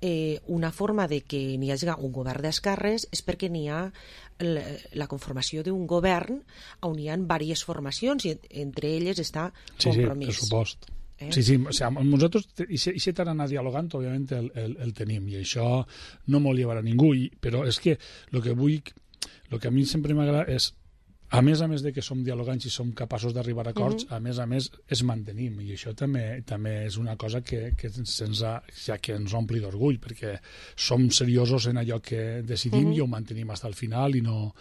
eh, una forma de que n'hi hagi un govern d'esquerres és perquè n'hi ha la, la conformació d'un govern on hi ha diverses formacions i entre elles està Compromís. Sí, sí, pressupost. Eh? Sí, sí, o sea, nosaltres i si t'han anat dialogant, òbviament el, el, el tenim, i això no m'ho llevarà ningú, i, però és que el que vull, el que a mi sempre m'agrada és a més a més de que som dialogants i som capaços d'arribar a acords, Mhm. a més a més es mantenim, i això també també és una cosa que, que, se'ns ha, ja que ens ompli d'orgull, perquè som seriosos en allò que decidim Mhm. i ho mantenim fins al final, i no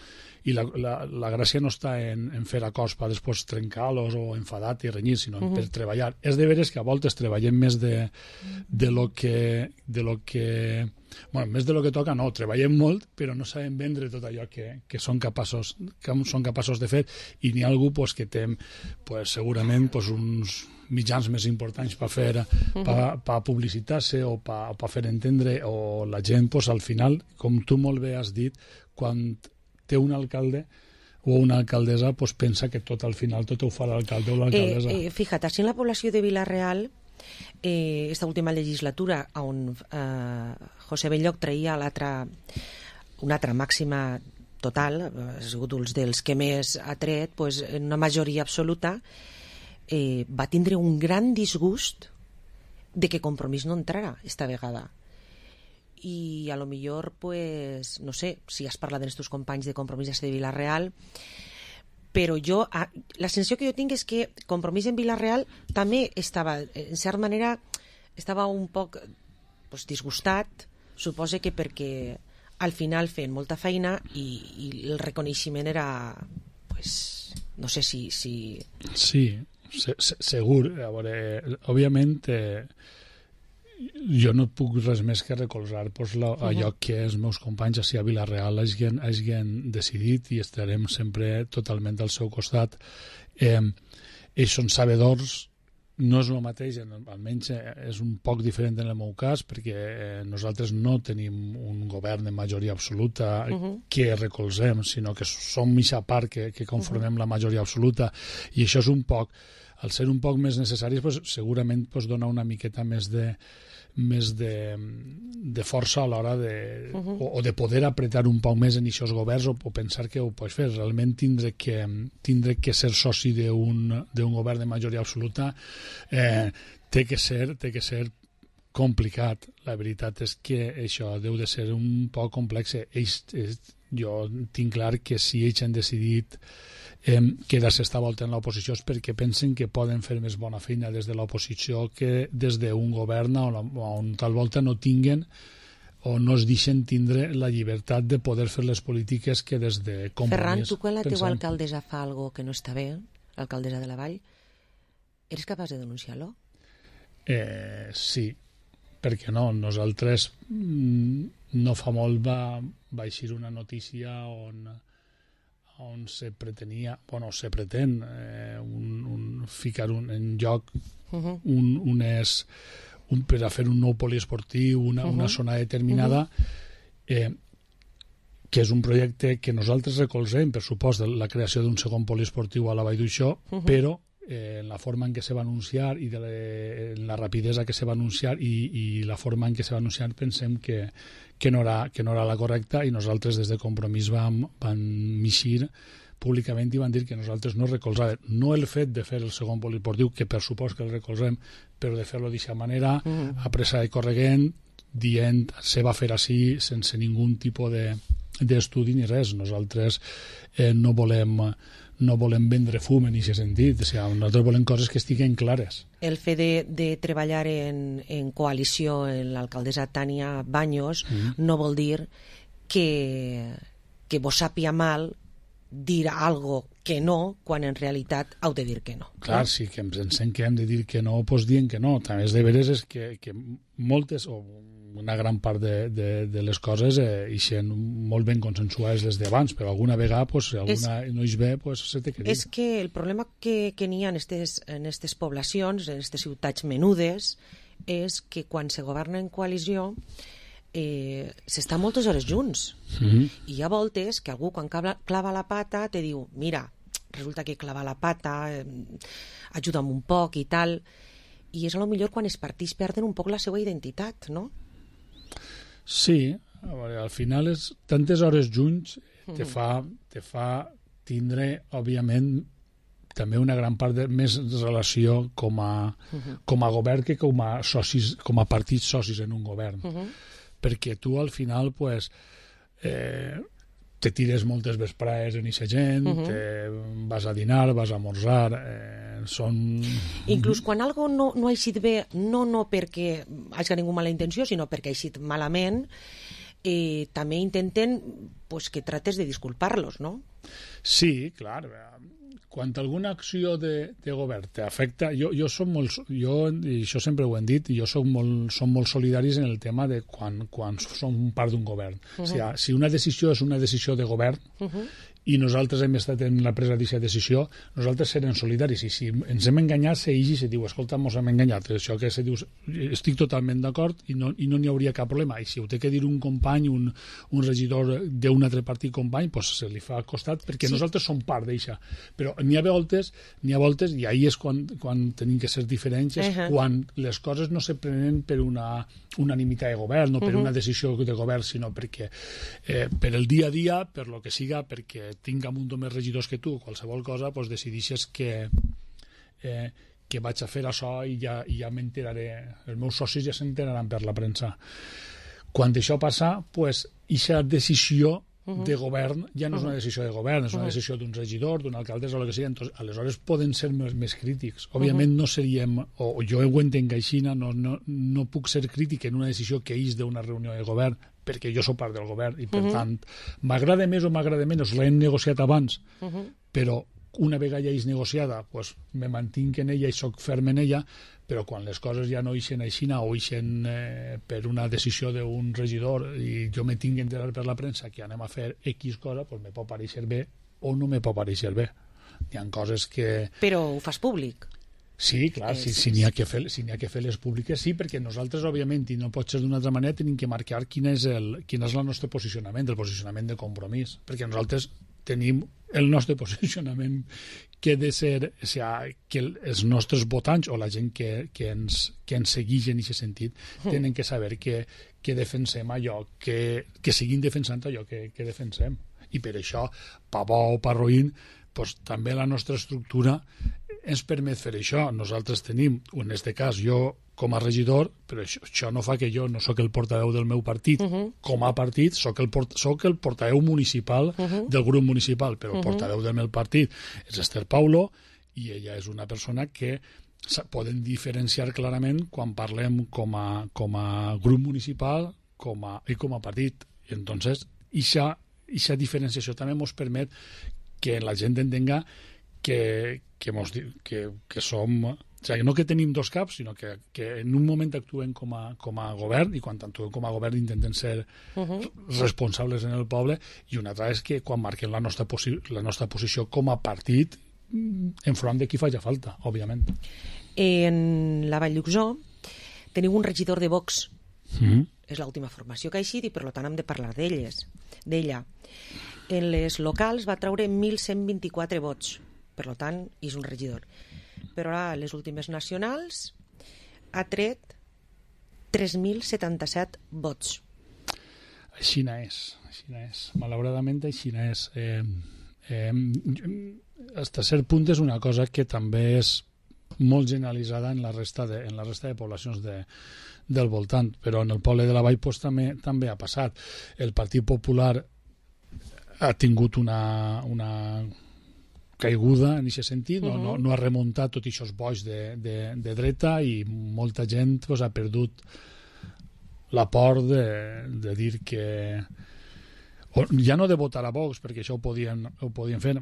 i la, la, la gràcia no està en, en fer acords per després trencar-los o enfadar-te i renyir, sinó Mhm. per treballar. És de veres que a voltes treballem més de, de lo que... De lo que bueno, més de lo que toca no, treballem molt, però no sabem vendre tot allò que, que són capaços que són capaços de fer, i n'hi ha algú pues, que té pues, segurament pues, uns mitjans més importants per fer per pa publicitar-se o per pa fer entendre, o la gent pues, al final, com tu molt bé has dit, quan té un alcalde o una alcaldessa pues, pensa que tot al final tot ho fa l'alcalde o l'alcaldessa. Eh, eh, fíjate, així en la població de Vila-real, eh, esta última legislatura on eh, José Belloc traia l'altra una altra màxima total, ha sigut un dels que més ha tret, pues, en una majoria absoluta, eh, va tindre un gran disgust de que Compromís no entrara esta vegada. I a lo millor, pues, no sé si has parlat amb els teus companys de Compromís de Vila-real, però jo, la sensació que jo tinc és que Compromís en Vila-real també estava, en certa manera, estava un poc pues, disgustat, suposa que perquè al final feien molta feina i, i el reconeixement era, pues, no sé si... si... Sí, se, se, segur. A veure, òbviament, eh, jo no puc res més que recolzar pues, la, uh-huh. allò que els meus companys a Vila-real hagin, hagin decidit, i estarem sempre totalment al seu costat. Eh, ells són sabedors, no és el mateix, almenys és un poc diferent en el meu cas, perquè eh, nosaltres no tenim un govern de majoria absoluta uh-huh. que recolzem, sinó que som mitja part que, que conformem uh-huh. la majoria absoluta, i això és un poc, al ser un poc més necessari, pues, segurament pues, dona una miqueta més de més de, de força a l'hora de, uh-huh. o, o de poder apretar un poc més en aquests governs, o, o pensar que ho pots fer. Realment tindre que, tindre que ser soci d'un govern de majoria absoluta eh, té que ser té que ser complicat. La veritat és que això deu de ser un poc complex. Ells, ells, jo tinc clar que si ells han decidit eh, quedar-se esta volta en l'oposició és perquè pensen que poden fer més bona feina des de l'oposició que des d'un govern on, on tal volta no tinguen o no es deixen tindre la llibertat de poder fer les polítiques que des de Compromís. Ferran, tu quan la pensem... teua alcaldessa fa algo que no està bé, l'alcaldessa de la Vall, eres capaç de denunciar-lo? Eh, sí, perquè no, nosaltres no fa molt va, va eixir una notícia on, on se pretenia, bueno, se pretén eh, un, un, ficar un, en lloc uh-huh. un, unes, un, per a fer un nou poliesportiu, una, uh-huh. una zona determinada, uh-huh. eh, que és un projecte que nosaltres recolzem, per supost, la creació d'un segon poliesportiu a la Vall d'Uixó, uh-huh. però eh, la forma en què se va anunciar i de la, la rapidesa que se va anunciar i, i la forma en què se va anunciar pensem que, que, no era, que no era la correcta, i nosaltres des de Compromís vam, vam mixir públicament i van dir que nosaltres no recolzàvem no el fet de fer el segon poliesportiu, que per supost que el recolzem, però de fer-lo d'aquesta manera, mm. a pressa i corregent, dient se va fer així sense ningun tipus de d'estudi ni res. Nosaltres eh, no volem no volem vendre fum en aquest sentit, o sigui, nosaltres volem coses que estiguen clares. El fet de, de treballar en, en coalició en l'alcaldessa Tània Baños mm. no vol dir que, que vos sàpia mal dir algo que no, quan en realitat heu de dir que no. Clar, no? Sí, que ens pensem que hem de dir que no, doncs dient que no. També és de veres és que, que moltes, o una gran part de, de, de les coses eh, ixen molt ben consensuades des d'abans, però alguna vegada, pues, si alguna és, no hi ve, pues, se té que dir. És que el problema que, que n'hi ha en aquestes en estes poblacions, en aquestes ciutats menudes, és que quan se governa en coalició eh, s'està moltes hores junts. Mm-hmm. I hi ha voltes que algú, quan clava, clava la pata, te diu, mira, resulta que clava la pata, eh, ajuda'm un poc i tal, i és a lo millor quan els partits perden un poc la seva identitat, no? Sí, a veure, al final és, tantes hores junts te fa, te fa tindre, òbviament, també una gran part de més relació com a, uh-huh. com a govern que com a, socis, com a partits socis en un govern. Uh-huh. Perquè tu al final, pues, eh, te tires moltes vesprades en eixa gent, uh -huh. te vas a dinar, vas a esmorzar, eh, són... Inclús quan algo no, no ha eixit bé, no, no perquè hagi ningú mala intenció, sinó perquè ha eixit malament, eh, també intenten pues, que trates de disculpar-los, no? Sí, clar. Quan alguna acció de, de govern t'afecta, jo, jo som molt, jo, i això sempre ho hem dit, jo som molt, som molt solidaris en el tema de quan, quan som part d'un govern. Uh -huh. O sigui, si una decisió és una decisió de govern, uh -huh. i nosaltres hem estat en la presa d'aquesta decisió, nosaltres serem solidaris, i si ens hem enganyat, se igi i se diu, escolta, ens hem enganyat, això que se diu, estic totalment d'acord i no i no n'hi hauria cap problema, i si ho té que dir un company, un, un regidor d'un altre partit company, pues se li fa al costat, perquè sí. Nosaltres som part d'això, però n'hi ha voltes, n'hi ha voltes, i ahir és quan, quan tenim que ser diferents, és uh -huh. quan les coses no se prenen per una unanimitat de govern, no per uh -huh. una decisió de govern, sinó perquè eh, per el dia a dia, per lo que siga, perquè tinc un munt més regidors que tu, qualsevol cosa, doncs decidixes que, eh, que vaig a fer això i ja, i ja m'enteraré, els meus socis ja s'enteraran per la premsa. Quan això passa, doncs, aquesta decisió de govern ja no és una decisió de govern, és una decisió d'un regidor, d'un alcalde, o el que sigui. Entonces, aleshores poden ser més, més crítics. Òbviament no seríem, o jo ho entenc així, no, no, no puc ser crític en una decisió que és d'una reunió de govern, perquè jo soc part del govern i, per uh -huh. tant, m'agrada més o m'agrada menys, l'hem negociat abans, uh -huh. però una vegada ja és negociada, pues, me mantinc en ella i soc ferm en ella, però quan les coses ja no ixen així o ixen eh, per una decisió d'un regidor i jo me tinc que enterar per la premsa que anem a fer X cosa, pues me pot pareixer bé o no me pot pareixer bé. Hi ha coses que... Però ho fas públic? Sí, clar, si, si n'hi ha que fer, si n'hi ha que fer les públiques, sí, perquè nosaltres, òbviament, i no pot ser d'una altra manera, tenim que marcar quin és el, quin és el nostre posicionament, el posicionament de compromís, perquè nosaltres tenim el nostre posicionament que ha de ser, o sigui, que els nostres votants o la gent que, que, ens, que ens segueix en aquest sentit tenen que saber que, que defensem allò, que, que seguim defensant allò que, que defensem. I per això, pa bo o pa roïn, pues, també la nostra estructura ens permet fer això. Nosaltres tenim, en aquest cas, jo com a regidor, però això, això no fa que jo no sóc el portaveu del meu partit. Uh -huh. Com a partit, sóc el, port, sóc el portaveu municipal uh -huh. del grup municipal, però el uh -huh. portaveu del meu partit és Esther Paulo, i ella és una persona que poden diferenciar clarament quan parlem com a, com a grup municipal com a, i com a partit. I entonces, aquesta diferenciació també ens permet que la gent entenga que, que, mos, que, que som... O sigui, no que tenim dos caps, sinó que, que en un moment actuem com a, com a govern, i quan actuem com a govern intenten ser uh -huh. responsables en el poble, i una altra és que quan marquem la nostra, la nostra posició com a partit enfront de qui faci falta, òbviament. En la Vall d'Uxó teniu un regidor de Vox. Mm. És l'última formació que ha eixit i per tant hem de parlar d'elles, d'ella. En les locals va treure mil cent vint-i-quatre vots, per tant és un regidor. Però ara les últimes nacionals ha tret tres mil setanta-set vots. Així és, així és. Malauradament així és. Eh, eh, hasta cert punt és una cosa que també és molt generalitzada en la resta de, en la resta de poblacions de, del voltant, però en el poble de la Vall pues, també, també ha passat. El Partit Popular ha tingut una... una caiguda en aquest sentit, no, uh -huh. no, no ha remuntat tots aquests boix de, de, de dreta, i molta gent pues, ha perdut la por de, de dir que... O, ja no de votar a Vox, perquè això ho podien, ho podien fer.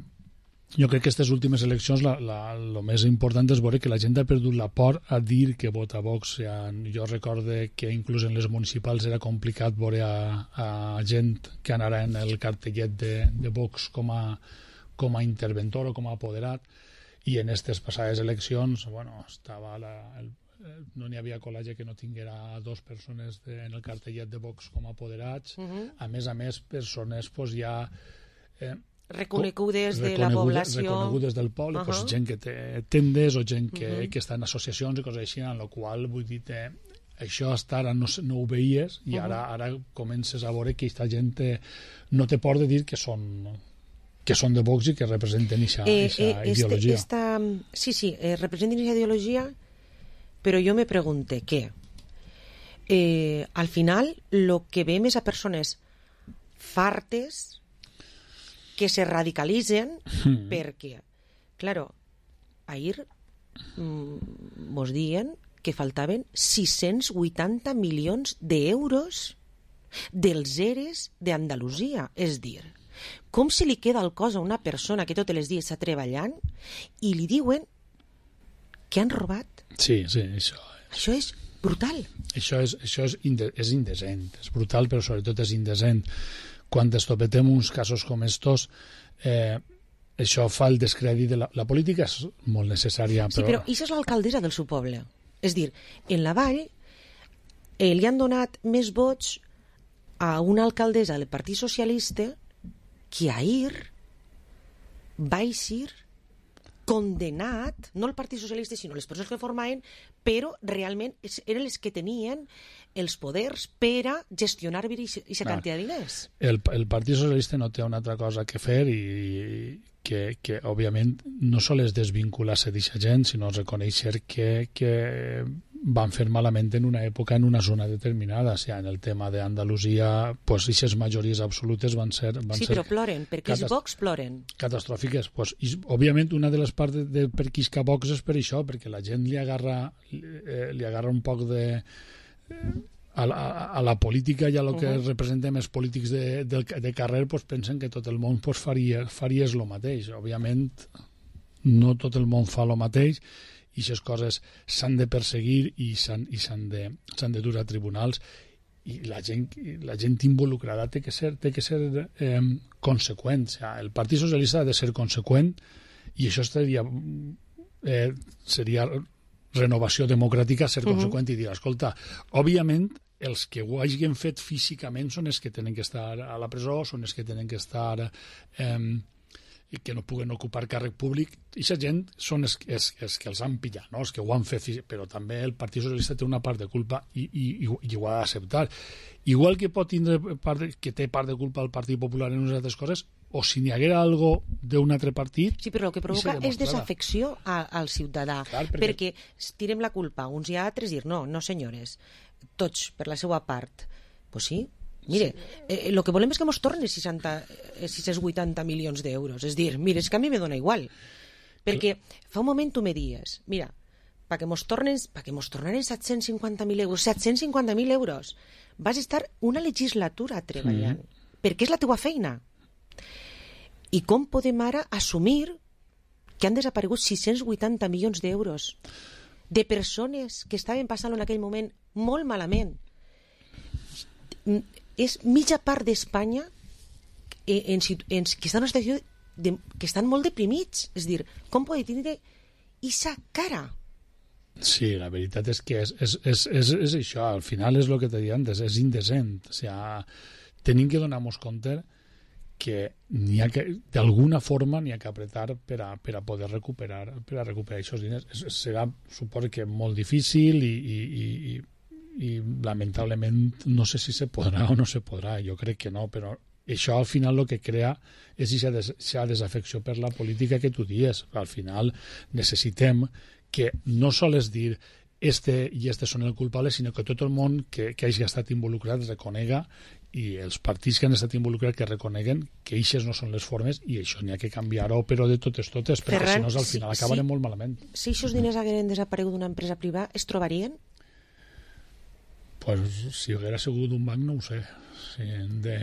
Jo crec que aquestes últimes eleccions el més important és veure que la gent ha perdut la por a dir que vota a Vox. Ja, jo recorde que inclús en les municipals era complicat veure a, a gent que anara en el cartellet de, de Vox com a com a interventor o com a apoderat, i en aquestes passades eleccions bueno, estava la, el, no n'hi havia col·legi que no tinguera dos persones de, en el cartellet de Vox com a apoderats. Uh -huh. A més a més, persones pues, ja eh, reconegudes de la població, reconegudes del poble, uh -huh. pues, gent que té tendes o gent que, uh -huh. que està en associacions i coses així, en la qual vull dir eh, això hasta ara no, no ho veies, i ara, ara comences a veure que aquesta gent eh, no té por de dir que són que són de Vox i que representen aquesta eh, eh, ideologia. Este, esta, sí, sí, eh, representen aquesta ideologia, però jo me pregunte què. Eh, al final, lo que veiem és a persones fartes que se radicalitzen Mm. perquè, claro, ahir mm, mos diuen que faltaven sis-cents vuitanta milions d'euros dels eres d'Andalusia. És dir, com se li queda el cos a una persona que tots els dies està treballant i li diuen que han robat? Sí, sí, això... Això és brutal. Això és, això és, inde, és indecent, és brutal, però sobretot és indecent. Quan estopetem uns casos com estos, eh, això fa el descrèdit de la, la política és molt necessària. Però... Sí, però això és l'alcaldessa del seu poble. És dir, en la Vall eh, li han donat més vots a una alcaldessa del Partit Socialista que ahir va eixir condenat, no el Partit Socialista, sinó les persones que formaven, però realment eren les que tenien els poders per a gestionar aquesta quantitat de diners. El, el Partit Socialista no té una altra cosa que fer i que, que òbviament, no sols desvincular-se d'aquesta gent, sinó reconèixer que, que van fer malament en una època, en una zona determinada. O sigui, en el tema d'Andalusia, pues, aquestes majories absolutes van ser... Van sí, ser però ploren, perquè els Vox ploren. Catastròfiques. Pues, i, òbviament, una de les parts de, de per qui isca Vox és per això, perquè la gent li agarra, eh, li agarra un poc de... Eh, a la, a la política i a lo que uh -huh. representem els polítics de, de, de carrer, pues, pensen que tot el món pues, faria, faries el mateix. Òbviament, no tot el món fa el mateix i aquestes coses s'han de perseguir i s'han i s'han de, s'han de dur a tribunals i la gent, la gent involucrada té que ser, té que ser eh, conseqüent. O sigui, el Partit Socialista ha de ser conseqüent i això seria, eh, seria renovació democràtica, ser uh -huh. conseqüent i dir, escolta, òbviament els que ho hagin fet físicament són els que tenen que estar a la presó, són els que tenen que estar... Eh, que no puguen ocupar càrrec públic, i aquesta gent són els, els, els que els han pillat, no? Els que ho han fet, però també el Partit Socialista té una part de culpa i, i, i ho ha d'acceptar. Igual que pot tindre part de, que té part de culpa el Partit Popular en unes altres coses, o si n'hi haguera algo d'un altre partit... Sí, però el que provoca és desafecció a, al ciutadà, Clar, perquè... perquè tirem la culpa uns i altres i dir, no, no senyores, tots per la seva part. Pues sí, mire, eh, lo que volem és que mos torni seixanta, sis-cents vuitanta milions d'euros. És dir, mire, és que a mi me dona igual. Perquè fa un moment tu me dies, mira, perquè mos tornen, perquè mos tornen set-cents cinquanta mil euros, set-cents cinquanta mil euros, vas estar una legislatura treballant, mm. perquè és la teua feina. I com podem ara assumir que han desaparegut sis-cents vuitanta milions d'euros de persones que estaven passant en aquell moment molt malament? És mitja part d'Espanya en, en, en, que estan en una situació de, que estan molt deprimits. És dir, com pot tindre aquesta cara? Sí, la veritat és que és, és, és, és, és això. Al final és el que t'he dit antes, és indecent. O sigui, tenim que donar-nos compte que n'hi ha que, d'alguna forma n'hi ha que apretar per a, per a poder recuperar per a recuperar aquests diners. Es, serà, suposo que molt difícil i, i, i i lamentablement no sé si se podrà o no se podrà, jo crec que no, però això al final el que crea és aquesta desafecció per la política que tu dies. Al final necessitem que no sols dir este i este són el culpable, sinó que tot el món que, que hagi estat involucrat reconega, i els partits que han estat involucrats que reconeguen que eixes no són les formes i això n'hi ha que canviar-ho, però de totes totes, perquè Ferran, si no al final sí, acabarem sí. molt malament. Si aquests diners hagueren desaparegut d'una empresa privada, es trobarien? Pues, si haguera sigut un banc no ho sé. Si, de,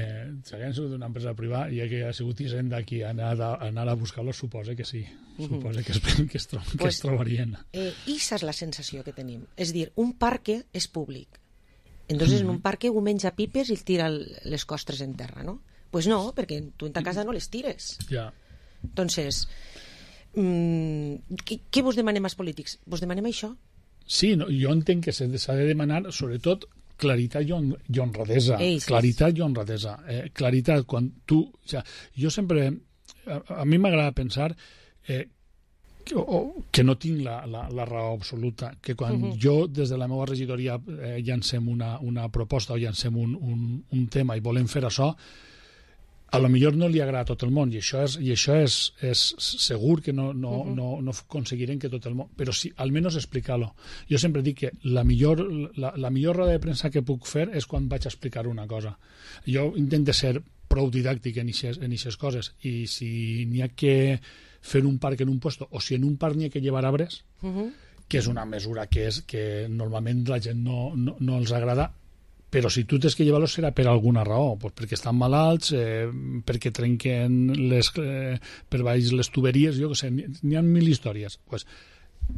si haguera sigut una empresa privada i haguera sigut Hisenda aquí a anar a, a, anar a buscar-los, suposa que sí. Uh-huh. Suposa que es, que es, tro pues, que es trobarien. Eh, Issa és la sensació que tenim. És dir, un parque és públic. Entonces, uh-huh. en un parque un menja pipes i tira les costres en terra, no? Pues no, perquè tu en ta casa no les tires. Ja. Entonces, mmm, què, què vos demanem als polítics? Vos demanem això? Sí, no, jo entenc que s'ha de demanar, sobretot, claritat i, hon i honradesa. Ei, sí, claritat sí. i honradesa. Eh, claritat, quan tu... O sea, jo sempre... A, a mi m'agrada pensar eh, que, o, que no tinc la, la, la raó absoluta, que quan uh-huh. jo, des de la meva regidoria, eh, llancem una, una proposta o llancem un, un, un tema i volem fer això, a lo millor no li agrada a tot el món, i això és, i això és, és segur que no, no, uh -huh. no, no aconseguirem que tot el món, però sí, almenys explicar-lo. Jo sempre dic que la millor, la, la millor roda de premsa que puc fer és quan vaig a explicar una cosa. Jo intento ser prou didàctic en aquestes coses, i si n'hi ha que fer un parc en un puesto, o si en un parc n'hi ha que llevar arbres, uh -huh. que és una mesura que, és, que normalment la gent no, no, no els agrada, però si tu tens que llevar-los serà per alguna raó, pues perquè estan malalts, eh, perquè trenquen les, eh, per baix les tuberies, jo què sé, n'hi ha mil històries. Pues,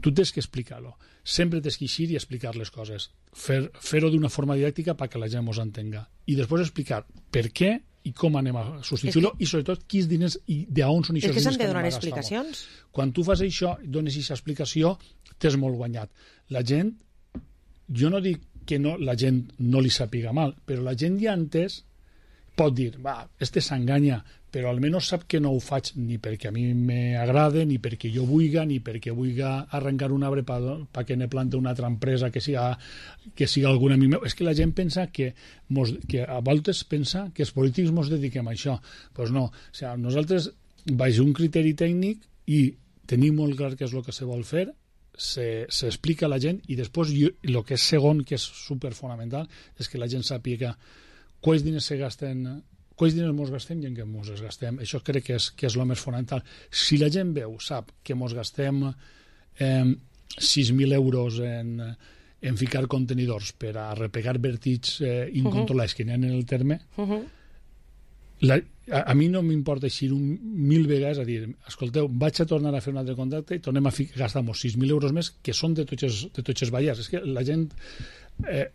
tu tens que explicar-lo. Sempre tens que eixir i explicar les coses. Fer, fer-ho d'una forma didàctica perquè la gent mos entenga. I després explicar per què i com anem a substituir-lo, que... i sobretot quins diners i d'on són aquests diners que anem a gastar. És que s'han de donar explicacions. Quan tu fas això, dones aquesta explicació, t'és molt guanyat. La gent, jo no dic que no, la gent no li sàpiga mal, però la gent ja entès pot dir, va, este s'enganya, però almenys sap que no ho faig ni perquè a mi m'agrada, ni perquè jo vulga, ni perquè vulga arrencar un arbre perquè ne plante una altra empresa que siga, que siga algun amic meu. És que la gent pensa que, mos, que a voltes pensa que els polítics ens dediquem a això. Doncs pues no, o sigui, nosaltres baix un criteri tècnic i tenim molt clar què és el que se vol fer, s'explica a la gent, i després el que és segon, que és superfonamental, és que la gent sàpiga quants diners se gasten, quants diners mos gastem i en què mos els gastem. Això crec que és, que és el més fonamental. Si la gent veu, sap que mos gastem eh, sis mil euros en, en ficar contenidors per a repegar vèrtits eh, incontrolats uh-huh. que n'hi ha en el terme, uh-huh. la, a, a mi no m'importa eixir un mil vegades a dir, escolteu, vaig a tornar a fer un altre contacte i tornem a gastar-nos sis mil euros més, que són de tots els ballars. És que la gent eh,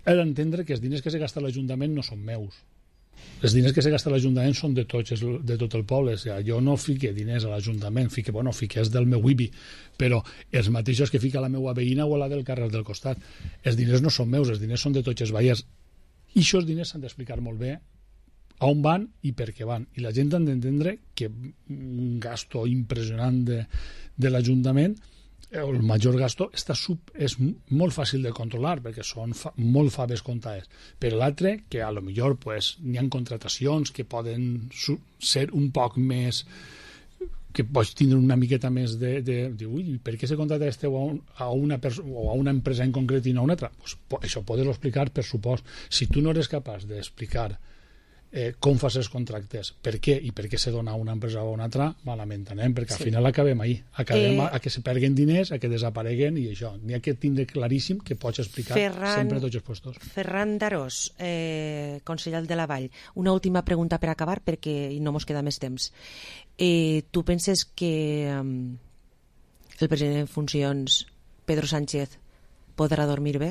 ha d'entendre que els diners que se gasta l'Ajuntament no són meus. Els diners que se gasta l'Ajuntament són de, tots, de tot el poble. O sigui, jo no fique diners a l'Ajuntament, fique, bueno, fique és del meu I B I, però els mateixos que fica la meva veïna o la del carrer del costat. Els diners no són meus, els diners són de tots els ballars. I aquests diners s'han d'explicar molt bé a on van i per què van. I la gent ha d'entendre que un gasto impressionant de, de l'Ajuntament, el major gasto, està sub, és molt fàcil de controlar perquè són fa, molt faves comptades. Per l'altre, que a lo millor pues, n'hi ha contratacions que poden ser un poc més, que pots tindre una miqueta més de, de, de ui, per què se contrata este a, un, a una o a una empresa en concret i no a una altra? Pues, això podes explicar, per supost. Si tu no eres capaç d'explicar Eh, com fas els contractes, per què i per què se dona a una empresa o a una altra, malament anem, perquè al sí. final acabem ahir acabem eh... a, a que se perguen diners, a que desapareguen, i això, n'hi ha que tindre claríssim que pots explicar Ferran... sempre a tots els puestos. Ferran Darós, eh, conseller de la Vall, una última pregunta per acabar perquè no mos queda més temps. Eh, tu penses que um, el president en funcions, Pedro Sánchez, podrà dormir bé?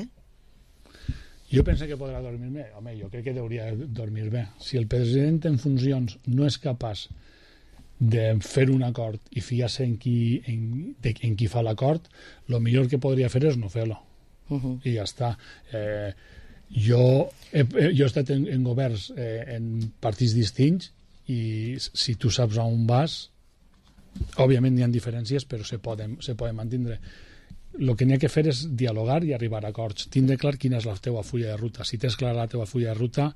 Jo penso que podrà dormir bé. Home, jo crec que hauria de dormir bé. Si el president en funcions no és capaç de fer un acord i fiar-se en qui, en, de, en qui fa l'acord, el millor que podria fer és no fer-lo. Uh-huh. I ja està. Eh, jo, he, jo he estat en, en governs, eh, en partits distints, i si tu saps on vas, òbviament hi ha diferències, però se poden, se poden mantindre. El que n'hi ha que fer és dialogar i arribar a acords. Tindre clar quina és la teva fulla de ruta. Si tens clara la teva fulla de ruta,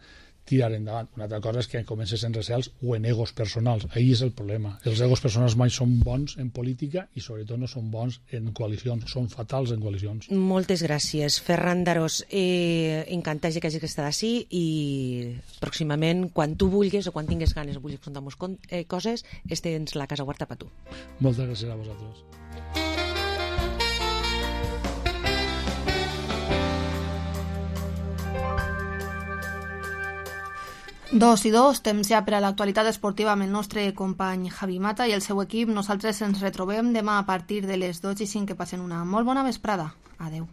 tirar endavant. Una altra cosa és que comences en recels o en egos personals. Ahí és el problema. Els egos personals mai són bons en política i sobretot no són bons en coalicions. Són fatals en coalicions. Moltes gràcies, Ferran Darós. Eh, encantat que hagis estat així i pròximament, quan tu vulguis o quan tingues ganes o vulguis contar-nos eh, coses, tens la casa oberta per tu. Moltes gràcies a vosaltres. Dos i dos, temps ja per a l'actualitat esportiva amb el nostre company Javi Mata i el seu equip. Nosaltres ens retrobem demà a partir de les dotze i cinc. Que passen una molt bona vesprada. Adeu.